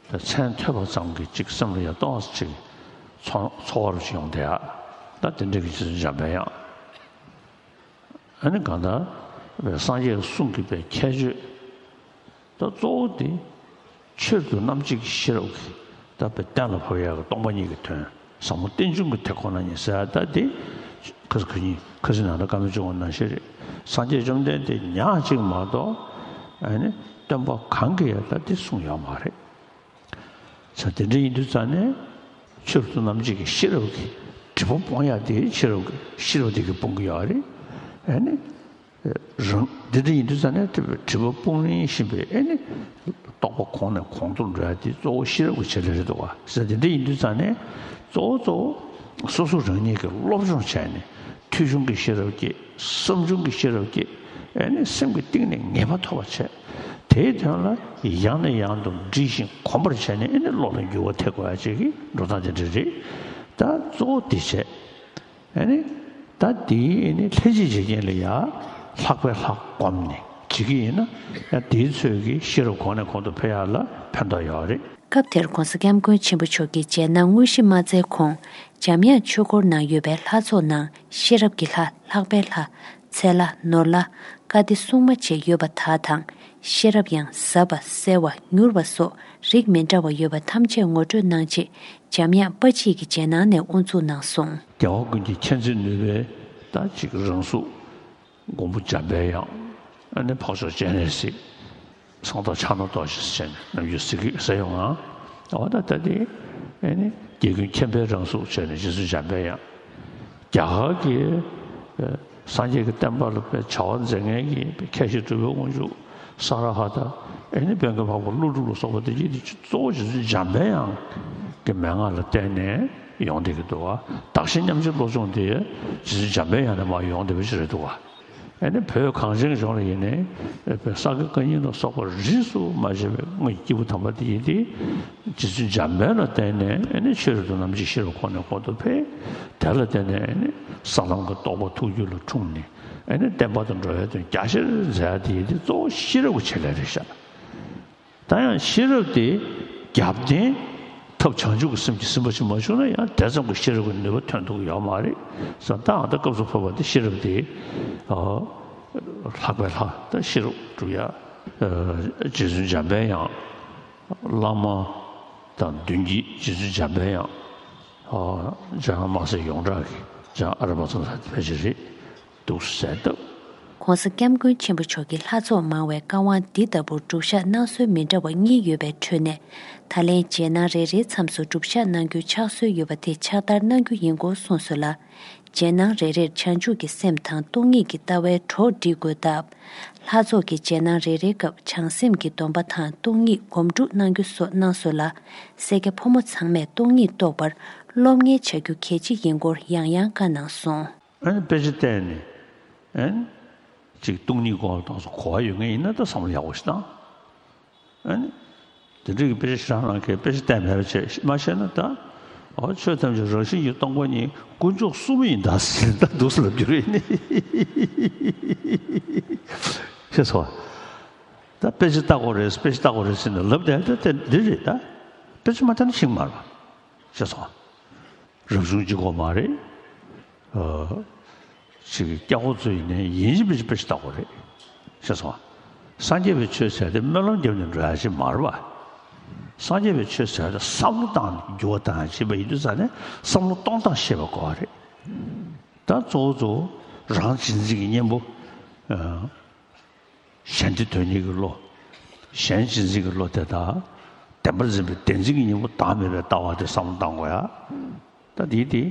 ད་མཚན་ཐོས་པ་ཙམ་གྱིས་ཅིག་སེམས་ལ་ཡ་ཏོག་ཙམ་ཅིག་ཚོར་ཚོར་བ་རུ་ཅིག་ཡོང་བསྡད་ཡ། ད་དེ་འདྲ་གི་ཅིག་འཇམ་པའི་ཡང་། ཨ་ནི་གང་ལྟར་བའི་སངས་རྒྱས་གསུང་གི་པའི་ཁྱད་ཆོས། ད་གཙོ་བོ་དེ། ཆོས་རབ་ཏུ་རྣམ་འབྱེད་ཀྱི་ཤེས་རབ་ཀྱིས་ད་དཔེ་གཏན་ལ་ཕབ་ཡག་གི་སྟོང་པ་ཉིད་ཀྱི་དོན་ཟབ་མོ་རྟེན་འབྱུང་གི་དེ་ཁོ་ན་ཉིད་ཟེར་ཡ་ད་དེ་ཁ་སང་ཁ་ཉིན་ཁ་སང་ནང་ལ་བཀའ་མོལ་བྱུང་བ་ནང་བཞིན་རེད། སངས་རྒྱས་བཅོམ་ལྡན་འདས་ཉག་གཅིག་མ་གཏོགས་ཨ་ནི་སྟོན་པ་གང་གིས་ཡང་ད་དེ་གསུངས་ཡོད་མ་རེད། ས་དེ་འདྲ་ཡིན་དུས་ཙང་ནས་ཆོས་རབ་ཏུ་རྣམ་འབྱེད་ཀྱི་ཤེས་རབ་ཀྱིས་སྒྲིབ་པ་སྤོང་ཡག་དེ་ཤེས་རབ་ཀྱི་ཤེས་རབ་དེ་གིས་སྤོང་གི་ཡོད་རེད། ཨ་ནི། རང་འདི་འདྲ་ཡིན་དུས་ཙང་ནས་སྒྲིབ་པ་སྤོང་ནི་ཞིག་པའི་ཨེ་ནི། རྟོགས་པ་གོང་ནས་གོང་དུ་འགྲོ་ཡ་དེ་གཙོ་བོ་ཤེས་རབ་ཀྱི་བྱེད་ལས་རེད་འདུག་བ། ཟེར་འདི་འདྲ་ཡིན་དུས་ཙང་ནས་གཙོ་བོ་གཙོ་བོ་སོ་སོ་རང་ཉིད་ཀྱིས་སློབ་སྦྱོང་བྱས་ནས་ཐོས་བྱུང་གི་ཤེས་རབ་ཀྱིས་བསམ་བྱུང་གི་ཤེས་རབ་ཀྱིས་ཨེ་ནི་སེམས་ཀྱི་གཏིང་ནས་ངེས་པ་ཐོབ་པ་བྱས། དེའི་དོན་ལ་ཡང་ནས་ཡང་དུ་འདྲིས་ཤིང་གོམས་པར་བྱས་ནས་ཨེ་ནི་བློ་ལ་འགྱུར་བ་ཐེབས་དགོས་ཡ་བཅས་ཀྱི་འགྲོ་སྟངས་དེ་འདྲ་རེད། ད་གཙོ་བོ་དེ་བྱས། ཨ་ནི། ད་དེའི་ཨ་ནི་ལྷན་ཅིག་བྱེད་རྐྱེན་ལ་ཡང་ལྷག་པའི་ལྷག་བསྒོམས་ནས་བྱེད་ཀྱི་ཡིན་ན་ཡང་དེའི་ཚོད་ཀྱིས་ཤེས་རབ་གོང་ནས་གོང་དུ་འཕེལ་ཡག་ལ་ཕན་ཐོགས་ཡོད་རེད། སྐབས་དེར་༧གོང་ས་༧སྐྱབས་མགོན་ཆེན་པོ་མཆོག་གིས་རྗེས་གནང་དངོས་གཞི་མ་སྩལ་གོང་། འཇམ་དབྱངས་ཆོས་འཁོར་ནང་ཡོད་པའི་ལྷ་ཚོགས་ནང་ཤེས་རབ་ཀྱི་ལྷ། ལྷག་པའི་ལྷ། ཚེ་ལྷ། ནོར་ལྷ། བཀའ་སྡེ་སྲུང་མ་བཅས་ཡོད་པ་དག་དང་། ཤེས་རབ་དབྱངས། ཟབ་པ། གསལ་བ། མྱུར་བ་སོགས་རིགས་མི་འདྲ་བ་ཡོད་པ་ཐམས་ཅད་ངོ་སྤྲོད་གནང་རྗེས། འཇམ་དབྱངས་དཔའ་མཆིས་ཀྱི་རྗེས་གནང་ནས་དབུ་འཛུགས་གནང་སོང་། རྒྱལ་བ་ཀུན་གྱི་མཁྱེན་བརྩེ་ནུས་པའི་ད་ཅིག་རང་གཟུགས། མགོན་པོ་འཇམ་པའི་དབྱངས། ཨ་ནི་འཕགས་མཆོག་སྤྱན་རས་གཟིགས། གསང་བདག་ཕྱག་ན་རྡོ་རྗེ་ཟེར་ནས་ནམ་རྒྱུན་ཟེར་གི་ཟེར་ཡོང་ང་། འོ་ད་ད་དེ་ཨ་ནི་རྒྱལ་ཀུན་མཁྱེན་པའི་རང་གཟུགས་བྱས་ནས་རྗེ་བཙུན་འཇམ་པའི་དབྱངས། རྒྱ་གར་གྱི་ཨ་སངས་རྒྱས་ཀྱི་བསྟན་པ་ལ་དཔེ་བྱ་བ་མཛད་མཁན་གྱི་མཁས་ཤིང་གྲུབ་པའི་དབང་ཕྱུག་ས་ར་ཧ་ད། ཨ་ནི་བོན་གྱི་འཕགས་པ་ཀླུ་སྒྲུབ་ལ་སོགས་པ་དེ་གྱིས་དེ་གཙོ་བོ་རྗེ་བཙུན་འཇམ་པའི་དབྱངས་ཀྱི་མན་ངག་ལ་བརྟེན་ནས་ཡོང་བསྡད་ཀྱི་འདུག་བ། བདག་གཞན་མཉམ་བརྗེའི་བློ་སྦྱོང་དེ་རྗེ་བཙུན་འཇམ་པའི་དབྱངས་ནས་མར་ཡོང་བསྡད་པ་ཞིག་རེད་འདུག་བ། ཨ་ནི་བོད་གངས་ཅན་ལྗོངས་ལ་ཡིན་ནའི་ས་དགེ་བཀའ་རྙིང་ལ་སོགས་པ་རིས་སུ་མ་ཆད་པའི་དངོས་ཀྱི་སྐྱེས་བུ་དམ་པ་དེ་ཡིན་ཏེ། རྗེ་བཙུན་འཇམ་དཔལ་ལ་བརྟེན་ནས་ཨ་ནི་ཆོས་རབ་ཏུ་རྣམ་འབྱེད་ཤེས་རབ་གོང་ནས་གོང་དུ་འཕེལ། དེ་ལ་བརྟེན་ནས་ཨ་ནི་ས་ལམ་གྱི་རྟོགས་པ་ཐུགས་རྒྱུད་ལ་འཁྲུངས་ནས་ཨ་ནི་བསྟན་པ་དང་འགྲོ་བའི་དོན་རྒྱ་ཆེར་མཛད་ཡ་དེ་ཡིན་ཏེ་གཙོ་བོ་ཤེས་རབ་ཀྱི་ཆེད་ལས་རེད་ཤག་ད་ཡང་ཤེས་རབ་དེ་རྒྱབ་རྟེན་ཐབས་བྱང་ཆུབ་ཀྱི་སེམས་ཀྱིས་ཟིན་པ་ཞིག་མ་བྱུང་ན་ཡང་དེ་ཙམ་གྱི་ཤེས་རབ་ཀྱི་ནུས་པ་ཐོན་ཐུབ་ཀྱི་ཡོད་མ་རེད་ཟེར། ད་ཨ་ད་སྐབས་སུ་བབ་པ་དེ་ཤེས་རབ་དེ་ཨ་ལྷག་པའི་ལྷ། ད་ཤེས་རབ་སྒྲུབ་ཡ་ཨ་རྗེ་བཙུན་འཇམ་པའི་དབྱངས། བླ་མ་དང་མདུན་བསྐྱེད་རྗེ་བཙུན་འཇམ་པའི་དབྱངས། ཨ་འཇམ་དབྱངས་དམར་སེར་ཡོངས་གྲགས་ཀྱི་འཇམ་ཨ་ར་པ་ཙམ་ལྷ་དེ་ཕལ་ཆེར་རེད། འདུག་ཟེར་སྟབས། ྋགོང་ས་ྋསྐྱབས་མགོན་ཆེན་པོ་མཆོག་གིས་ལྷ་ཚོགས་མང་བའི་བཀའ་དབང་འདི་ལྟ་བུར་སྒྲུབ་བཞག་གནང་སྲོལ་མི་འདྲ་བ་གཉིས་ཡོད་པའི་ཁྲོད་ནས། ད་ལན་རྗེས་གནང་རེ་རེའི་མཚམས་སུ་སྒྲུབ་བཞག་གནང་རྒྱུའི་ཕྱག་སྲོལ་ཡོད་པ་དེ་ཕྱག་བསྟར་གནང་རྒྱུ་ཡིན་སྐོར་གསུངས་སོང་ལ། རྗེས་གནང་རེ་རེར་བྱང་ཆུབ་ཀྱི་སེམས་དང་སྟོང་ཉིད་ཀྱི་ལྟ་བའི་གྲོགས་སྒྲིག་དགོས་སྟབས། ལྷ་ཚོགས་ཀྱི་རྗེས་གནང་རེ་རེའི་སྐབས་བྱང་སེམས་ཀྱི་སྡོམ་པ་དང་སྟོང་ཉིད་སྒོམ་སྒྲུབ་གནང་རྒྱུ་སོགས་གནང་སོང་ལ། སེར་སྐྱ་ཕོ་མོ་ཚང་མས་སྟོང་ཉིད་རྟོགས་པར་སློབ་གཉེར་བྱ་རྒྱུ་གལ་ཆེ་ཡིན་སྐོར་ཡང་ཡང་བཀའ་གནང་སོང་། ཨ་ནི་དཔེ་ཆ་བལྟས་ནས་ཨ་ནི་ཅིག་སྟོང་ཉིད་སྐོར་ལ་དྭངས་སུ་གོ་བ་ཡོད་མཁན་ཡིན་ན་ད་བསམ་བློ་ཡག་པོ་ཞིག་བཏང་། ཨ་ནི་དེ་འདྲ་གི་དཔེ་ཆ་ཞེ་དྲག་གནང་མཁན་དཔེ་ཆ་བལྟས་མེད་པ་བྱས་མ་ཤེས་ན་ད་ཨོ་ཆོས་ཐམས་ཅད་རང་བཞིན་གྱིས་སྟོང་པ་ཉིད་དཀོན་མཆོག་གསུམ་ཡིན་ད་ཟེར་ད་འདུག་སེ་ལབ་རྒྱུ་རེད་ནི་ཤེས་སོང་། ད་དཔེ་ཆ་ལྟ་དགོས་རེད། དཔེ་ཆ་ལྟ་དགོས་རེད་ཟེར་ནས་ལབ་བསྡད་ད་དེ་འདི་རེད། ད་དཔེ་ཆ་མ་ལྟ་ན་ཤེས་ཀྱི་མ་རེད་པ། ཤེས་སོང་། རབ་བྱུང་གཅིག་པོ་མ་རེད། ཨ་ཅིག་སྐྱ་ཁོག་ཚོ་ཡིན་ནའི་ཡིན་གཅིག་མིན་གཅིག་དཔེ་ཆ་ལྟ་དགོས་རེད། ཤེས་སོང་། སངས་རྒྱས་པའི་ཆོས་ཟེར་དེ་སྨོན་ལམ་བརྒྱབ་ནས་འགྲོ་ཡ་ཅིག་མ་རེད་པ། སངས་རྒྱས་པའི་ཆོས་ཟེར་དེ་བསམ་བློ་བཏང་ནས་འགྱུར་བ་བཏང་ཡ་ཅིག་ཡིན་དུས་ཙང་ནས་བསམ་བློ་གཏོང་སྟངས་ཤེས་པ་དགོས་པ་རེད། ད་གཙོ་བོ་གཙོ་བོ་རང་གཅེས་འཛིན་གྱི་གཉེན་པོ། ཨ། གཞན་བདེ་དོན་གཉེར་གྱི་བློ། གཞན་གཅེས་འཛིན་གྱི་བློ་དེ་དག་བདེན་པར་འཛིན་པའི་བདེན་འཛིན་གྱི་གཉེན་པོ་བདག་མེད་པའི་ལྟ་བ་དེ་བསམ་བློ་བཏང་དགོས་ཡ། ད་དེའི་དེ་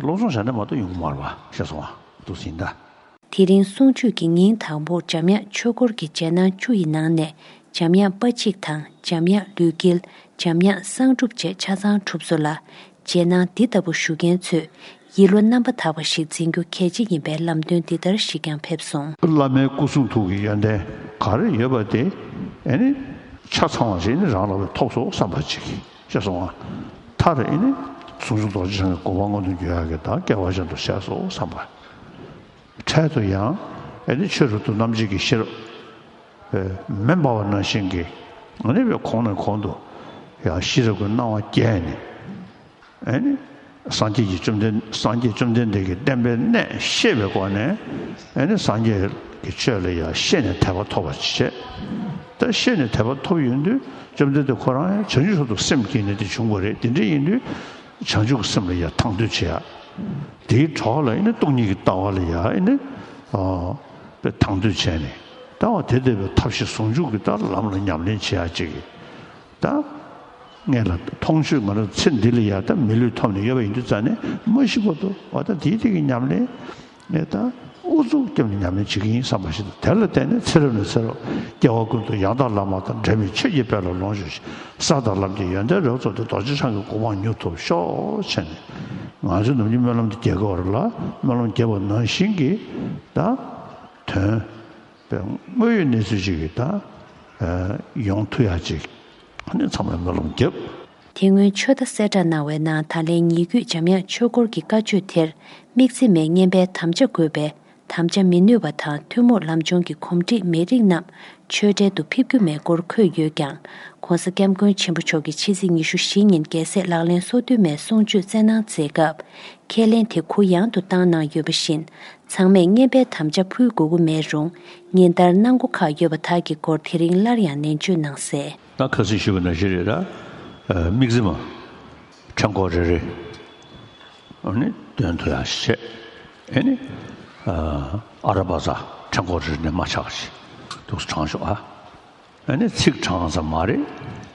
བློ་སྦྱོང་བྱས་ན་མ་གཏོགས་ཡོང་གི་མ་རེད་པ། ཤེས་སོང་ཨ། འདུག་ཟིན་ད། དེ་རིང་གསུང་ཆོས་ཀྱི་ཉིན་དང་པོར་འཇམ་དབྱངས་ཆོས་འཁོར་གྱི་རྗེས་གནང་བཅུ་ཡི་ནང་ནས་འཇམ་དབྱངས་དཔའ་གཅིག་དང་འཇམ་དབྱངས་ལུས་དཀྱིལ། འཇམ་དབྱངས་གསང་སྒྲུབ་བཅས་ཆ་ཚང་གྲུབ་སོང་ལ། རྗེས་གནང་འདི་ལྟ་བུ་ཞུ་མཁན་ཚོས་ཡིད་བློ་རྣམ་པར་དག་པ་ཞིག་འཛིན་རྒྱུ་གལ་ཆེ་ཡིན་པའི་ལམ་སྟོན་འདི་ལྟར་ཞིག་ཀྱང་ཕེབས་སོང་། བླ་མའི་སྐུ་གསུང་ཐུགས་ཀྱི་ཡོན་ཏན་ག་རེ་ཡོད་པ་དེ་ཨེ་ནི་ཆ་ཚང་བ་ཞིག་ནི་རང་ལ་ཐོབ་སོང་བསམ་པ་ཅིག་ཤེས་སོང་ང་། མཐར་ཨེ་ནི་ཟུང་འཇུག་རྡོ་རྗེ་འཆང་གི་གོ་འཕང་མངོན་དུ་འགྱུར་ཡག་གི་ད་སྐལ་བ་ཅན་དུ་བྱས་སོང་བསམ་པ། འཕྲལ་དུ་ཡང་ཨེ་ནི་ཆོས་རབ་ཏུ་རྣམ་འབྱེད་ཀྱི་ཤེས་རབ་མེ་འབར་བ་ནང་བཞིན་གྱི་ཨེ་ནི་བའི་གོང་ནས་གོང་དུ་ཡང་ཤེས་རབ་ཀྱི་སྣང་བ་རྒྱས་ནས། ཨེ་ནི། སངས་རྒྱས་ཀྱི་བཅོམ་ལྡན་སངས་རྒྱས་བཅོམ་ལྡན་འདས་ཀྱི་བསྟན་པའི་གནད་ཤེས་པའི་སྒོ་ནས་ཨེ་ནི་སངས་རྒྱས་ཀྱི་ཆོས་ལ་ཡང་ཤེས་ནས་དད་པ་ཐོབ་པ་བྱེད། ད་ཤེས་ནས་དད་པ་ཐོབ་ཡོང་དུས་བཅོམ་ལྡན་འདས་ཁོ་རང་ཡང་བྱང་ཆུབ་མཆོག་ཏུ་སེམས་བསྐྱེད་ནས་དེ་བྱུང་བ་རེད། དེ་འདྲ་ཡིན་དུས་བྱང་ཆུབ་ཀྱི་སེམས་ལ་ཡང་དང་དོད་བྱེད་ཡ། དེའི་གྲོགས་ལ་ཨེ་ནི་སྟོང་ཉིད་ཀྱི་ལྟ་བ་ལ་ཡང་ཨེ་ནི་ཨ་དང་དོད་བྱས་ནས་ད་བ་དེ་བསྡད་པའི་ཐབས་ཤེས་ཟུང་འཇུག་གི་ད་ལམ་ལ་ཉམས་ལེན་བྱེད་ཡ་ཅིག་གི་ད། ངེད་ལ་མཐོང་ཆོས་ང་རང་ཚེ་འདི་ལ་ཡ་ད་མི་ལུས་ཐོབ་ནས་ཡོད་པ་ཡིན་དུས་ཙང་ནས་མ་ཤི་བར་དུ་བ་ད་དེའི་དེ་གི་ཉམས་ལེན་ངས་ད་ཨུ་ཚུགས་བརྒྱབ་ནས་ཉམས་ལེན་བྱེད་ཀྱི་ཡིན་བསམ་པ་ཞིག་དང་། དེ་ལ་བརྟེན་ནས་ཚེ་རབས་ནས་ཚེ་རབས་སྐྱེ་བ་ཀུན་ཏུ་ཡང་དག་བླ་མ་དང་འབྲལ་མེད་ཆོས་ཀྱི་དཔལ་ལ་ལོངས་སྤྱོད་ཅིང་། ས་དང་ལམ་གྱི་ཡོན་ཏན་རབ་རྫོགས་ཏེ། རྡོ་རྗེ་འཆང་གི་གོ་འཕང་མྱུར་ཐོབ་ཤོག་བྱས་ནས་ང་ཚོས་ནམ་རྒྱུན་སྨོན་ལམ་དེ་རྒྱག་གི་ཡོད་རེད་ལ། སྨོན་ལམ་རྒྱག་པ་ནང་བཞིན་གྱི་ད་དོན། དངོས་ཡོད་གནས་ཚུལ་ཅིག་གི་ད་ཡོང་ཐུབ་ཡ་ཅིག་ཨ་ནི་ཚང་མས་སྨོན་ལམ་རྒྱབ། དེ་སྔོན་ཆོས་བརྡ་གསལ་བསྒྲགས་གནང་བའི་ནང་ད་ལན་ཉེ་བརྒྱུད་འཇམ་དབྱངས་ཆོས་འཁོར་གྱི་བཀའ་ཆོས་དེར་དམིགས་བརྩེ་མའི་བསྙེན་པའི་དམ་བཅའ་དགོས་པས་ དམ་བཅའ་མི་ནུས་པ་དང་ཐུན་མོང་ལམ་སྦྱོང་གི་གོམས་འདྲིས་མི་རིགས་རྣམས་ཆོས་འབྲེལ་དུ་ཕེབས་རྒྱུ་མེད་སྐོར་འཁོད་ཡོད་ཀྱང་། ྋགོང་ས་ྋསྐྱབས་མགོན་ཆེན་པོ་མཆོག་གིས་ཕྱི་ཚེས་ཉི་ཤུ་བཞི་ཉིན་རྒྱལ་སྲས་ལག་ལེན་སོ་བདུན་མའི་གསུང་ཆོས་སྩལ་གནང་མཛད་སྐབས། ཁས་ལེན་དེ་གུ་ཡངས་དུ་བཏང་གནང་ཡོད་པ་བཞིན། ཚང་མས་བསྙེན་པའི་དམ་བཅའ་ཕུལ་དགོས་ཀྱི་མེད་རུང་། ཉིན་ལྟར་གནང་སྒོ་ཁག་ཡོད་པ་དག་གི་སྐོར་དེ་རིང་སླར་ཡང་ནན་བརྗོད་གནང་གསལ། ད་ཁ་སང་ཞུས་པ་ནང་བཞིན་རེད། ད་དམིགས་བརྩེ་མ་ཕྲེང་སྐོར་རེ་རེ་ཨ་ནི་འདོན་ཐུབ་ཡག་བྱས། ཨ་ནི་ཨ་ར་པ་ཙ་ཕྲེང་སྐོར་རེ་རེ་ནས་མ་ཆག་ཅིག་འདུག་སེ་བགྲང་ཤོག་ཨ། ཨ་ནི་ཚིག་བགྲང་ཙམ་མ་རེད།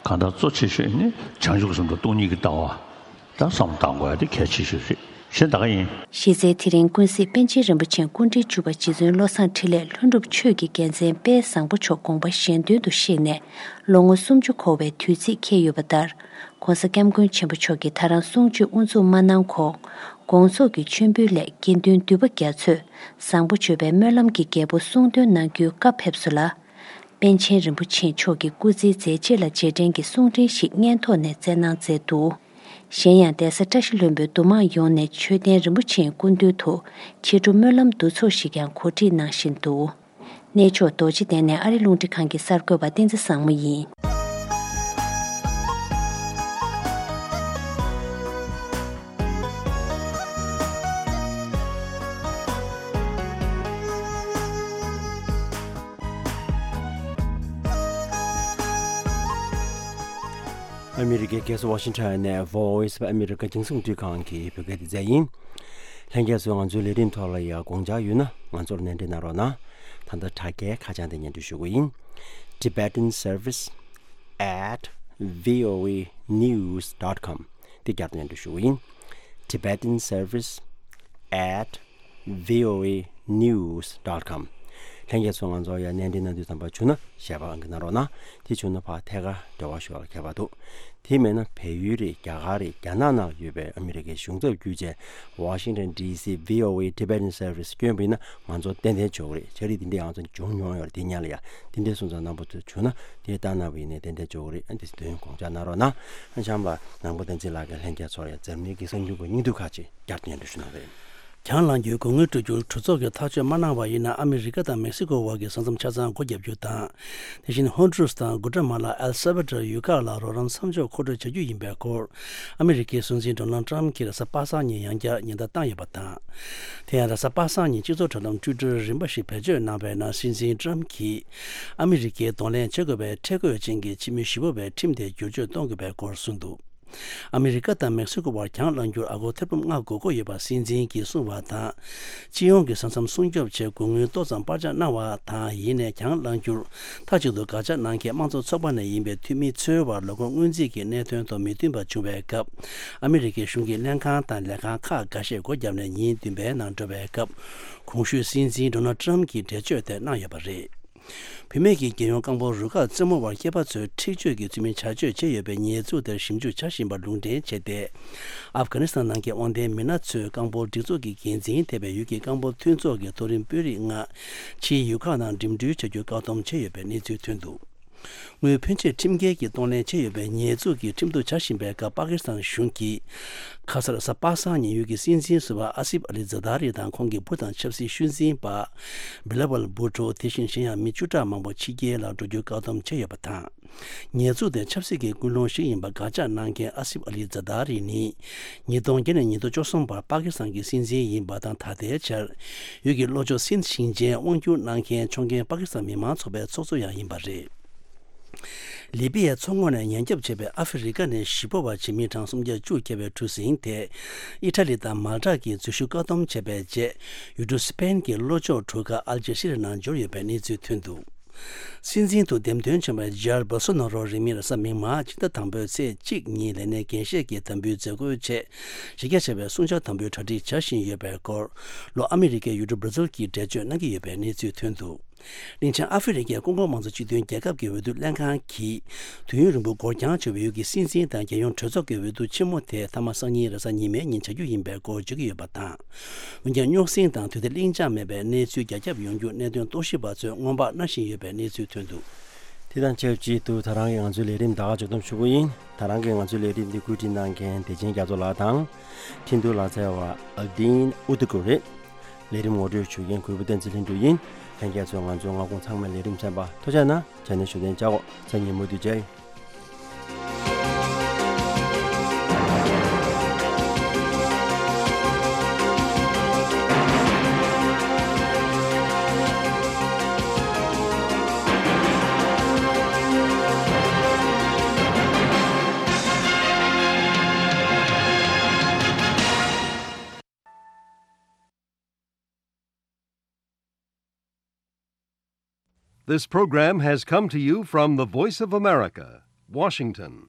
གང་ལྟར་གཙོ་ཆེ་ཤོས་ནི་བྱང་ཆུབ་སེམས་དང་སྟོང་ཉིད་ཀྱི་ལྟ་བ། ད་བསམ་བློ་བཏང་དགོས་ཡ་དེ་གལ་ཆེ་ཤོས་རེད། གཞན་ད་ག་ཡིན། གཞི་རྩའི་དེ་རིང་ཀུན་གཟིགས་པཎ་ཆེན་རིན་པོ་ཆེ་སྐུ་ཕྲེང་བཅུ་པ་རྗེ་བཙུན་བློ་བཟང་འཕྲིན་ལས་ལྷུན་གྲུབ་ཆོས་ཀྱི་རྒྱལ་མཚན་དཔལ་བཟང་པོ་མཆོག་དགོངས་པ་གཞན་དོན་དུ་གཤེགས་ནས་ལོ་ངོ་སུམ་ཅུ་འཁོར་བའི་དུས་ཚིགས་འཁེལ་ཡོད་པ་ལྟར། ྋགོང་ས་ྋསྐྱབས་མགོན་ཆེན་པོ་མཆོག་གིས་ད་རང་གསུང་ཆོས་དབུ་འཛུགས་མ་གནང་གོང་། དགོངས་རྫོགས་ཀྱི་མཆོད་འབུལ་སླད་དགེ་འདུན་འདུས་པ་རྒྱ་མཚོས་བཟང་པོ་སྤྱོད་པའི་སྨོན་ལམ་གྱི་རྒྱལ་པོ་གསུང་འདོན་གནང་རྒྱུའི་བཀའ་ཕེབས་སོ་ལ། པཎ་ཆེན་རིན་པོ་ཆེ་མཆོག་གི་སྐུ་ཚེའི་མཛད་རྗེས་ལ་རྗེས་དྲན་གྱི་གསུང་འཕྲིན་ཞིག་སྙན་ཐོག་ནས་སྩལ་གནང་མཛད་འདུག་གཞན་ཡང་གདན་ས་བཀྲ་ཤིས་ལྷུན་པོའི་འདུ་མང་ཡོངས་ནས་མཆོད་རྟེན་རིན་པོ་ཆེའི་སྐུ་མདུན་དུ་ཕྱི་དྲོ་སྨོན་ལམ་འདུ་ཚོགས་ཤིག་ཀྱང་གོ་སྒྲིག་གནང་བཞིན་འདུག་གནས་མཆོག་རྡོ་རྗེ་གདན་ནས་ཨ་རི་རླུང་འཕྲིན་ཁང་གི་གསར་འགོད་པ་བསྟན་འཛིན་བཟང་མོ་ཡིན། ཨ་མི་རི་ཀའི་རྒྱལ་ས་ཝ་ཤིང་ཊོན་ནས་Voice of America རྒྱང་སྲིང་རླུང་འཕྲིན་ཁང་གི་བོད་སྐད་སྡེ་ཚན་ཡིན། ལྷན་རྒྱས་ཚོས་ང་ཚོའི་ལས་རིམ་ཐོག་ལ་ཡང་དགོངས་འཆར་ཡོད་ན་ང་ཚོར་གནད་འགྲེལ་གནང་རོགས་གནང་། ད་ལྟ་དྲ་རྒྱའི་ཁ་བྱང་དེ་སྙན་སྒྲོན་ཞུ་གི་ཡིན། Tibetan Service at voanews dot com དེ་བསྐྱར་དུ་སྙན་སྒྲོན་ཞུ་གི་ཡིན། Tibetan Service at voanews dot com ལྷན་རྒྱས་ཚོ་ང་ཚོར་ཡང་གནས་འདྲི་གནང་འདོད་ཙམ་པ་བྱུང་ན་ཞལ་པར་ཨང་ཀི་གནང་རོགས་གནང་། དེ་བྱུང་ན་ཕར་ཐད་ཀར་འབྲེལ་བ་ཞུ་བར་ཁྱད་པར་འདུག་དེ་མེད་ན་བལ་ཡུལ་རེད། རྒྱ་གར་རེད། རྒྱ་ནག་ནང་ཡོད་པའི་ཨ་མི་རི་ཀའི་གཞུང་ཚབ་བརྒྱུད་བྱས་Washington D C V O A Tibetan Service བསྐྱོན་པ་ཡིན་ན་ང་ཚོར་ཏན་ཏན་འབྱོར་གི་རེད། ཕྱག་བྲིས་འདི་འདྲས་ང་ཚོ་བྱུང་མྱོང་ཡོད་རེད། དེ་སྔོན་ལ་ཡང་འདི་འདྲས་སོང་ཙང་རྣམ་པ་ཚོ་བྱུང་ན་དེ་བཏང་གནང་བ་ཡིན་ན་ཏན་ཏན་འབྱོར་གི་རེད། ཨ་འདི་དོན་དགོངས་འཇགས་གནང་རོགས་གནང་། ཨ་བྱམས་པ་ནང་པ་བསྟན་འཛིན་ལགས་ཀྱིས་ལྷན་རྒྱས་ཚོར་ཡང་འཛམ་གླིང་གི་གསར་འགྱུར་གྱི་སྙིང་བསྡུས་ཁག་ཅིག་བསྐྱར་དུ་སྙན་སྒྲོན་ཞུ་གནང་བ་རེད། གྱང་ལངས་རྒྱུའི་སྒོ་དངུལ་སྤྲོད་རྒྱུར་གྲོས་ཚོགས་ཀྱིས་ཐག་གཅོད་མ་གནང་བ་ཡིན་ན། ཨ་མི་རི་ཀ་དང་མེག་སི་ཀོ་དབར་གྱི་ས་མཚམས་ཆ་ཚང་སྒོ་བརྒྱབ་རྒྱུ་དང་། དེ་བཞིན་ཧོན་ཌུ་རུས་དང་གུ་ཏྲ་མ་ལ། ཨེལ་སལ་ཝ་ཌོར་ཡུལ་ཁག་ལ་རོགས་རམ་མཚམས་འཇོག་མཁོ་སྤྲོད་བྱ་རྒྱུ་ཡིན་པའི་སྐོར། ཨ་མི་རི་ཀའི་སྲིད་འཛིན་ཌོ་ནལ་ཊམ་གྱིས་རེས་གཟའ་པ་སངས་ཉིན་ཡང་བསྐྱར་ཉེན་བརྡ་བཏང་ཡོད་པ་དང་། དེ་ཡང་རེས་གཟའ་པ་སངས་ཉིན་སྤྱི་ཚོགས་དྲ་ལམ་ཊུའི་ཊར་རིམ་པ་ཞིག་བེད་སྤྱོད་གནང་བའི་ནང་། སྲིད་འཛིན་ཊམ་གྱིས་ཨ་མི་རི་ཀའི་གདོང་ལེན་བྱེད་དགོས་པའི་ཁྲེལ་དགོད་ཅན་གྱི་ཕྱི་མི་ཞི་པོ་བའི་ཁྲིམས་དེ་བསྒྱུར་བཅོས་གཏོང་དགོས་པའི་སྐོར་གསུངས་འདུག་ཨ་མི་རི་ཀ་དང་མེག་སི་ཀོ་བར་གྱང་ལངས་རྒྱུར་ཨ་སྒོར་ཐེར་འབུམ་ལྔ་དགོས་མཁོ་ཡོད་པ་སྲིད་འཛིན་གྱིས་གསུངས་པ་དང་། སྤྱི་ཡོངས་ཀྱི་ས་མཚམས་སྲུང་སྐྱོབ་ཆེད་སྒོ་དངུལ་ཏོག་ཙམ་སྤར་ཆ་གནང་བ་དང་། ཡིན་ནའི་གྱང་ལངས་རྒྱུར་མཐའ་གཅིག་ཏུ་དགག་བྱ་གནང་མཁན་དམངས་གཙོ་ཚོགས་པ་ནས་ཡིན་པའི་འཐུས་མི་ཚོའི་བར་ལོ་འཁོར་སྔོན་རྩིས་ཀྱི་གནད་དོན་དང་མི་མཐུན་པ་བྱུང་བའི་སྐབས། ཨ་མི་རི་ཀའི་གཞུང་གི་ལྷན་ཁང་དང་ལས་ཁང་ཁག་འགའ་ཤས་སྒོ་བརྒྱབ་ནས་ཉིན་བདུན་པའི་ནང་འགྲོ་བའི་སྐབས། གོང་ཞུས་སྲིད་འཛིན་ཌོ་ནལ་ཊམ་གྱིས་འགྲེལ་བརྗོད་དེ་གནང་ཡོད་པ་རེད། བུད་མེད་ཀྱི་རྒྱལ་ཡོངས་རྐང་སྤོལ་རུ་ཁག་རྩེད་མོ་བར་སྐྱེས་པ་ཚོས་འཁྲིག་སྤྱོད་ཀྱི་ཚུལ་མིན་བྱ་སྤྱོད་བྱས་ཡོད་པའི་ཉེས་འཛུགས་དེར་ཞིབ་འཇུག་བྱ་བཞིན་པར་ལུང་འདྲེན་བྱས་ཏེ། ཨབ་གྷ་ནི་སི་ཐན་ནང་གི་དབང་ལྡན་མི་སྣ་ཚོས་རྐང་སྤོལ་སྒྲིག་འཛུགས་ཀྱི་འགན་འཛིན་ཐེ་བའི་ཡུལ་གྱི་རྐང་སྤོལ་མཐུན་ཚོགས་ཀྱི་མཐོ་རིམ་དཔོན་རིགས་ལྔ་ཕྱིའི་ཡུལ་ཁག་ནང་འགྲིམ་འགྲུལ་བྱ་རྒྱུའི་བཀག་སྡོམ་བྱས་ཡོད་པའི་གནས་ཚུལ་ཐོན་འདུག་དངུལ་ཕོན་ཆེ་ཁྲིམས་འགལ་གྱིས་གཏོང་ལེན་བྱས་ཡོད་པའི་ཉེས་འཛུགས་ཀྱིས་ཁྲིམས་གཏུག་བྱ་བཞིན་པའི་སྐབས། པ་ཀི་སི་ཐན་གཞུང་གིས་ཁ་སང་རེས་གཟའ་པ་སངས་ཉིན་ཡུལ་གྱི་སྲིད་འཛིན་ཟུར་པ་ཨ་སིབ་ཨ་ལི་ཛ་དཱ་རི་དང་ཁོང་གི་བུ་དང་ཆབ་སྲིད་ཤུལ་འཛིན་པ་བི་ལ་ཝལ་བྷུ་ཊོ། དེ་བཞིན་གཞན་ཡང་མི་བཅུ་ཕྲག་མང་པོ་ཕྱི་རྒྱལ་ལ་འགྲོ་རྒྱུའི་བཀག་སྡོམ་བྱས་ཡོད་པ་དང་། ཉེས་འཛུགས་དེ་ཆབ་སྲིད་ཀྱི་ཀུན་སློང་ཞིག་ཡིན་པ་དགག་བྱ་གནང་མཁན་ཨ་སིབ་ཨ་ལི་ཛ་དཱ་རི་ནི། ཉིས་སྟོང་བརྒྱད་ནས་ཉིས་སྟོང་བཅུ་གསུམ་བར་པ་ཀི་སི་ཐན་གྱི་སྲིད་འཛིན་ཡིན་པ་དང་། ད་ལྟའི་ཆར་ཡུལ་གྱི་ལྷོ་ཕྱོགས་སིན་ཞིང་ཆེན་དབང་སྒྱུར་གནང་མཁན་ཕྱོགས་འགལ་པ་ཀི་སི་ཐན་མི་མང་ཚོགས་པའི་ཚོགས་གཙོ་ཡང་ཡིན་པ་རེད། ལི་པི་ཡའི་མཚོ་ངོས་ནས་ཉེན་སྐྱོབ་བྱས་པའི་ཨ་ཧྥེ་རི་ཀ་ནས་གཞིས་སྤོ་བ་བྱེད་མི་གྲངས་སུམ་བརྒྱ་བཅུ་ཁྱབ་པའི་གྲུ་གཟིངས་དེ། ཨི་ཊ་ལི་དང་མལ་ཏ་གིས་འཛུལ་ཞུགས་བཀག་སྡོམ་བྱས་པའི་རྗེས། ཡུལ་གྲུ་སི་པེན་གྱི་ལྷོ་ཕྱོགས་གྲུ་ཁ་ཨལ་ཇི་ཤི་རི་ནང་འབྱོར་ཡོད་པའི་གནས་ཚུལ་ཐོན་འདུག་སྲིད་འཛིན་དུ་འདེམས་ཐོན་བྱུང་བའི་ཇའིར་བོལ་སོ་ནོ་རོ་རིང་མིན་རེས་གཟའ་མིག་དམར་སྤྱི་ཟླ་དང་པོའི་ཚེས་གཅིག་ཉིན་ལས་གནས་འགན་བཞེས་ཀྱིས་དམ་འབུལ་མཛད་སྒོའི་ཆེད། གཞི་རྒྱ་ཆེ་བའི་སྲུང་བྱ་དམ་འབུལ་གྲ་སྒྲིག་བྱ་བཞིན་ཡོད་པའི་སྐོར། ལྷོ་ཨ་མི་རི་ཀའི་ཡུལ་གྲུ་བྷར་ཛིལ་གྱིས་འགྲེལ་བརྗོད་གནང་གི་ཡོད་པའི་གནས་ཚུལ་ཐོན་འདུག་གླིང་ཆེན་ཨ་ཧྥེ་རི་ཁའི་ཀོང་ཀོ་མང་གཙོ་སྤྱི་མཐུན་རྒྱལ་ཁབ་ཀྱི་འོས་བསྡུ་ལྷན་ཁང་གིས། དུས་ཡུན་རིང་པོ་འགོར་འགྱངས་བྱུང་བའི་ཡུལ་གྱི་སྲིད་འཛིན་དང་རྒྱལ་ཡོངས་གྲོས་ཚོགས་ཀྱི་འོས་བསྡུ་ཆེན་མོ་དེ་མཐའ་མ་སང་ཉིན་རེས་གཟའ་ཉི་མའི་ཉིན་བྱ་རྒྱུ་ཡིན་པའི་སྐོར་བརྗོད་ཀྱི་ཡོད་པ་དང་། འོན་ཀྱང་རྙོག་ཟིང་དང་དུས་བདེ་ལྷིང་འཇགས་མེད་པའི་གནས་ཚུལ་རྒྱ་ཁྱབ་ཡོང་རྒྱུ་གནད་དོན་རྟོག་ཞིབ་པ་ཚོས་སྔོན་དཔག་གནང་བཞིན་ཡོད་པའི་གནས་ཚུལ་ཐོན་འདུག་དེ་དང་ཆབས་ཅིག་ཏུ་ད་རང་གིས་ང་ཚོའི་ལས་རིམ་ད་ག་ཕྱོགས་བསྡོམས་ཞུ་གི་ཡིན། ད་རང་གིས་ང་ཚོའི་ལས་རིམ་འདི་བཀོད་སྒྲིག་གནང་མཁན་བདེ་ཆེན་རྒྱ་མཚོ་ལགས་དང་། འཕྲིན་གཏོང་ལག་རྩལ་བ་ཨལ་ཏིན་ཨུ་ཏུ་ཀུ་རེད། ལས་རིམ་ངོ་སྤྲོད་ཞུ་མཁན་གུས་པ་བསྟན་འཛིན་ལྷུན་གྲུབ་ཡིན། ལྷན་རྒྱས་ཚོས་ང་ཚོའི་མངའ་ཁོངས་ཚང་མའི་ལས་རིམ་གསན་པར་ཐུགས་རྗེ་གནང་། ཆ་ནས་བཞུགས་གདན་འཇགས་གོ། མཚན་ཉིན་མུ་མཐུད་མཇལ་ཡོང་། This program has come to you from the Voice of America, Washington.